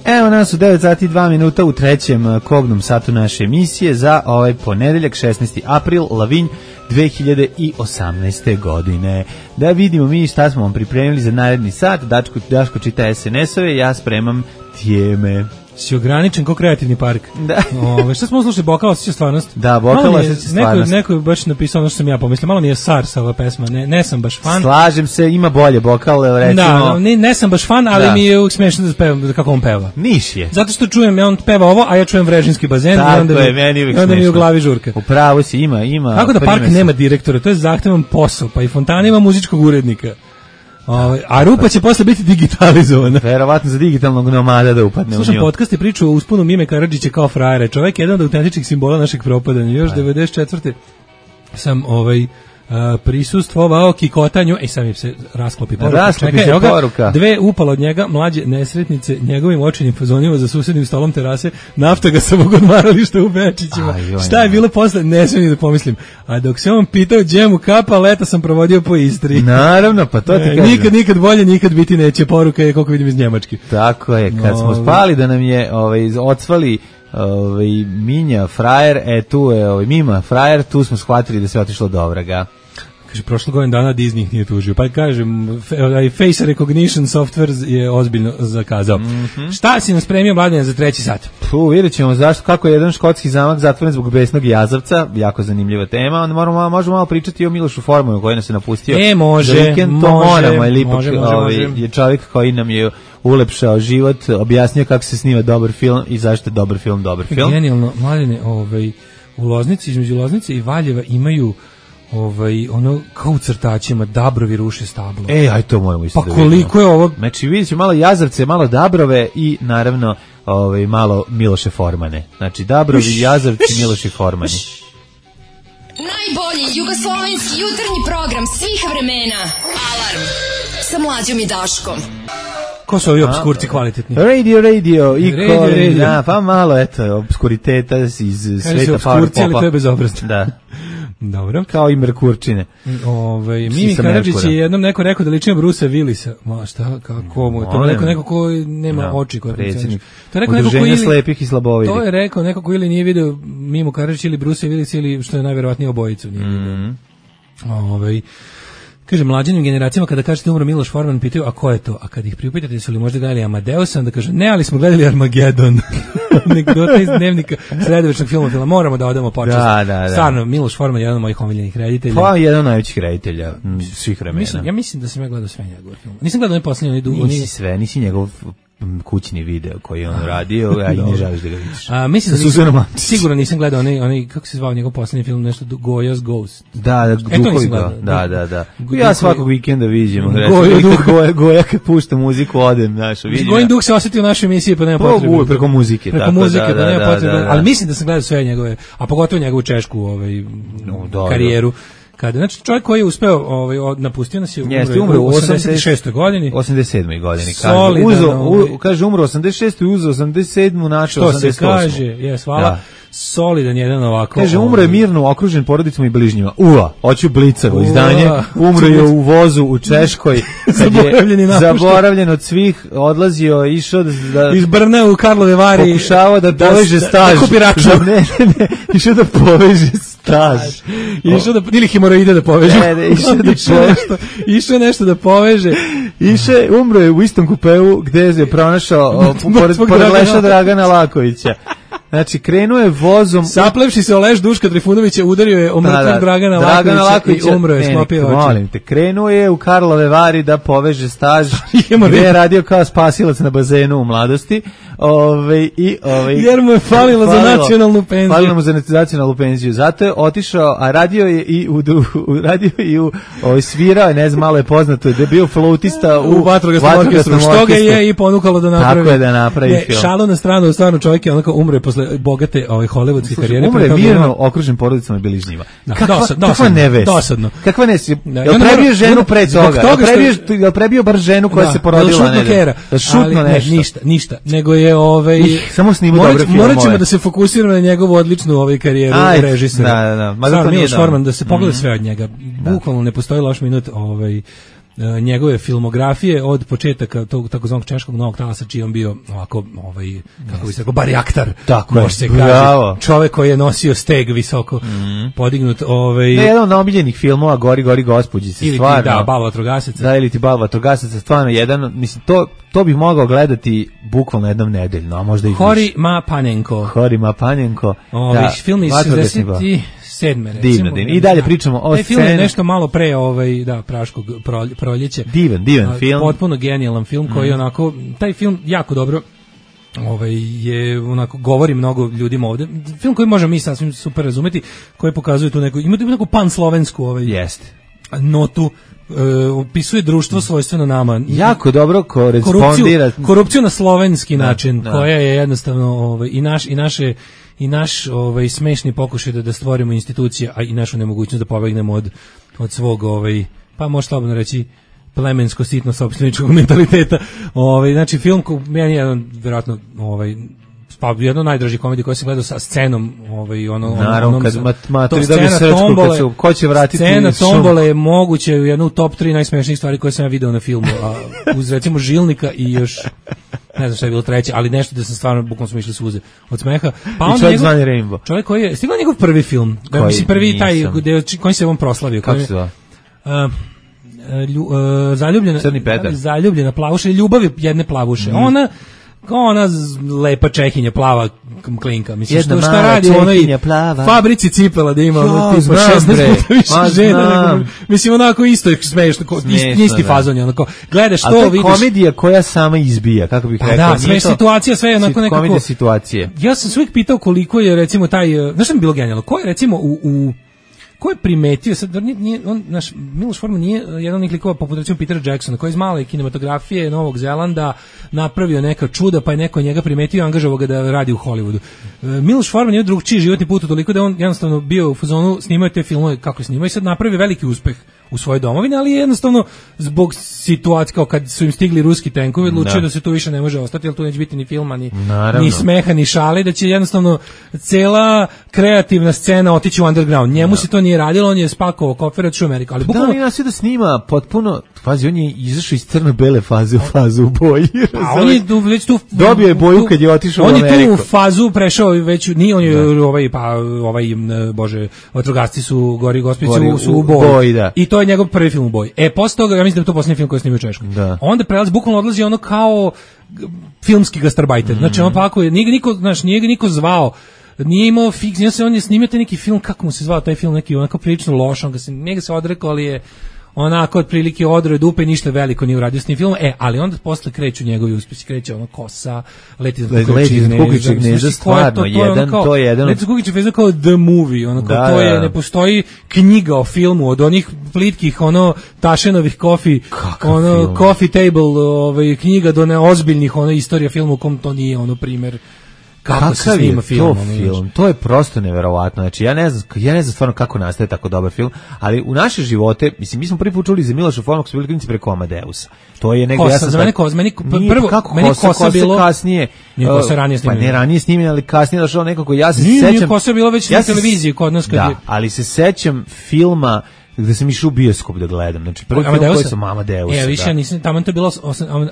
Evo nas u devet sati i dva minuta u trećem kobnom satu naše emisije za ovaj ponedeljak šesnaesti april, Lavinj dve hiljade osamnaeste. godine. Da vidimo mi šta smo vam pripremili za naredni sat. Daško, Daško čita es en es ove, ja spremam tijeme. si ograničen kao kreativni park. Da. Ove, šta smo slušali, Bokal osjeća stvarnost? Da, Bokal osjeća stvarnost. Neko, neko je baš napisao ono što sam ja pomislio, malo mi je Sars ova pesma, ne, ne sam baš fan. Slažem se, ima bolje Bokal, recimo. Da, ne, ne sam baš fan, ali da. mi je uvijek smiješno da pevam, kako on peva. Niš je. Zato što čujem, ja on peva ovo, a ja čujem Vrežinski bazen. Tako i onda je, mi, meni uvijek i onda smiješno. mi u glavi žurka. Upravo si, ima, ima. Tako da park nema direktora, to je zahtevan posao, pa i fontana ima muzičkog urednika. Ove, a rupa će posle biti digitalizovana. Verovatno za digitalnog nomada da upadne. Slušam u nju. podcast i priču o usponu Mime Karadžića kao frajere. Čovjek je jedan od autentičnih simbola našeg propadanja. Još devedeset četvrte sam ovaj Uh, prisustvovao kikotanju, ej sad mi se rasklopi poruka. Rasklopi Čekaj, se ga, poruka. Dve upala od njega, mlađe nesretnice, njegovim očinim fazonima za susednim stolom terase, nafta ga sa mog odmarališta u Bečićima. Aj, Šta je bilo posle, ne smijem ni da pomislim. A dok se on pitao gdje mu kapa, leta sam provodio po Istri. Naravno, pa to ti E, kažem. nikad, nikad bolje, nikad biti neće. Poruka je, koliko vidim, iz Njemačke. Tako je, kad smo Ovaj. spali da nam je ovaj, ocvali ovaj, Minja frajer, e tu je ovaj, Mima frajer, tu smo shvatili da se otišlo do vraga. Kaže, prošlo godin dana Disney ih nije tužio. Pa kažem, f- face recognition software je ozbiljno zakazao. Mhm. Šta si nam spremio, Mladene, za treći sat? Tu vidjet ćemo zašto, kako je jedan škotski zamak zatvoren zbog besnog jazavca, jako zanimljiva tema, onda moramo, možemo malo pričati o Milošu Formanu koji nas je napustio. E, može, za vikend, to može, moramo, jer ipak može, može, ovaj, može. je čovjek koji nam je ulepšao život, objasnio kako se snima dobar film i zašto je dobar film dobar film. Genijalno, Mladene, ovaj, u Loznici, između Loznice i Valjeva imaju ovaj, ono, kao u crtačima, dabrovi ruše stablo. E, aj to moramo isto Pa da vidimo. koliko je ovo... Znači vidjet ćemo malo jazavce, malo dabrove i naravno ovaj, malo Miloše Formane. Znači dabrovi, jazavci, Miloše Formani. Najbolji jugoslovenski jutarnji program svih vremena. Alarm sa Mlađom i Daškom. Ko su ovi obskurci kvalitetni? Radio, radio, i Radio, Colin, radio. da, pa malo, eto, obskuriteta iz Kaže se sveta power obskurci, ali popa. to je bezobrazno. Da, Dobro. kao i Merkurčine. Ovaj Mimi Sisa Karadžić Merkura. je jednom neko rekao da liči na Brusa Willisa. Ma šta, kako mu je to Molim. neko neko ko nema Da, oči koje predsjednik funkcionišu. To je rekao neko ko Udruženja ili slepih i slabovidih. To je rekao neko ko ili nije video Mimu Karadžić ili Brusa Willisa ili što je najverovatnije obojicu nije video. Mhm. Ovaj kaže mlađim generacijama kada kažete umro Miloš Forman pitaju a ko je to, a kad ih priupitate su li možda gledali Amadeusa, onda kaže ne, ali smo gledali Armagedon. Anegdota iz dnevnika sredovečnog filma, filma. Moramo da odamo počast. Da, da, da. Stvarno, Miloš Forman je jedan od mojih omiljenih reditelja. Pa jedan od najvećih reditelja m, svih vremena. Mislim, ja mislim da sam ja gledao sve njegove filme. Nisam gledao onaj posljednji, onaj dugo. Nisi sve, nisi njegov m, kućni video koji je on radio, a i ne želiš da ga vidiš. A mislim Sa da Suzanom nisam, Antić. sigurno nisam gledao onaj, onaj kako se zvao njegov posljednji film, nešto du- Goya's Ghost. Da, da, E, to duhovi nisam ga, gledao. da, da, da. Duhovi- Ja svakog vikenda viđem. Goja Goja, duh. goja, goja kad pušta muziku, odem, znaš, vidim. Gojin duh se osjetio u našoj emisiji, pa nema Pa, potrebe. uvijek preko muzike, Preko tako da, muzike, pa da, nema da, potrebe. da, da. Ali mislim da sam gledao sve njegove, a pogotovo njegovu češku ovaj, No, da, karijeru. Kada, znači čovjek koji je uspeo, ovaj, od- napustio nas je, Jeste, umro umro u u osamdeset šestoj godini. osamdeset sedmoj godini, kaže. Solidan, Uzo, ovaj. u, kaže, umro osamdeset šestoj uzeo osamdeset sedmu našao Što se osamdeset osmu kaže, jes, hvala. Da. Solidan jedan ovako. Kaže, umro je ovaj, mirno okružen porodicama i bližnjima. Ua, hoću Blicarovo Ua. izdanje. Umro je u vozu u Češkoj. kad je Zaboravljen i napušten. Zaboravljen od svih, odlazio, išao da... da iz Brna u Karlove Vari. pokušavao da poveže da- staž. Da kupi račun. Da, ne, ne, ne, išao da poveže staž. Išao da, ili hemoroide da poveže. Ne, ne, išao da Išao poveže. nešto, išao nešto da poveže. Išao je, umro je u istom kupeu gde je pronašao o, pored, Mrtvog pored Dragana. leša Dragana Lakovića. Znači, krenuo je vozom... Saplevši se o leš Duška Trifunovića, udario je o mrtvog Dragana Lakovića i umro je, ne, sklopio ne, oči. molim te, krenuo je u Karlove Vari da poveže staž, Hemoroid. gde je radio kao spasilac na bazenu u mladosti. Ove, i, ove, Jer mu je falilo za nacionalnu penziju. Falilo mu za nacionalnu penziju. Zato je otišao, a radio je i u, u radio je i u ovaj, svirao, je, ne znam, malo je poznato, da je bio flautista u, u vatrogasnom orkestru, što ga je i ponukalo da napravi. Tako je da napravi ne, film. Šalo na stranu, stvarno čovjek je onako umre posle bogate ovaj, hollywoodske karijere. Umre pre toga mirno imao- okružen porodicama i bližnjima. Da, Kakva, dosad- kakva dosadno, nevest? dosadno. Kakva ne si? Da, i Jel onda prebio mora- ženu pre zbog toga? toga Jel što je- prebio, jel prebio bar ženu koja Da, se porodila? jel šutno ne, kera? Da šutno Ali, ne, nešto. ništa, ništa. Nego je ovaj Samo snimao morat- dobre filmove. Morat ćemo da se fokusiramo na njegovu odličnu ovaj karijeru Ajde, režisera. da, da, da. Ma zato Stvarno, nije Miloš dobro. Forman, da se pogleda Mhm. sve od njega. Bukvalno ne postoji loš minut ovaj uh, njegove filmografije od početaka tog takozvanog češkog novog talasa, čiji on bio ovako, ovaj, kako bi se rekao, barijaktar. Tako može je, se bravo. kaže. Čovek koji je nosio steg visoko mm. podignut. Ovaj, ne, jedan od omiljenih filmova, Gori, gori, gospođi se ili stvarno. Ti, da, Bal vatrogasaca. Da, ili ti Bal vatrogasaca, stvarno jedan, mislim, to, to bih mogao gledati bukvalno jednom nedeljno, a možda i više. Hori Mapanenko. Hori Mapanenko. Ovaj da, film iz šezdeset sedme recimo. Divno, divno. I dalje pričamo o sceni. Taj film je nešto malo pre ovaj, da, Praškog proljeća. Divan, divan film. Potpuno genijalan film koji mm. onako, taj film jako dobro ovaj, je onako, govori mnogo ljudima ovde. Film koji možemo mi sasvim super razumeti, koji pokazuje tu neku, ima tu neku pan-slovensku ovaj, Jeste. notu, uh, opisuje društvo svojstveno nama. Jako dobro korespondira. Korupciju, korupciju na slovenski da, način, da. koja je jednostavno ovaj, i, naš, i naše i naš ovaj smešni pokušaj da, da stvorimo institucije, a i našu nemogućnost da pobegnemo od, od svog, ovaj, pa može slobodno reći, plemensko sitno sopstveničkog mentaliteta. Ovaj, znači film ko meni je jedan vjerojatno ovaj pa jedno najdraži komedija koju sam gledao sa scenom, ovaj ono naravno, onom, kad mat, matri dobije srčku, kad se ko će vratiti scena tombole je moguće jedno u top tri najsmešnijih stvari koje sam ja video na filmu, a uz recimo Žilnika i još ne znam šta je bilo treće, ali nešto da sam stvarno bukvalno smo išli suze od smeha. Pa on čovjek zvani Rainbow. Čovjek koji je stigao njegov prvi film, da mislim prvi taj gde koji se on proslavio, kako se zove? Uh, lju, uh, zaljubljena zaljubljena plavuša, ljubav je jedne plavuše. Mm. Ona ona lepa Čehinja, plava klinka, mislim što šta radi u onoj fabrici cipela da ima ono tipa šesnaest puta više žena nego, mislim onako isto je smešno, isti, isti fazon je onako, gledaš to, vidiš. A to je komedija koja sama izbija, kako bih rekao. Da, sve situacija, sve je onako nekako. Komedija situacije. Ja sam se uvijek pitao koliko je recimo taj, znaš što mi bilo genijalno, ko je recimo u, u ko je primetio, sad, nije, on, naš Miloš Forman nije jedan od njih likova poput recimo Petera Jacksona, koji iz male kinematografije Novog Zelanda napravio neka čuda, pa je neko njega primetio i angažovao ga da radi u Hollywoodu. E, Miloš Forman je drugčiji životni put toliko da on jednostavno bio u fazonu, snimao te filmove kako snimao i sad napravi veliki uspeh u svojoj domovini, ali jednostavno zbog situacije, kao kad su im stigli ruski tenkovi, odlučio da. da se tu više ne može ostati, jer tu neće biti ni filma, ni, ni smeha, ni šale, da će jednostavno cela kreativna scena otići u underground. Njemu da. se to nije radilo, on je spakovao kofer od Ameriku, ali bukvalno... Da, on je da snima potpuno, fazi, on je izašao iz crno-bele faze u fazu u boji. A on je tu, već tu... Dobio je boju kad je otišao u Ameriku. On je tu u fazu prešao, već, nije on je, da. ovaj, pa, ovaj, bože, vatrogasci su, gori gospici su, su u boji. Boj, da. I to je njegov prvi film u boji. E, posle toga, ja mislim da je to posljednji film koji je snimio u Češkoj. Da. Onda prelazi, bukvalno odlazi ono kao filmski gastarbajter. Mm. Znači, on pa ako je, nije ga niko, znaš, nije ga niko zvao, nije imao fiks, nije se, on je snimio taj neki film, kako mu se zvao taj film, neki onako prilično loš, on ga se, nije ga se odrekao, ali je onako otprilike odroje dupe i ništa veliko nije uradio s tim filmom. E, ali onda posle kreću njegovi uspjesi, kreće ono Kosa, Leti za Kukićeg gnezda, stvarno, to, to jedan, to je jedan. Leti za Kukićeg gnezda kao The Movie, ono kao, da, to je, ne postoji knjiga o filmu, od onih plitkih, ono, Tašenovih coffee, ono, film? Coffee table, ovaj, knjiga do neozbiljnih, ono, istorija filmu u kom to nije, ono, primjer. Kako se snima film, to film? To je prosto neverovatno. Znači ja ne znam, ja ne znam stvarno kako nastaje tako dobar film, ali u naše živote, mislim mi smo prvi put čuli za Miloša Formana koji su bili klinci preko Amadeusa. To je nego Kosa, ja sam za mene Kosa, meni prvo kako meni Kosa, Kosa bilo kasnije, nije Kosa ranije snimljeno. Pa ne ranije snimljeno, ali kasnije došao nekako, ja se nije, sećam. Nije Kosa bilo već ja na televiziji kod nas kad da, je. ali se sećam filma gde sam išao u bioskop da gledam. Znači prvi film koji sam Amadeusa. E, više ja nisam, tamo to je bilo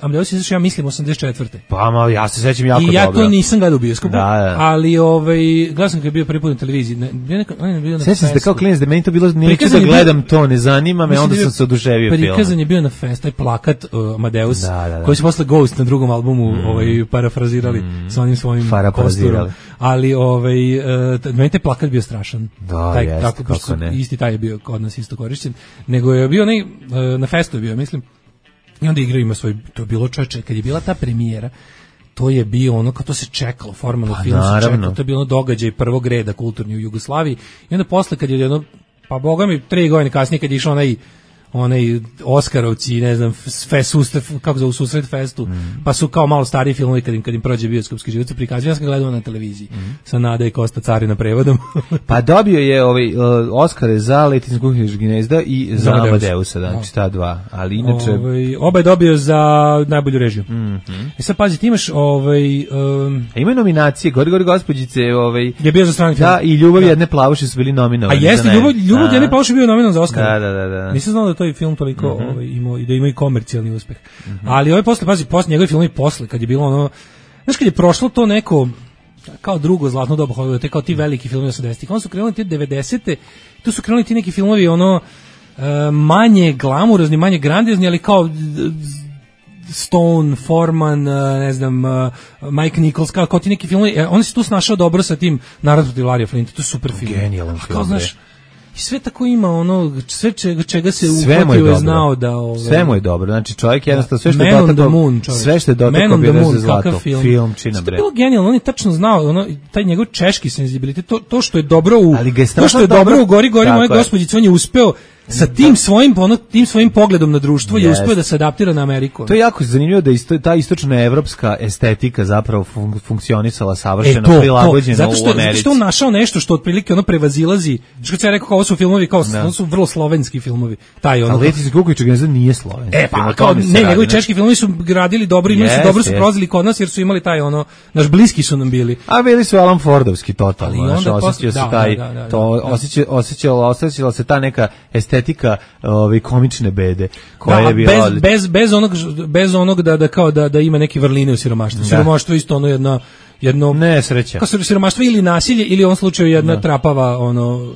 Amadeus izašao ja mislim osamdeset četvrte. Pa ma ja se sećam jako dobro. I ja dobro. To nisam gledao u bioskopu. Da, da. Ali ovaj gledao sam kad je bio prvi put na televiziji. Ne, bio neka, on je bio na. Sećam se da kao klinac da meni to bilo neću da gledam to, ne zanima me, onda sam se oduševio filmom. Prikazan je bio na fest, taj plakat uh, Amadeus, da, da, da. Koji su posle Ghost na drugom albumu mm. ovaj parafrazirali mm. sa onim svojim kosturom. Ali ovaj uh, meni taj plakat bio strašan. Da, taj jest, tako kako ne. Isti taj je bio kod nas isto korišćen. Nego je bio onaj, na festu je bio, mislim, i onda igra ima svoj, to je bilo čoveče, kad je bila ta premijera, to je bio ono, kao to se čekalo, formalno pa, film se čekalo, to je bilo događaj prvog reda kulturni u Jugoslaviji, i onda posle kad je jedno, pa boga mi, tri godine kasnije kad je išao onaj, onaj Oskarovci, ne znam, fest, susret, kako zove, susret festu, mm. pa su kao malo stariji filmovi kad im, kad im prođe bioskopski život su prikazuju, ja sam gledao na televiziji, mm. sa Nada i Kosta Carina prevodom. Pa dobio je ovaj, uh, Oskare za Leti za Kukićeg gnezda i za, za Amadeusa, znači ta dva, ali inače... Ovaj, oba je dobio za najbolju režiju. Mm -hmm. I sad pazi, ti imaš... Ovaj, um, A ima nominacije, Gori, gori, gospođice, ovaj... Je bio za strani film. Da, i Ljubav da. jedne plavuše su bili nominovani. A jeste, Ljubav, Ljubav jedne plavuše bio nominovan za Oskara. Da, da, da. da. Nisam znao da to taj film toliko Mm-hmm. ovaj, imao, i da ima i komercijalni uspeh. Mm-hmm. Ali ovaj posle, pazi, posle njegovi filmovi posle, kad je bilo ono, znaš kad je prošlo to neko, kao drugo zlatno doba Hollywooda, te kao ti veliki filmovi osamdesetih, onda su krenuli ti devedesete, tu su krenuli ti neki filmovi ono, manje glamurozni, manje grandiozni, ali kao Stone, Foreman, ne znam, Mike Nichols, kao, kao ti neki filmovi, on se tu snašao dobro sa tim Narod protiv Larija Flinta, to je super film. Genijalan film. Kao, znaš, i sve tako ima ono, sve čega, čega se sve uhvatio je znao da... Ove, sve mu je dobro, znači čovjek jednostavno sve što je Man dotakao, Moon, sve što je dotakao bi reze zlato, film, film čina bre. To je bilo genijalno, on je tačno znao, ono, taj njegov češki senzibilitet, to, to što je dobro u, to što je dobro, dobro u Gori, Gori moje gospođice, on je uspeo sa tim svojim ono, tim svojim pogledom na društvo yes. je uspeo da se adaptira na Ameriku. To je jako zanimljivo da isto ta istočna evropska estetika zapravo fun, funkcionisala savršeno, e, to, prilagođeno zato što, u Americi. Zato što on našao nešto što otprilike ono prevazilazi. Što se ja rekao, kao ovo su filmovi kao no. su vrlo slovenski filmovi. Taj ono. Ali Letis Kuković Geneza nije slovenski. E pa kao ne, njegovi češki filmovi su gradili dobro i yes, su dobro yes. se prozili kod nas jer su imali taj ono naš bliski su nam bili. A bili su Alan Fordovski totalno. Ali onda osjećao se da, taj da, da, da, to da. osjećao osjećala osjećala se ta neka estetika ove komične bede koja da, je bila bez, bez, bez onog bez onog da da kao da da ima neke vrline u siromaštvu. Siromaštvo isto ono jedna jedno nesreća. Kao siromaštvo ili nasilje ili u ovom slučaju jedna da. trapava ono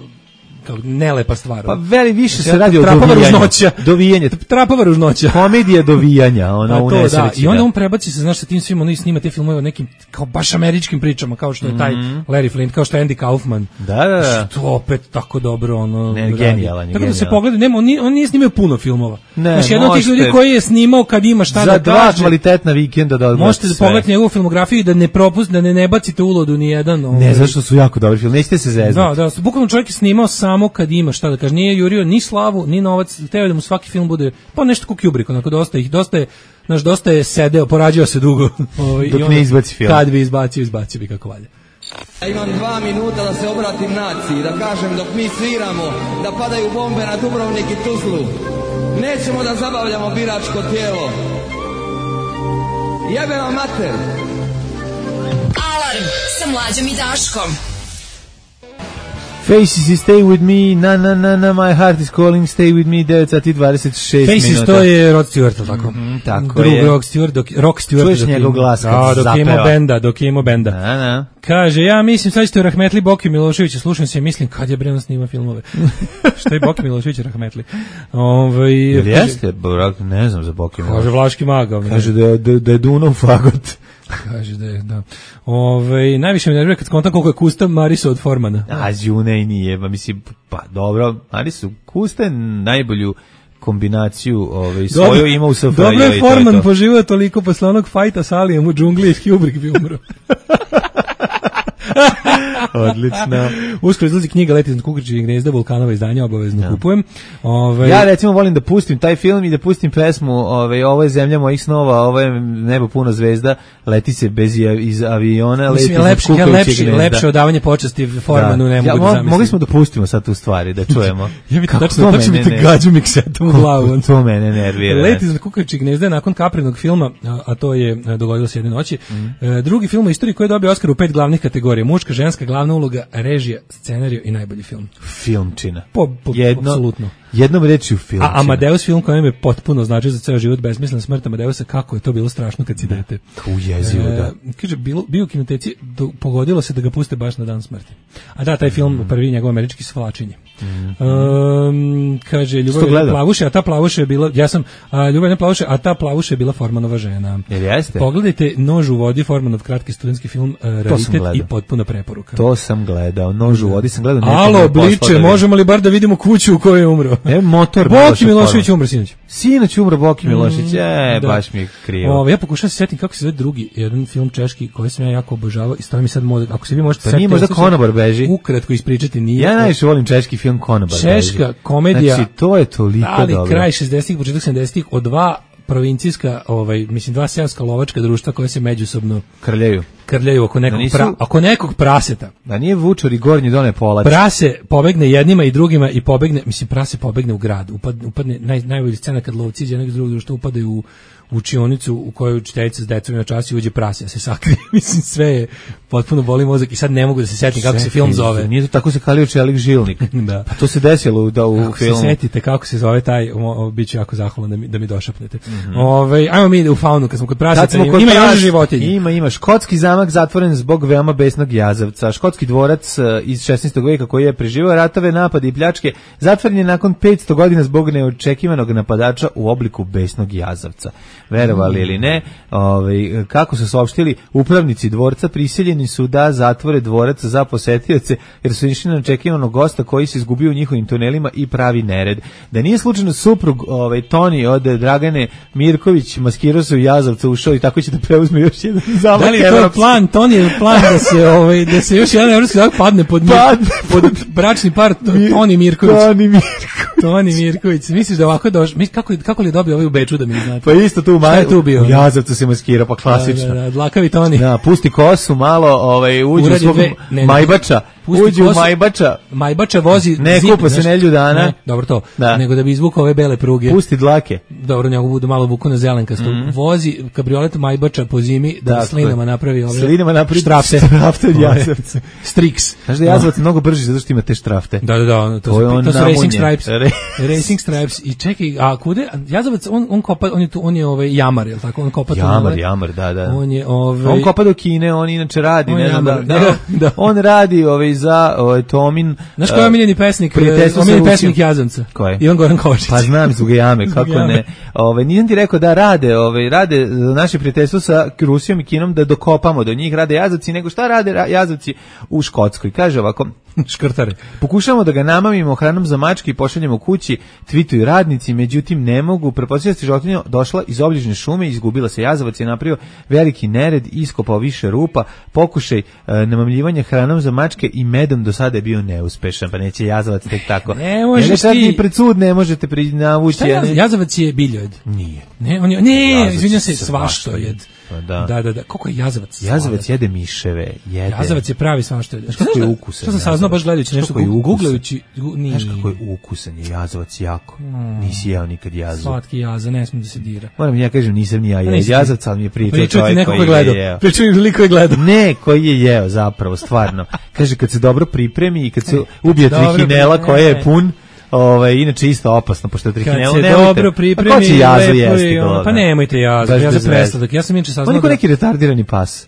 kao nelepa stvar. Pa veli više se radi o dovijanju. Dovijanje. Trapava ružnoća. Komedija dovijanja, ona u nesreći. Da. I onda on prebaci se, znaš, sa tim svim, on snima te filmove o nekim kao baš američkim pričama, kao što je taj mm-hmm. Larry Flint, kao što je Andy Kaufman. Da, da, da. Što opet tako dobro, ono... Ne, genijalan je, tako da se pogleda, nema, on nije, on nije snimao puno filmova. Ne, znaš, jedan od tih ljudi koji je snimao kad ima šta za da dva kaže. kvalitetna vikenda da odmah možete da pogledate njegovu filmografiju i da ne propust, da ne, ne bacite ulodu ni jedan. Ovaj. Ne, zašto su jako dobri film, nećete se zeznati. Da, da, bukvalno čovjek je snimao samo kad ima šta da kaže, nije jurio ni slavu, ni novac, teo da mu svaki film bude pa nešto kao Kubrick, onako dosta ih, dosta je, znaš, dosta je sedeo, porađao se dugo. Ovaj, dok ne izbaci film. Kad bi izbacio, izbacio bi kako valja. Ja imam dva minuta da se obratim naciji, da kažem dok mi sviramo, da padaju bombe na Dubrovnik i Tuzlu. Nećemo da zabavljamo biračko tijelo. Jebe vam mater! Alarm sa Mlađom i Daškom. Faces is Stay With Me, na na na na, My Heart is Calling, Stay With Me, devet sati dvadeset šest Faces, minuta. to je Rod Stewart, tako? Mm-hmm, tako Drug je. Rock Stewart, dok, Rock Stewart. Čuješ njegov glas kad da, se dok ima benda, dok ima benda. Na, na. Kaže, ja mislim, sad ćete Rahmetli Boki Miloševića, slušam se i mislim, kad je bre on snima filmove. Što je Boki Milošević Rahmetli? Ovaj Jel jeste? Ne znam za Boki Milošević. Kaže Vlaški maga. Kaže da je, da, da je Dunav fagot. Kaže da je, da. Ove, najviše mi nervira kad skontam koliko je Kusta Mariso od Formana. A, Đune i nije, pa mislim, pa dobro, Marisu, Kusta je najbolju kombinaciju ovaj, svoju ima u S F R J. Dobro je Forman poživao toliko posle onog fajta s Alijem u džungli i Kubrick bi umro. Odlično. Uskoro izlazi knjiga Leti iznad Kukačijeg gnezda, Vulkanova izdanja, obavezno ja. kupujem. Ove... Ja recimo volim da pustim taj film i da pustim pesmu ove, ovo je zemlja mojih snova, ovo je nebo puno zvezda, leti se bez iz aviona, leti iznad Kukačijeg gnezda. Lepše odavanje počasti Formanu da. ne mogu ja, da zamislim. Mogli smo da pustimo sad tu stvari, da čujemo. Ja mi tačno, tačno mi te gađu miksetom u glavu. To mene nervira. Leti iznad Kukačijeg gnezda nakon Kaprinog filma, a to je dogodilo se jedne noći. Mm. Drugi film u istoriji koji je dobio Oskar u pet glavnih kategorija: muška, ženska, glavna uloga, režija, scenarij i najbolji film. Filmčina. Po, po, Jedno, apsolutno. Jednom rečju filmčina. A Amadeus film koji me potpuno znači za ceo život, Besmislena smrt Amadeusa, kako je to bilo strašno kad si dete. Ujezivo, da. E, kaže, bilo, bio u kinoteci, do, pogodilo se da ga puste baš na dan smrti. A da, taj film, mm. prvi njegov američki Svlačenje. Mm. Um, kaže, Ljubav plavuše, a ta plavuše je bila, ja sam, a, Ljubav ne plavuše, a ta plavuše je bila Formanova žena. Jel jeste? Pogledajte Nož u vodi, Formanov kratki studentski film, uh, raritet i potpuna preporuka. To sam gledao, Nož u vodi sam gledao. Alo, Bliče, možemo li bar da vidimo kuću u kojoj je umro? E, motor. Boki Milošević umro sinoć. Sinoć umro Boki Milošević, e, da. baš mi je krivo. O, ja pokušam se setiti kako se zove drugi, jedan film češki koji sam ja jako obožavao i stoji mi sad mod, ako se vi možete setiti. Pa nije možda Konobar beži? Ukratko ispričati nije. Ja najviše volim češki film Konobar beži. Češka komedija. Znači, to je toliko ali dobro. Ali kraj šezdesetih, početak sedamdesetih od dva provincijska, ovaj, mislim, dva seoska lovačka društva koje se međusobno krljaju. krljaju oko nekog, Da nisu- pra, oko nekog praseta. Da nije Vučar i Gornji Done Polac. Prase pobegne jednima i drugima i pobegne, mislim, prase pobegne u grad. Upadne, upadne naj, najbolja scena kad lovci iz jednog drugog što upadaju u u učionicu u kojoj učiteljica s decom na čas i uđe prase, ja se sakrije, mislim, sve je potpuno boli mozak i sad ne mogu da se setim kako se film zove. Nije to tako se kalio Čelik Žilnik. Da. Pa to se desilo u, da, u Kako filmu. se setite kako se zove taj, o, o, bit ću jako zahvalan da mi, da mi došapnete. Mm-hmm. Ove, ajmo mi u faunu, kad smo kod praseta, Kad smo kod ima pras- još životinje. Ima, ima. Škotski zamak zatvoren zbog veoma besnog jazavca. Škotski dvorac e, iz šesnaestog veka koji je preživio ratove, napade i pljačke, zatvoren je nakon petsto godina zbog neočekivanog napadača u obliku besnog jazavca. Verovali ili ne, ovaj, kako su saopštili, upravnici dvorca prisiljeni su da zatvore dvorac za posetioce jer su išli na očekivanog gosta koji se izgubio u njihovim tunelima i pravi nered. Da nije slučajno suprug ovaj, Toni od Dragane Mirković maskirao se u jazavca, ušao i tako će da preuzme još jedan zamak. Da li je to plan, Toni je plan da se, ovaj, da se još jedan evropski zamak padne pod, mir, Padne pod bračni par to, Toni Mirković. Toni Mirković. Toni Mirković. Misliš da ovako došao? Mis, kako, kako li je dobio ovaj u Beču da mi ne znate? Pa isto tu u Šta je maju, tu bio? u jazavcu se maskira, pa klasično. Da, da, da, dlakavi Toni. Da, pusti kosu malo, ovaj, uđe u Uradi svog dve- ne, ne. majbača, Pusti uđe u kosu. majbača, Majbača vozi Ne, zim, kupa se znaš, nedlju dana. Ne, dobro to. Da. Nego da bi izvukao ove bele pruge. pusti dlake. Dobro, njegu budu malo vuku na zelenkasto. Mhm. Vozi kabriolet Majbača po zimi da Dakle, slinama napravi ove Slinama napravi štrafte. štrafte od Ove, jazavca. Strix. Znaš da je jazavac mnogo brži zato što ima te štrafte. Da, da, da, ono, to, To je su, on to su Racing namunjen. Stripes. Re- Racing Stripes. I čekaj, a kude? Jazavac, on, on kopa, on je tu, on je ovaj jamar, je li tako? On kopa Jamar, tunele. jamar, da, da. On je ovaj On kopa do Kine, on inače radi, On ne znam da, jamar, da, da, da. on radi ovaj za ovaj Tomin. Znaš ko je omiljeni pesnik? prijateljstvo sa Omiljeni Rusijom. pesnik Jazavca. Ko je? Ivan Goran Kovačić. Pa znam zbog jame, Zbog kako jame. ne. Ovaj nisam ti rekao da rade, ovaj rade naše prijateljstvo sa Rusijom i Kinom da dokopamo do njih, rade jazavci, nego šta rade ra- jazavci u Škotskoj. Kaže ovako: Škrtare. pokušavamo da ga namamimo hranom za mačke i pošaljemo kući, tvituju radnici, međutim ne mogu. Pretpostavljam da je životinja došla iz obližnje šume, izgubila se, jazavac je napravio veliki nered, iskopao više rupa, pokušaj e, namamljivanja hranom za mačke i medom do sada je bio neuspešan, pa neće jazavac tek tako. Ne možeš Njega sad ti- ni pred sud ne možete pri navući. Šta je a ne- jaz- Jazavac je biljojed. Nije. Ne, on je, ne, Jazavac izvinjam se, se svaštojed. Pa da. Da, da, da. Koliko je jazavac? Jazavac sladak. jede miševe, jede. Jazavac je pravi svaštojed. Znaš kako je ukusan Šta sam saznao jazavac? baš gledajući Znaš nešto, kako je gu- ukusan? googlajući, gu- nije. Znaš kako je ukusan je jazavac jako. Nisi jeo nikad jazu. Slatki jaza, ne smijem da se dira. Moram ja kažem, nisam ni ja jeo nisi ti. jazavca, ali mi je pričao Pričao ti čovjek neko ko koji je gledao. je jeo. Pričao mi liko je gledao. Ne, koji je jeo zapravo, stvarno. Kaže, kad se dobro pripremi i kad se ubije dobro trihinela pripremi- koja je pun, ovaj, inače isto opasno, pošto je Kad trihinela, se nemojte. dobro Pa pripremi, ko će jazu lepo jesti? je, govna? pa nemojte jazu, Baš ja bez za veze. presladak. Ja sam inače On saznao je ko da... neki retardirani pas.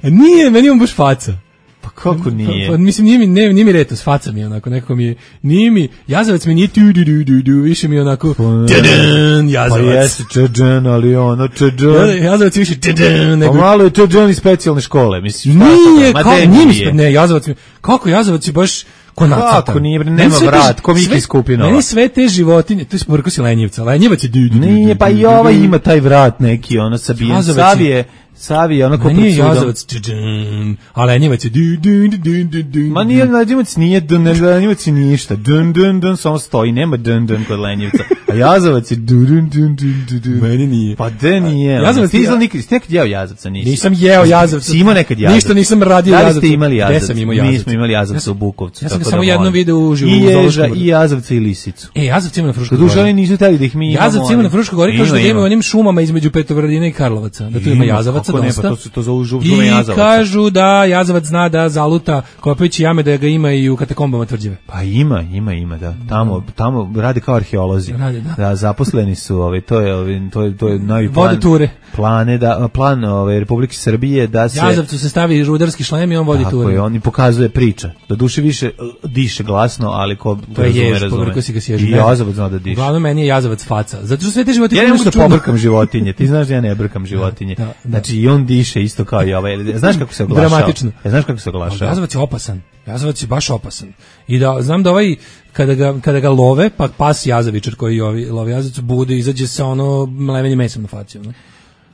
Nije, meni on baš faca. Pa kako nije? Pa, pa, mislim, nije mi, ne, nije mi retos, faca mi je onako, nekako mi je, nije mi, jazavac mi nije tu, du, du, du, du, više mi je onako, tadam, Pa jazavac. jeste čeđan, ali ono Ja- čeđan. Jazavac je više tadam, Pa nego... malo je čeđan iz specijalne škole, mislim. šta Nije, to, ma kao, de nije mi, nije. spe- ne, jazavac mi, kako jazavac je baš ko nacrtan. Kako nije, bre, Meni nema sve te vrat, ži- ko Miki sve- Skupinova. Meni sve te životinje, to je sporko si lenjivca, lenjivac je du, du, du, Nije, du, pa du, i du, ovaj du. ima taj vrat neki, ono sabijen. Jazavac je- Savije, Savije, ono ko Ma nije pred sudom. jazavac, tadam, a lenjivac je du, du, du, du, du, du. Ma nije, lenjivac nije, dun, lenjivac je ništa. Dun, dun, dun, samo stoji, nema dun, dun kod lenjivca. A jazavac je dun, dun, dun, dun, dun, dun. Meni nije. Pa de nije. Jazavac Jazavac, ti je- izla nikad, ti nekad jeo jazavca, nisi? Nisam jeo jazavca. Si imao nekad jazavca? Ništa nisam radio Da li jazavca. ste imali Gde jazavca? sam imao Mi jazavca? smo imali Ja jazavca sam- u Bukovcu. ja sam ga tako samo da jednom molim. video uživo I u ježa, Zoološkom i jazavca i lisicu. E, jazavci ima na Fruškoj Doduše gori. oni nisu hteli da ih mi imamo. Jazavci ima na ali- Fruškoj gori, kažu da Ima, ga ima u ima. onim šumama između Petovrdina i Karlovaca. Da tu ima Ima, jazavaca kako ne, dosta. pa to su- to zovu žuv- I šume jazavaca. kažu da jazavac zna da zaluta kopajući jame, da ga ima i u katakombama Tvrđave. Pa ima, ima, ima, da. Tamo, tamo rade kao arheolozi. Rade, da. Da, zaposleni su, ovaj, to je, ovaj, to je, to je novi plan. Vode ture. Plane da, plan ovaj, Republike Srbije da se... Jazavcu se stavi rudarski šlem i on vodi Tako ture. je, on i pokazuje priča. Do duše više eh, diše glasno, ali ko To je razume, jež, razume. povrko si ga sježi. I Ne. jazavac zna da diše. Uglavnom meni je jazavac faca. Zato što sve te životinje Ja ne mogu da čudno. pobrkam životinje. Ti znaš da ja ne brkam životinje. Da, da. Znači i on diše isto kao i ovaj. Znaš kako se oglašava? Dramatično. Ja, znaš kako se Ali oglašava? jazavac je opasan. Jazavac je baš opasan. I da znam da ovaj kada ga kada ga love, pa pas jazavičar koji ovi love jazavac bude izađe sa ono mlevenje mesom na faci, ono.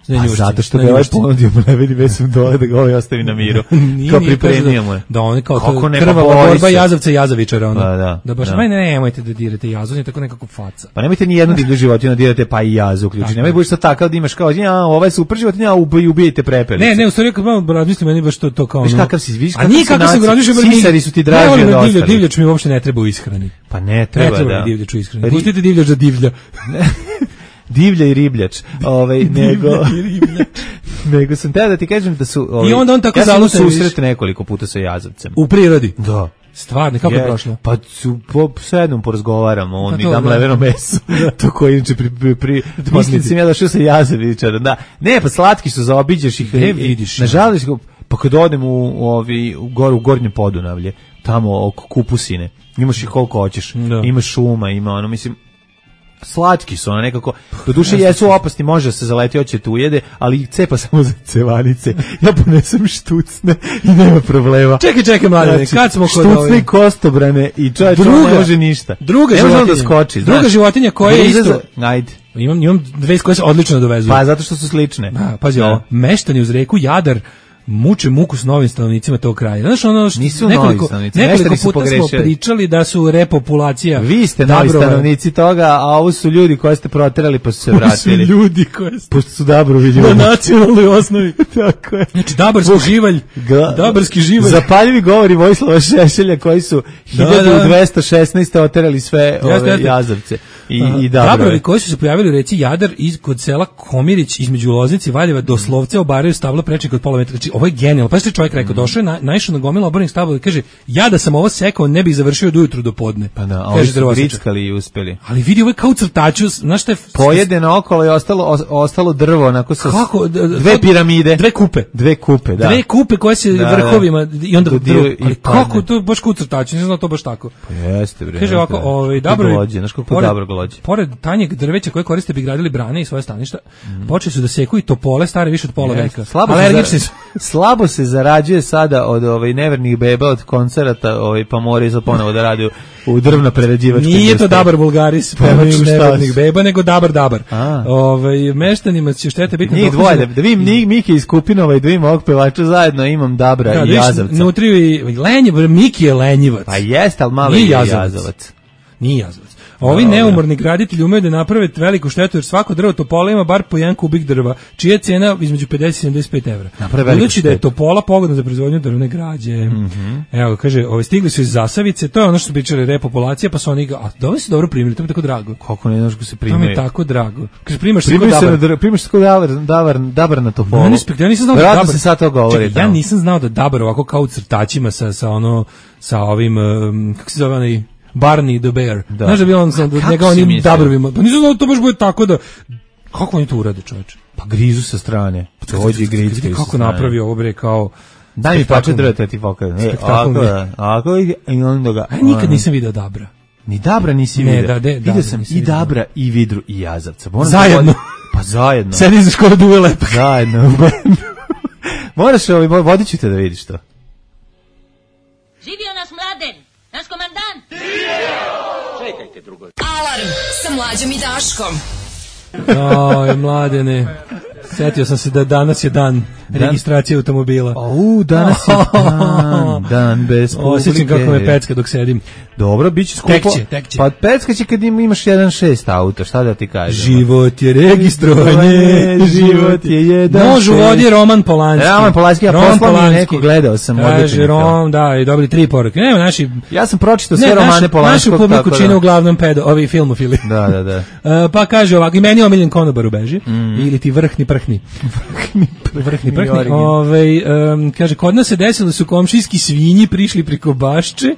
A zato što ga ovaj ponudio mleveni mesom dole da ga ovaj ostavi na miru. Kao pripremio mu je. Da on kao to krvava borba Jazavca i Jazavičara. Ono. Da, da. Da baš, da. Ne, ne, nemojte da dirate jazu, on je tako nekako faca. Pa nemojte ni jednu divlju životinju dirate, pa i jazu uključi. Nemoj budeš sad takav da imaš kao, ja, ovaj super životinja, ubij, ubijete prepelice. Ne, ne, u stvari kad malo razmislim, meni baš to, to kao... Viš kakav si, viš kakav si naci, sisari su ti draži od ostalih. Divljač mi uopšte ne treba u ishrani. Pa ne treba, ne treba da. Divljač u ishrani. Pustite divljač za divlja. Divlja i ribljač, ovaj nego nego sam teo da ti kažem da su ovaj, i onda on tako ja zalute susret nekoliko puta sa Jazavcem u prirodi. Da. Stvarno, kako je, je prošlo? Pa su po sednom porazgovaramo, on mi da mleveno meso. To koji inače pri pri, pri mislim sam ja došao sa Jazavičara. Da. Ne, pa slatki su, zaobiđeš ih, ne vidiš. Nažalost, pa kad odem u, u ovi u goru u Gornje Podunavlje, tamo oko Kupusine, imaš ih koliko hoćeš. Da. Ima šuma, ima ono, mislim, slatki su, ono nekako, do duše jesu opasni, može se zaleti, hoće te ujede, ali cepa samo za cevanice. Ja ponesem štucne i nema problema. Čekaj, čekaj, mladine, znači, kad smo kod štucne ove... kostobrane i čovječ, ne može ništa. Druga ne životinja, da skoči, druga znaš, životinja koja je isto... Za... Ajde. Imam, imam dve koje se odlično dovezuju. Pa, zato što su slične. Da, pazi ovo, meštani uz reku Jadar muče muku s novim stanovnicima tog kraja. Znaš, ono što nisu nekoliko, nekoliko puta pogrešili. Smo pričali da su repopulacija. Vi ste novi Dabrova. Stanovnici toga, a ovo su ljudi koje ste proterali pa su se vratili. Ovo su ljudi koje ste... Pošto su Dabrovi ljudi. Na nacionalnoj osnovi. Tako je. Znači, Dabarski živalj. Ga... Dabarski živalj. Zapaljivi govori Vojislava Šešelja koji su hiljadu dvesta šesnaeste oterali sve ove jeste, jeste. Jazavce i, uh, i Dabrove. Dabrovi koji su se pojavili u reci Jadar iz, kod sela Komirić između Loznice i Valjeva doslovce obaraju stabla prečnik od pola metra. Znači, ovo je genijalno. Pa što je čovjek rekao, mm. došao je, na, naišao na gomilu obornih stabla i kaže, ja da sam ovo sekao, ne bih završio do ujutru do podne. Pa da, oni su grickali i uspeli. Ali vidi, ovo je kao crtaču, znaš šta je... Pojedeno okolo i ostalo, o, ostalo drvo, onako sa Kako? dve piramide. Dve kupe. Dve kupe, da. Dve kupe koje se da, vrhovima, da. I onda do drvo. Ali kako, to baš kao crtaču, ne znam to baš tako. Pa jeste, bre. Kaže ovako, ovaj, Dabrovi, znaš kako dobro golođe. Pored tanjeg drveća koje koriste bi gradili brane i svoje staništa, mm. počeli su da seku i topole stare više od pola veka. Alergični su. Slabo se zarađuje sada od ovaj nevernih beba od koncerata, ovaj pa moraju za ponovo da radi u drvno prerađivačkoj industriji. Nije to Dabar Bulgaris, pevač nevernih beba, nego Dabar Dabar. Ovaj meštanima će štete biti njih dvoje, da, da vidim Miki iz Kupinova i da vidim ovog pevača zajedno, imam Dabra da, i Jazavca. Unutra i Lenjiv, Miki je Lenjivac. Pa jeste, al malo je Jazavac. Nije Jazavac. Ovi no, neumorni graditelji umeju da naprave veliku štetu jer svako drvo topola ima bar po jedan kubik drva, čija je cena između pedeset i sedamdeset pet evra. Budući da je topola pogodna za proizvodnju drvne građe. Mm -hmm. Evo, kaže, ove stigli su iz Zasavice, to je ono što su pričali repopulacija, pa su oni ga, a dobro se dobro primili, to mi je tako drago. Kako ne znaš ko se primaju? To mi je tako drago. Kaže, primaš se kod Dabar. Primaš se kod Dabar, Dabar, Dabar na topolu. Ja nisam, ja nisam znao da Dabar. se sad to govori. Čekaj, ja nisam znao da Dabar ovako kao u crtačima sa, sa ono, sa ovim, um, kako se zove onaj, Barney the Bear. Da. Znaš da bi on sa njega onim Dabrovima. Pa nisam znao da to baš bude tako da... Kako oni to urade, čovječe? Pa grizu sa strane. Dođe i grizu sa strane. Kako napravi ovo bre kao... Daj mi pače drveta ti pokazam. Spektakularno. Ako i onda ga... A nikad nisam video Dabra. Ni Dabra nisi ne, video. Da, de, vidio sam i Dabra i Vidru i Jazavca. Moram zajedno. Pa zajedno. Sedi za školu duve lepak. Zajedno. Moraš ovaj, vodit ću te da vidiš to. Živio naš Mladen, naš komandant. Čekajte drugo. Alarm sa Mlađom i Daškom. Oj, Mladene. Sjetio sam se da danas je dan, dan? registracije automobila. O, danas je dan, dan bez publike. Osjećam kako me pecka dok sedim. Dobro, bit će skupo. Tekće, tekće. Pa pecka će kad imaš jedan šest auta, šta da ti kažem? Život je registrovanje, život je jedan Nož u vodi Roman Polanski. Roman Polanski, ja poslao mi neko, gledao sam. Kaže, Rom, da, i dobili tri poruke. Nema, naši... Ja sam pročitao sve ne, romane Polanskog. Našu publiku čine da. Uglavnom pedo, ovi filmofili. Da, da, da. uh, pa kaže ovako, i meni je omiljen konobar u beži, mm. ili ti vrhni prhni. vrhni prhni. Vrhni prhni. Ove, um, kaže, kod nas se desilo da su komšijski svinji prišli priko bašče,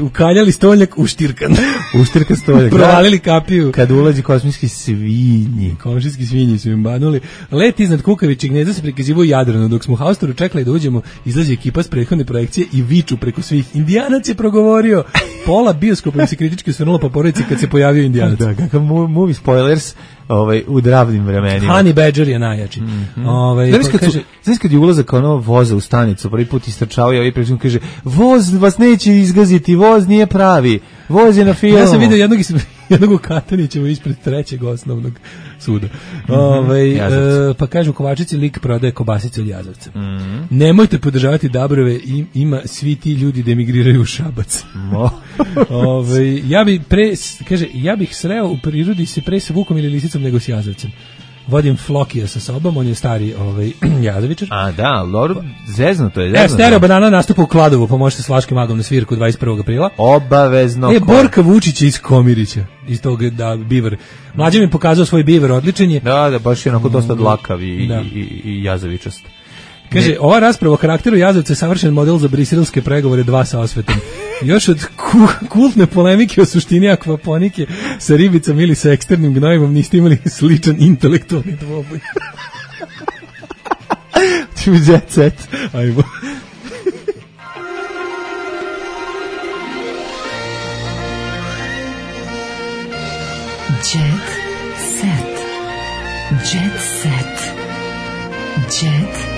ukaljali stoljak u štirkan. U štirkan stoljak. Provalili kapiju. Kad ulazi kosmijski svinji. Komšijski svinji su im banuli. Let iznad Kukavićeg gnezda se prikazivao u Jadranu. Dok smo u Haustoru čekali da uđemo, izlazi ekipa s prethodne projekcije i viču preko svih. Indijanac je progovorio. Pola bioskopa im se kritički osvrnulo po porodici kad se pojavio Indijanac. Da, kakav movie spoilers ovaj, u dravnim vremenima. Honey Badger je najjači. Mm -hmm. ovaj, znaš, kad kaže, znaš kad je ulazak ono voza u stanicu, prvi put istrčao i ovaj pređun kaže, voz vas neće izgaziti, voz nije pravi. Vozi na filmu. Ja sam vidio jednog, jednog u Katanićevu ispred trećeg osnovnog suda. Mm-hmm. Ove, e, pa kažu, u Kovačici lik prodaje kobasice od Jazovca. Mm-hmm. Nemojte podržavati Dabrove, im, ima svi ti ljudi da emigriraju u Šabac. Ove, ja bi pre, kaže, ja bih sreo u prirodi se pre sa Vukom ili Lisicom nego s Jazovcem. Vodim Flokija sa sobom, on je stari ovaj, Jazovičar. A da, Lor, zezno to je. Zezno, e, Stereo Banana nastupa u Kladovu, pomožete s Vlaškim magom na svirku dvadeset prvog aprila. Obavezno. E, Borka Vučić iz Komirića, iz tog da, biver. Mlađe mi pokazao svoj biver, odličan je. Da, da, baš je onako dosta dlakav i, da. i, i, i jazovičast. Kaže, ne. Ova rasprava o karakteru Jazovca je savršen model za briselske pregovore dva sa osvetom. Još od ku, kultne polemike o suštini akvaponike sa ribicom ili sa eksternim gnojivom niste imali sličan intelektualni dvoboj. Ti mi jet set. Ajmo. Jet set. Jet set. Jet set.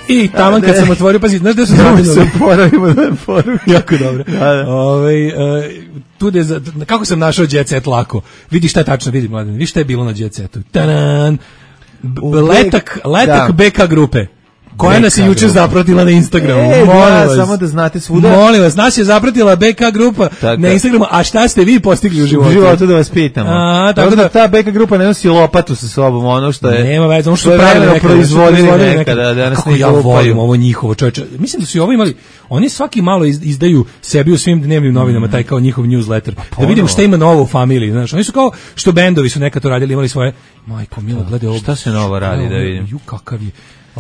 I taman kad sam otvorio, pazi, znaš gde su zavinuli? Se poravimo da poravimo. Jako dobro. Da, da. Ove, uh, tude za, kako sam našao Jet Set lako? Vidi šta je tačno, vidi mladen, vidi šta je bilo na Jet Setu. Tanan! Letak, letak da. B K grupe. Koja nas je juče zapratila na Instagramu. E, molim da, vas. Samo da znate svuda. Molim vas, nas je zapratila B K grupa tako. Na Instagramu, a šta ste vi postigli u životu? U životu da vas pitamo. A, tako da, da ta B K grupa ne nosi lopatu sa sobom, ono što je... Nema veze, ono što su pravili proizvodili nekada. Da kako ja volim ovo njihovo, čovječe. Mislim da su i ovo imali, oni svaki malo izdaju sebi u svim dnevnim novinama, taj kao njihov newsletter. Da vidimo šta ima novo u familiji, znaš. Oni su kao, što bendovi su nekad to radili, imali svoje... Majko, milo, gledaj ovo. Šta se novo radi, da vidim? Ju, kakav je.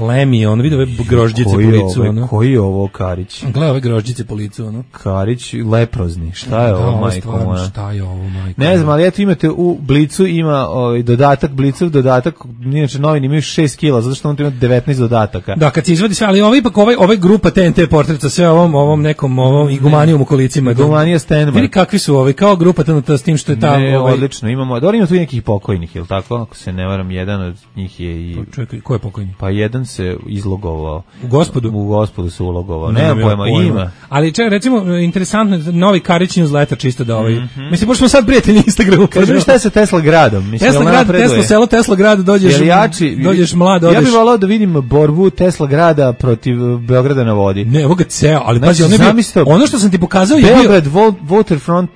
Lemi, on vidi ove grožđice po licu, ove, ono. Koji je ovo Karić? Gledaj ove grožđice po licu, ono. Karić, leprozni. Šta je da, ovo, majko moja? Šta je ovo, majko? Ne znam, ali eto imate u Blicu, ima ovaj, dodatak, Blicov dodatak, inače novini imaju šest kila, zato što on ima devetnaest dodataka. Da, kad se izvadi sve, ali ovaj ipak, ovaj, ovaj grupa T N T portreta, sve ovom, ovom nekom, ovom igumanijom u kolicima. Igumanija Stenman. Vidi kakvi su ovi, kao grupa T N T s tim što je tamo. Ne, ovaj... odlično, imamo, dobro ima tu i nekih pokojnih, je li tako? Ako se ne varam, jedan od njih je i... Pa čekaj, ko je pokojni? Pa jedan se izlogovao. U Gospodu? U Gospodu se ulogovao. Ne, nema pojma, pojma. Ima. Ali čekaj, recimo, interesantno, novi Karić newsletter čisto da ovaj... Mm-hmm. Mislim, pošto smo sad prijatelji Instagramu. Kažem šta je sa Tesla gradom? Mislim, Tesla grad, Tesla selo, Tesla grad, dođeš, jači, dođeš mlad, odeš... Ja bih volao da vidim borbu Tesla grada protiv Beograda na vodi. Ne, ovo ga ceo, ali znači, pazi, ono, bio, ono što sam ti pokazao je bio... Beograd Waterfront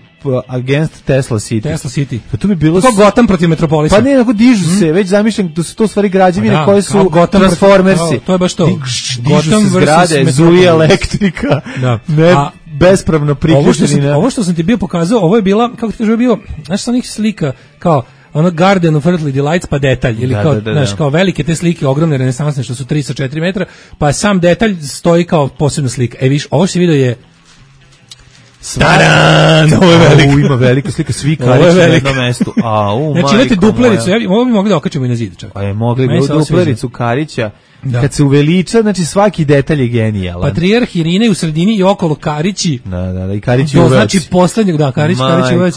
against Tesla City. Tesla City. Pa tu bi bilo kao Gotham protiv Metropolisa. Pa ne, nego dižu mm. se, već zamišljam da su to stvari građevine da, koje su Transformersi. Protiv, to je baš to. Dižu Gotham se zgrade, zuje elektrika. Da. Ne, a, bespravno priključeni. Ovo, ovo što sam ti bio pokazao, ovo je bila, kako ti kaže, bio, znaš sa onih slika, kao ono Garden of Earthly Delights pa detalj ili da, kao, da, da, znaš, kao velike te slike, ogromne renesansne što su tri sa četiri metra, pa sam detalj stoji kao posebna slika. E viš, ovo što si vidio je Taran! Ovo je velika. Ima velika slika, svi Karić na jednom mestu. A, u, znači imate duplericu, ja, ovo bi mogli da okačemo i na zid. Čak. Pa je mogli bi duplericu Karića. Da. Kad se uveliča, znači svaki detalj je genijalan. Patrijarh Irine u sredini i okolo Karići. Da, da, da, i Karići uveć. Znači poslednjeg, da, Karić, Karić uveć.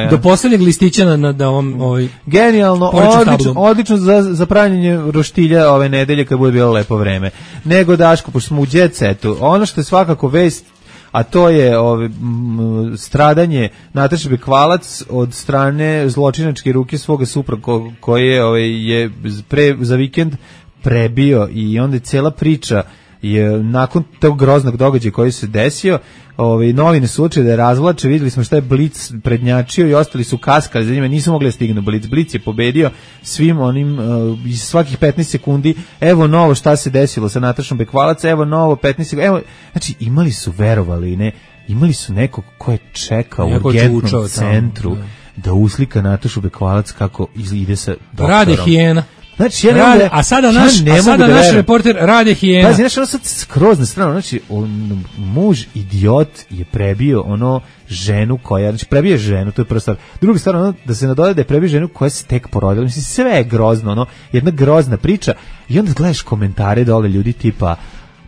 Do poslednjeg listića na, na da ovom... Ovaj, genijalno, odlično, odlično za, za pravljenje roštilja ove nedelje kad bude bilo lepo vreme. Nego, Daško, pošto smo u jet setu, ono što je svakako vest, a to je ove, m, stradanje Nataše Bekvalac od strane zločinačke ruke svoga supruga ko, koje ove, je pre, za vikend prebio i onda je cela priča je nakon tog groznog događaja koji se desio, ovaj novine su učili da je razvlače, videli smo šta je Blic prednjačio i ostali su kaskali za njima, nisu mogli da stignu Blic. Blic je pobedio svim onim uh, iz svakih petnaest sekundi, evo novo šta se desilo sa Natašom Bekvalac, evo novo petnaest sekundi, evo, znači imali su, verovali ne, imali su nekog ko je čekao u urgentnom centru tamo, da uslika Natašu Bekvalac kako ide sa doktorom. Rade hijena. Znači, ja rade, a sada naš, ja a sada naš reporter Rade hijena. Pazi, znaš, ono sad skroz na stranu, znači, on, muž idiot je prebio ono ženu koja, znači, prebije ženu, to je prva stvar. Druga stvar, ono, da se nadoda da je prebio ženu koja se tek porodila, mislim, sve je grozno, ono, jedna grozna priča, i onda gledaš komentare dole ljudi tipa,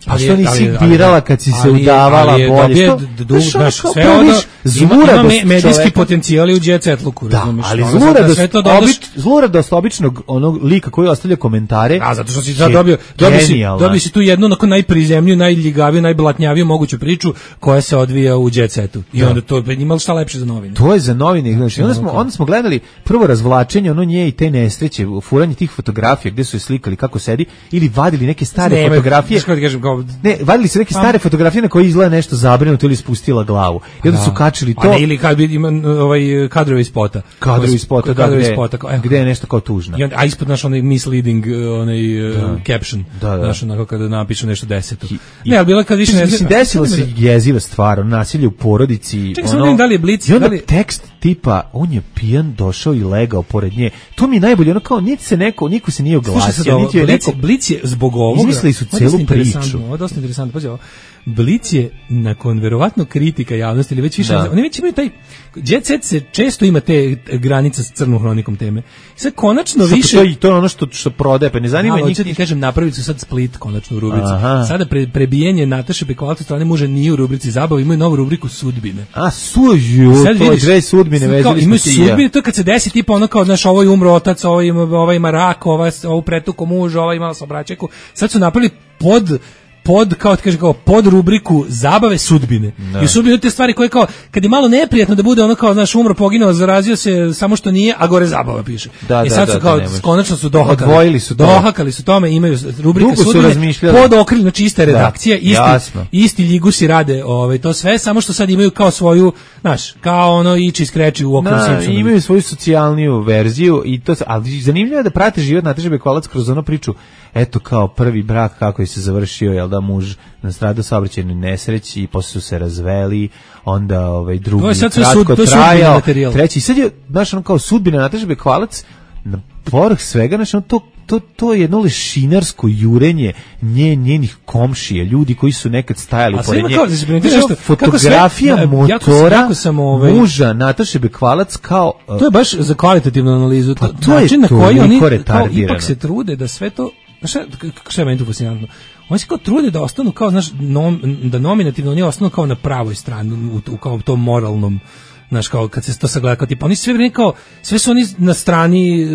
A što nisi birala kad si se udavala ali je, bolje? Ali je dobije, znaš, sve ono, ima, ima medijski potencijali u Jet Set Luku, da, razumiješ? ali ono, zluradost, sve to dodaš... obič, zluradost običnog onog lika koji ostavlja komentare. A, zato što si sad dobio, dobio si, dobio si tu jednu onako najprizemniju, najljigaviju, najblatnjaviju moguću priču koja se odvija u Jet Setu. I da. Onda to ima šta lepše za novine. To je za novine, znači, onda smo, onda smo gledali prvo razvlačenje, ono nje i te nesreće, furanje tih fotografija gde su je slikali kako sedi, ili vadili neke stare ne, fotografije. Ne, kažem, kao... ne, vadili su neke stare fotografije na koje izgleda nešto zabrinuto ili spustila glavu. I onda su kačili to. A ne, ili kad ima ovaj kadrovi iz spota. Kadrovi iz spota, da, kadrovi gde, spota, kao, gde je nešto kao tužno. I onda, a ispod naš onaj misleading, onaj da. uh, caption. Da, da. Znaš, onako kada napišu nešto deseto. I, ne, ali bila kad više ne... Mislim, desilo se jeziva stvar, nasilje u porodici. Čekaj, ono, sam da li je Blic... I onda da li... tekst tipa, on je pijan, došao i legao pored nje. To mi je najbolje, ono kao, niti se neko, niko se nije oglasio, niti je Blic, neko... Blic je zbog ovoga... Izmislili su celu priču. Ovo je dosta interesantno, pazi ovo. Blic je nakon verovatno kritika javnosti ili već više, da. Oni već imaju taj Jet Set se često ima te granice s crnom hronikom teme. Sad konačno što više to, to je ono što što prodaje, pa ne zanima njih. Hoću ti kažem, napravili su sad split konačno u rubrici. Aha. Sada pre, prebijanje Nataše Bekvalac od strane muža nije u rubrici zabava, imaju novu rubriku sudbine. A suju, to je dve sudbine vezali smo ti. Imaju sudbine, to kad se desi tipa ono kao, znaš, ovo je umro otac, ovo ima, ovaj ima rak, ovaj ovo pretuko muž, ovaj imala saobraćajku. Sad su napravili pod pod, kao ti kaže, kao pod rubriku zabave sudbine. No. I sudbine te stvari koje kao, kad je malo neprijatno da bude ono kao, znaš, umro, poginuo, zarazio se, samo što nije, a gore zabava piše. Da, I da, sad da, su kao, da, konačno su dohakali. Odvojili su to. Dohakali su tome, imaju rubrika Dugo sudbine, pod okriljem, znači ista redakcija, isti, jasno. isti ljigusi rade ovaj, to sve, samo što sad imaju kao svoju, znaš, kao ono ići skreći u okviru Simpsona. Imaju svoju socijalniju verziju, i to, ali zanimljivo je da prate život Nataše Bekvalac kroz onu priču, eto kao prvi brak kako je se završio, jel da, muž nastradao saobraćajnoj nesreći i posle su se razveli, onda ovaj drugi to je sad kratko sud, to trajao, treći, sad je, znaš, ono kao sudbina Nataše Bekvalac, na povrh svega, znaš, ono, to, to, to je jedno lešinarsko jurenje nje, njenih komšije, ljudi koji su nekad stajali pored nje. Kao, fotografija sve, motora jako, jako sam, ovaj, muža Nataše Bekvalac kao... Uh, to je baš za kvalitativnu analizu. Pa to način je to, na koji oni kao, ipak se trude da sve to... Šta, šta je meni tu fascinantno? Oni se kao trude da ostanu kao, znaš, nom, da nominativno oni ostanu kao na pravoj strani, u, u kao tom moralnom, znaš, kao kad se to sagleda, kao tipa, oni sve vrijeme kao, sve su oni na strani,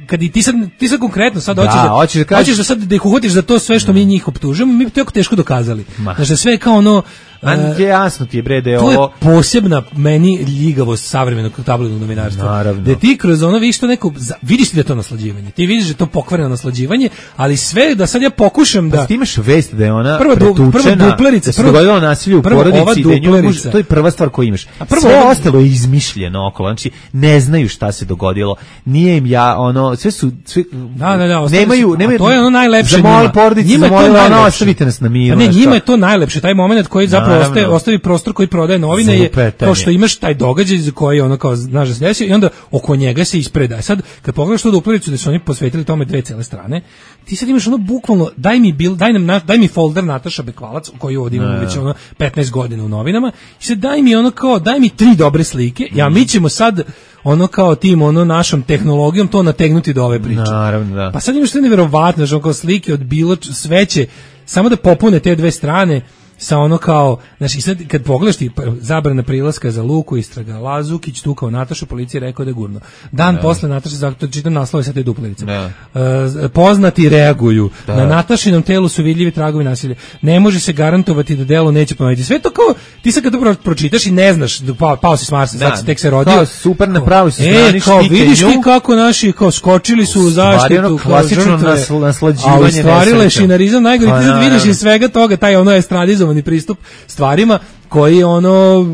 kad i ti sad, ti sad konkretno sad hoćeš da, da, hoćeš da, kažeš, hoćeš da sad da ih uhvatiš za to sve što mi njih optužujemo, mi bi to jako teško dokazali. Znaš, da sve kao ono... A je jasno ti je, bre, da je to ovo... je posebna meni ljigavost savremenog tabloidnog novinarstva. Naravno. Da ti kroz ono vidiš to neko... Vidiš ti da je to naslađivanje. Ti vidiš da je to pokvareno naslađivanje, ali sve da sad ja pokušam da... Pa ti imaš vest da je ona prva pretučena, prva duplerica, da se dogodilo nasilje u porodici, da je nju, to je prva stvar koju imaš. A prvo sve ova... ostalo je izmišljeno okolo, znači ne znaju šta se dogodilo. Nije im ja, ono, sve su... Sve, da, da, da, nemaju, su, nemaju, to je ono najlepše njima. Zamoli porodici, zamolila ono, ostavite nas na miru. Pa ne, njima je to najlepše, taj moment koji zapravo ostaje, ostavi prostor koji prodaje novine je kao što imaš taj događaj za koji ono kao znaš da se desio i onda oko njega se ispreda. Sad kad pogledaš tu duplericu da su oni posvetili tome dve cele strane, ti sad imaš ono bukvalno daj mi bil, daj nam daj mi folder Nataša Bekvalac koji ovdje imamo već ono petnaest godina u novinama i sad daj mi ono kao daj mi tri dobre slike. Ja mi ćemo sad ono kao tim ono našom tehnologijom to nategnuti do ove priče. Naravno, da. Pa sad imaš sve neverovatno, znači kao slike od bilo sveće samo da popune te dve strane. Sa ono kao, znači sad kad pogledaš ti zabrana prilaska za Luku, istraga Lazukić, tu kao Natašu, policija rekao da je gurno. Dan ne. Posle Nataša, zato čitam naslove sa te duplerice. Uh, poznati reaguju. Da. Na Natašinom telu su vidljivi tragovi nasilja. Ne može se garantovati da delo neće ponoviti. Sve to kao, ti sad kad to pročitaš i ne znaš, pao, pao si s Marsa, sad tek se rodio. Kao super napravi se strani, e, kao vidiš ti kako naši kao skočili su u zaštitu, ono klasično nasl, naslađivanje. A u stvari lešinarizam najgori, pa, ti sad vidiš iz svega toga, taj ono estradizovan pristup stvarima koji ono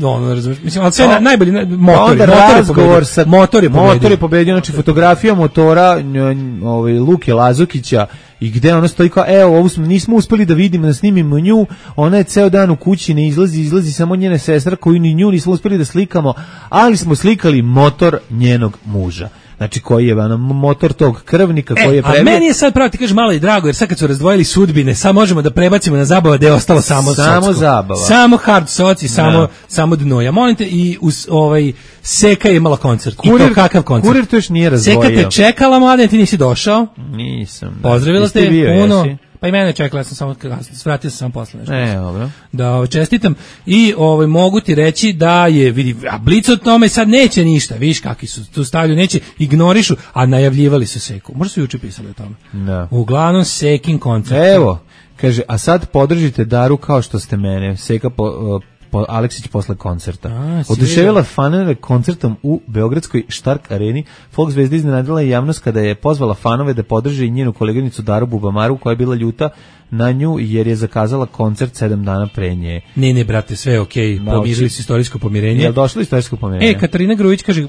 ono razumiješ, mislim, ali sve na, najbolji motori, onda razgovor sa motor je pobedio. Motor je pobedio, znači fotografija motora ovaj Luke Lazukića i gde ona stoji kao, evo, ovo smo, nismo uspeli da vidimo, da snimimo nju, ona je ceo dan u kući, ne izlazi, izlazi samo njena sestra koju ni nju nismo uspeli da slikamo, ali smo slikali motor njenog muža. Znači koji je ono, motor tog krvnika e, koji je prebio. A meni je sad pravo ti kažeš malo i drago, jer sad kad su razdvojili sudbine, sad možemo da prebacimo na zabava gde je ostalo samo samo socko. Zabava. Samo hard soci, samo no. samo dno. Ja molim te i us, ovaj Seka je imala koncert. Kurir, I to kakav koncert? Kurir to još nije razdvojio. Seka te čekala, mladen, ti nisi došao. Nisam. Pozdravila te bio, puno. Jesi? Pa i mene čekala, ja sam samo svratio sam samo posle nešto. E, dobro. Da ovaj, čestitam i ovaj mogu ti reći da je vidi a Blic od tome sad neće ništa. Viš kakvi su tu stavljaju, neće, ignorišu, a najavljivali su Seku. Možda su juče pisali o tome. Da. Uglavnom Sekin koncert. Evo, kaže, a sad podržite Daru kao što ste mene. Seka po, po Aleksić posle koncerta. Oduševila fanove koncertom u Beogradskoj Štark areni. Folk zvezda iznenadila je javnost kada je pozvala fanove da podrže i njenu koleginicu Daru Bubamaru, koja je bila ljuta na nju jer je zakazala koncert sedam dana pre nje. Ne, ne, brate, sve je okej. Okay. Pomirili su istorijsko pomirenje. Jel došlo istorijsko pomirenje? E, Katarina Grujić kaže,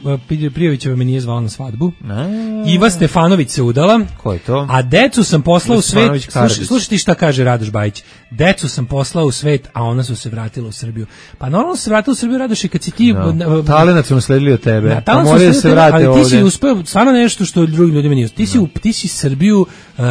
Prijovićeva me nije zvala na svadbu. A, Iva Stefanović se udala. Ko je to? A decu sam poslao u svet. Slušaj, slušaj ti šta kaže Radoš Bajić. Decu sam poslao u svet, a ona su se vratila u Srbiju. Pa normalno se vratila u Srbiju, Radoš, i kad si ti... No. Talenat su nasledili od tebe. Da, pa moraju se vrati ovdje. Ali ti si uspeo, stvarno nešto što drugim ljudima nije. Ti si, no. ti si Srbiju, um,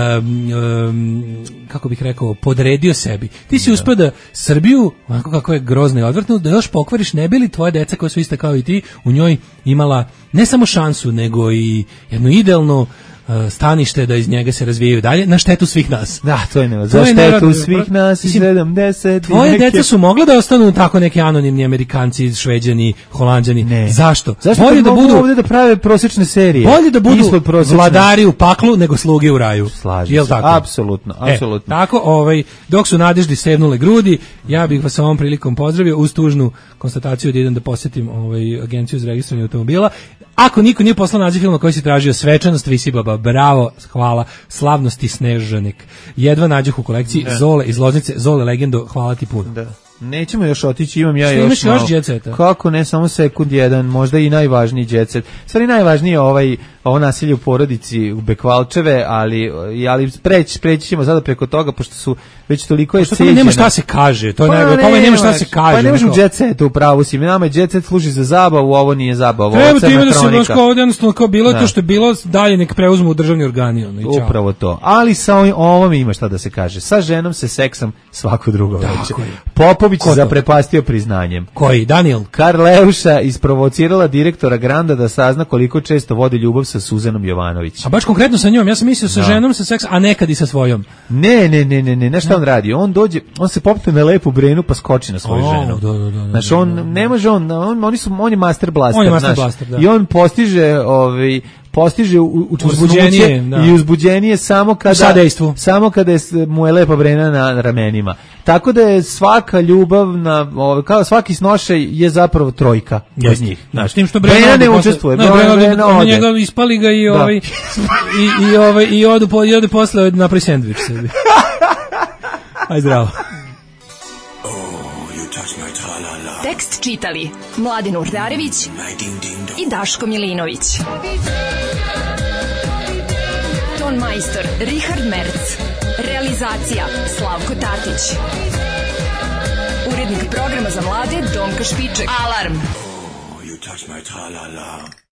um, kako bih rekao, podredio sebi. Ti si uspeo da Srbiju, onako kako je grozno i odvrtno, da još pokvariš, ne bi li tvoje deca koja su ista kao i ti, u njoj imala ne samo šansu, nego i jednu idealnu stanište da iz njega se razvijaju dalje na štetu svih nas. Da, to je ne. Za štetu svih nas i sedamdeset. Tvoje deca su mogla da ostanu tako neki anonimni Amerikanci, Šveđani, Holanđani. Ne. Zašto? Zašto bolje da budu ovdje da prave prosječne serije? Bolje da budu vladari u paklu nego sluge u raju. Slažem se. Apsolutno, apsolutno. E, tako, ovaj, dok su nadeždi sevnule grudi, ja bih vas ovom prilikom pozdravio uz tužnu konstataciju da idem da posjetim ovaj agenciju za registrovanje automobila. Ako niko nije poslao naziv filma koji si tražio, Svečanost Visibaba, bravo, hvala, Slavnosti Snežanik. Jedva nađoh u kolekciji, da. Zole iz Loznice, Zole legendo, hvala ti puno. Da. Nećemo još otići, imam ja što još imaš malo. Još djeceta? Kako ne, samo sekund jedan, možda i najvažniji djecet. Stvari najvažnije je ovaj, ovo nasilje u porodici u Bekvalčeve, ali, ali preći, preći ćemo sada preko toga, pošto su već toliko je ceđena. Nema šta se kaže, to je pa najbolje, ne, nema šta se kaže. Pa ne možemo djecet u pravu si, nama je djecet služi za zabavu, ovo nije zabava, ovo je crna hronika. Treba ti da se ovdje jednostavno kao bilo da. To što je bilo, dalje nek preuzmu u državni organi. Ono, i upravo to, ali sa ovom ima šta da se kaže. Sa ženom se seksam svako drugo već. Popović zaprepastio priznanjem. Koji? Daniel? Karleuša isprovocirala direktora Granda da sazna koliko često vodi ljubav sa Suzanom Jovanović. A baš konkretno sa njom, ja sam mislio sa no. ženom sa seks, a nekad i sa svojom. Ne, ne, ne, ne, ne, ne, šta on radi? On dođe, on se popne na lepu brenu pa skoči na svoju oh, ženu. Da, da, da, znaš, on ne može, on, on, oni su, on je master blaster, on je master blaster, da. I on postiže, ovaj, postiže učvrstnuće i uzbuđenije samo kada samo kada je, mu je lepa brena na ramenima. Tako da je svaka ljubav na ovaj, kao svaki snošaj je zapravo trojka od njih. Znači tim što brena ne učestvuje, brena, brena ode. Njega ispali ga i ovaj i i ovaj i odu po odu posle napravi sendvič sebi. Aj zdravo. Tekst čitali Mladin Urdarević i Daško Milinović. Ton majstor Richard Merc. Realizacija Slavko Tatić. Urednik programa za mlade Donka Špiček. Alarm! Oh, you touch my tra-la-la.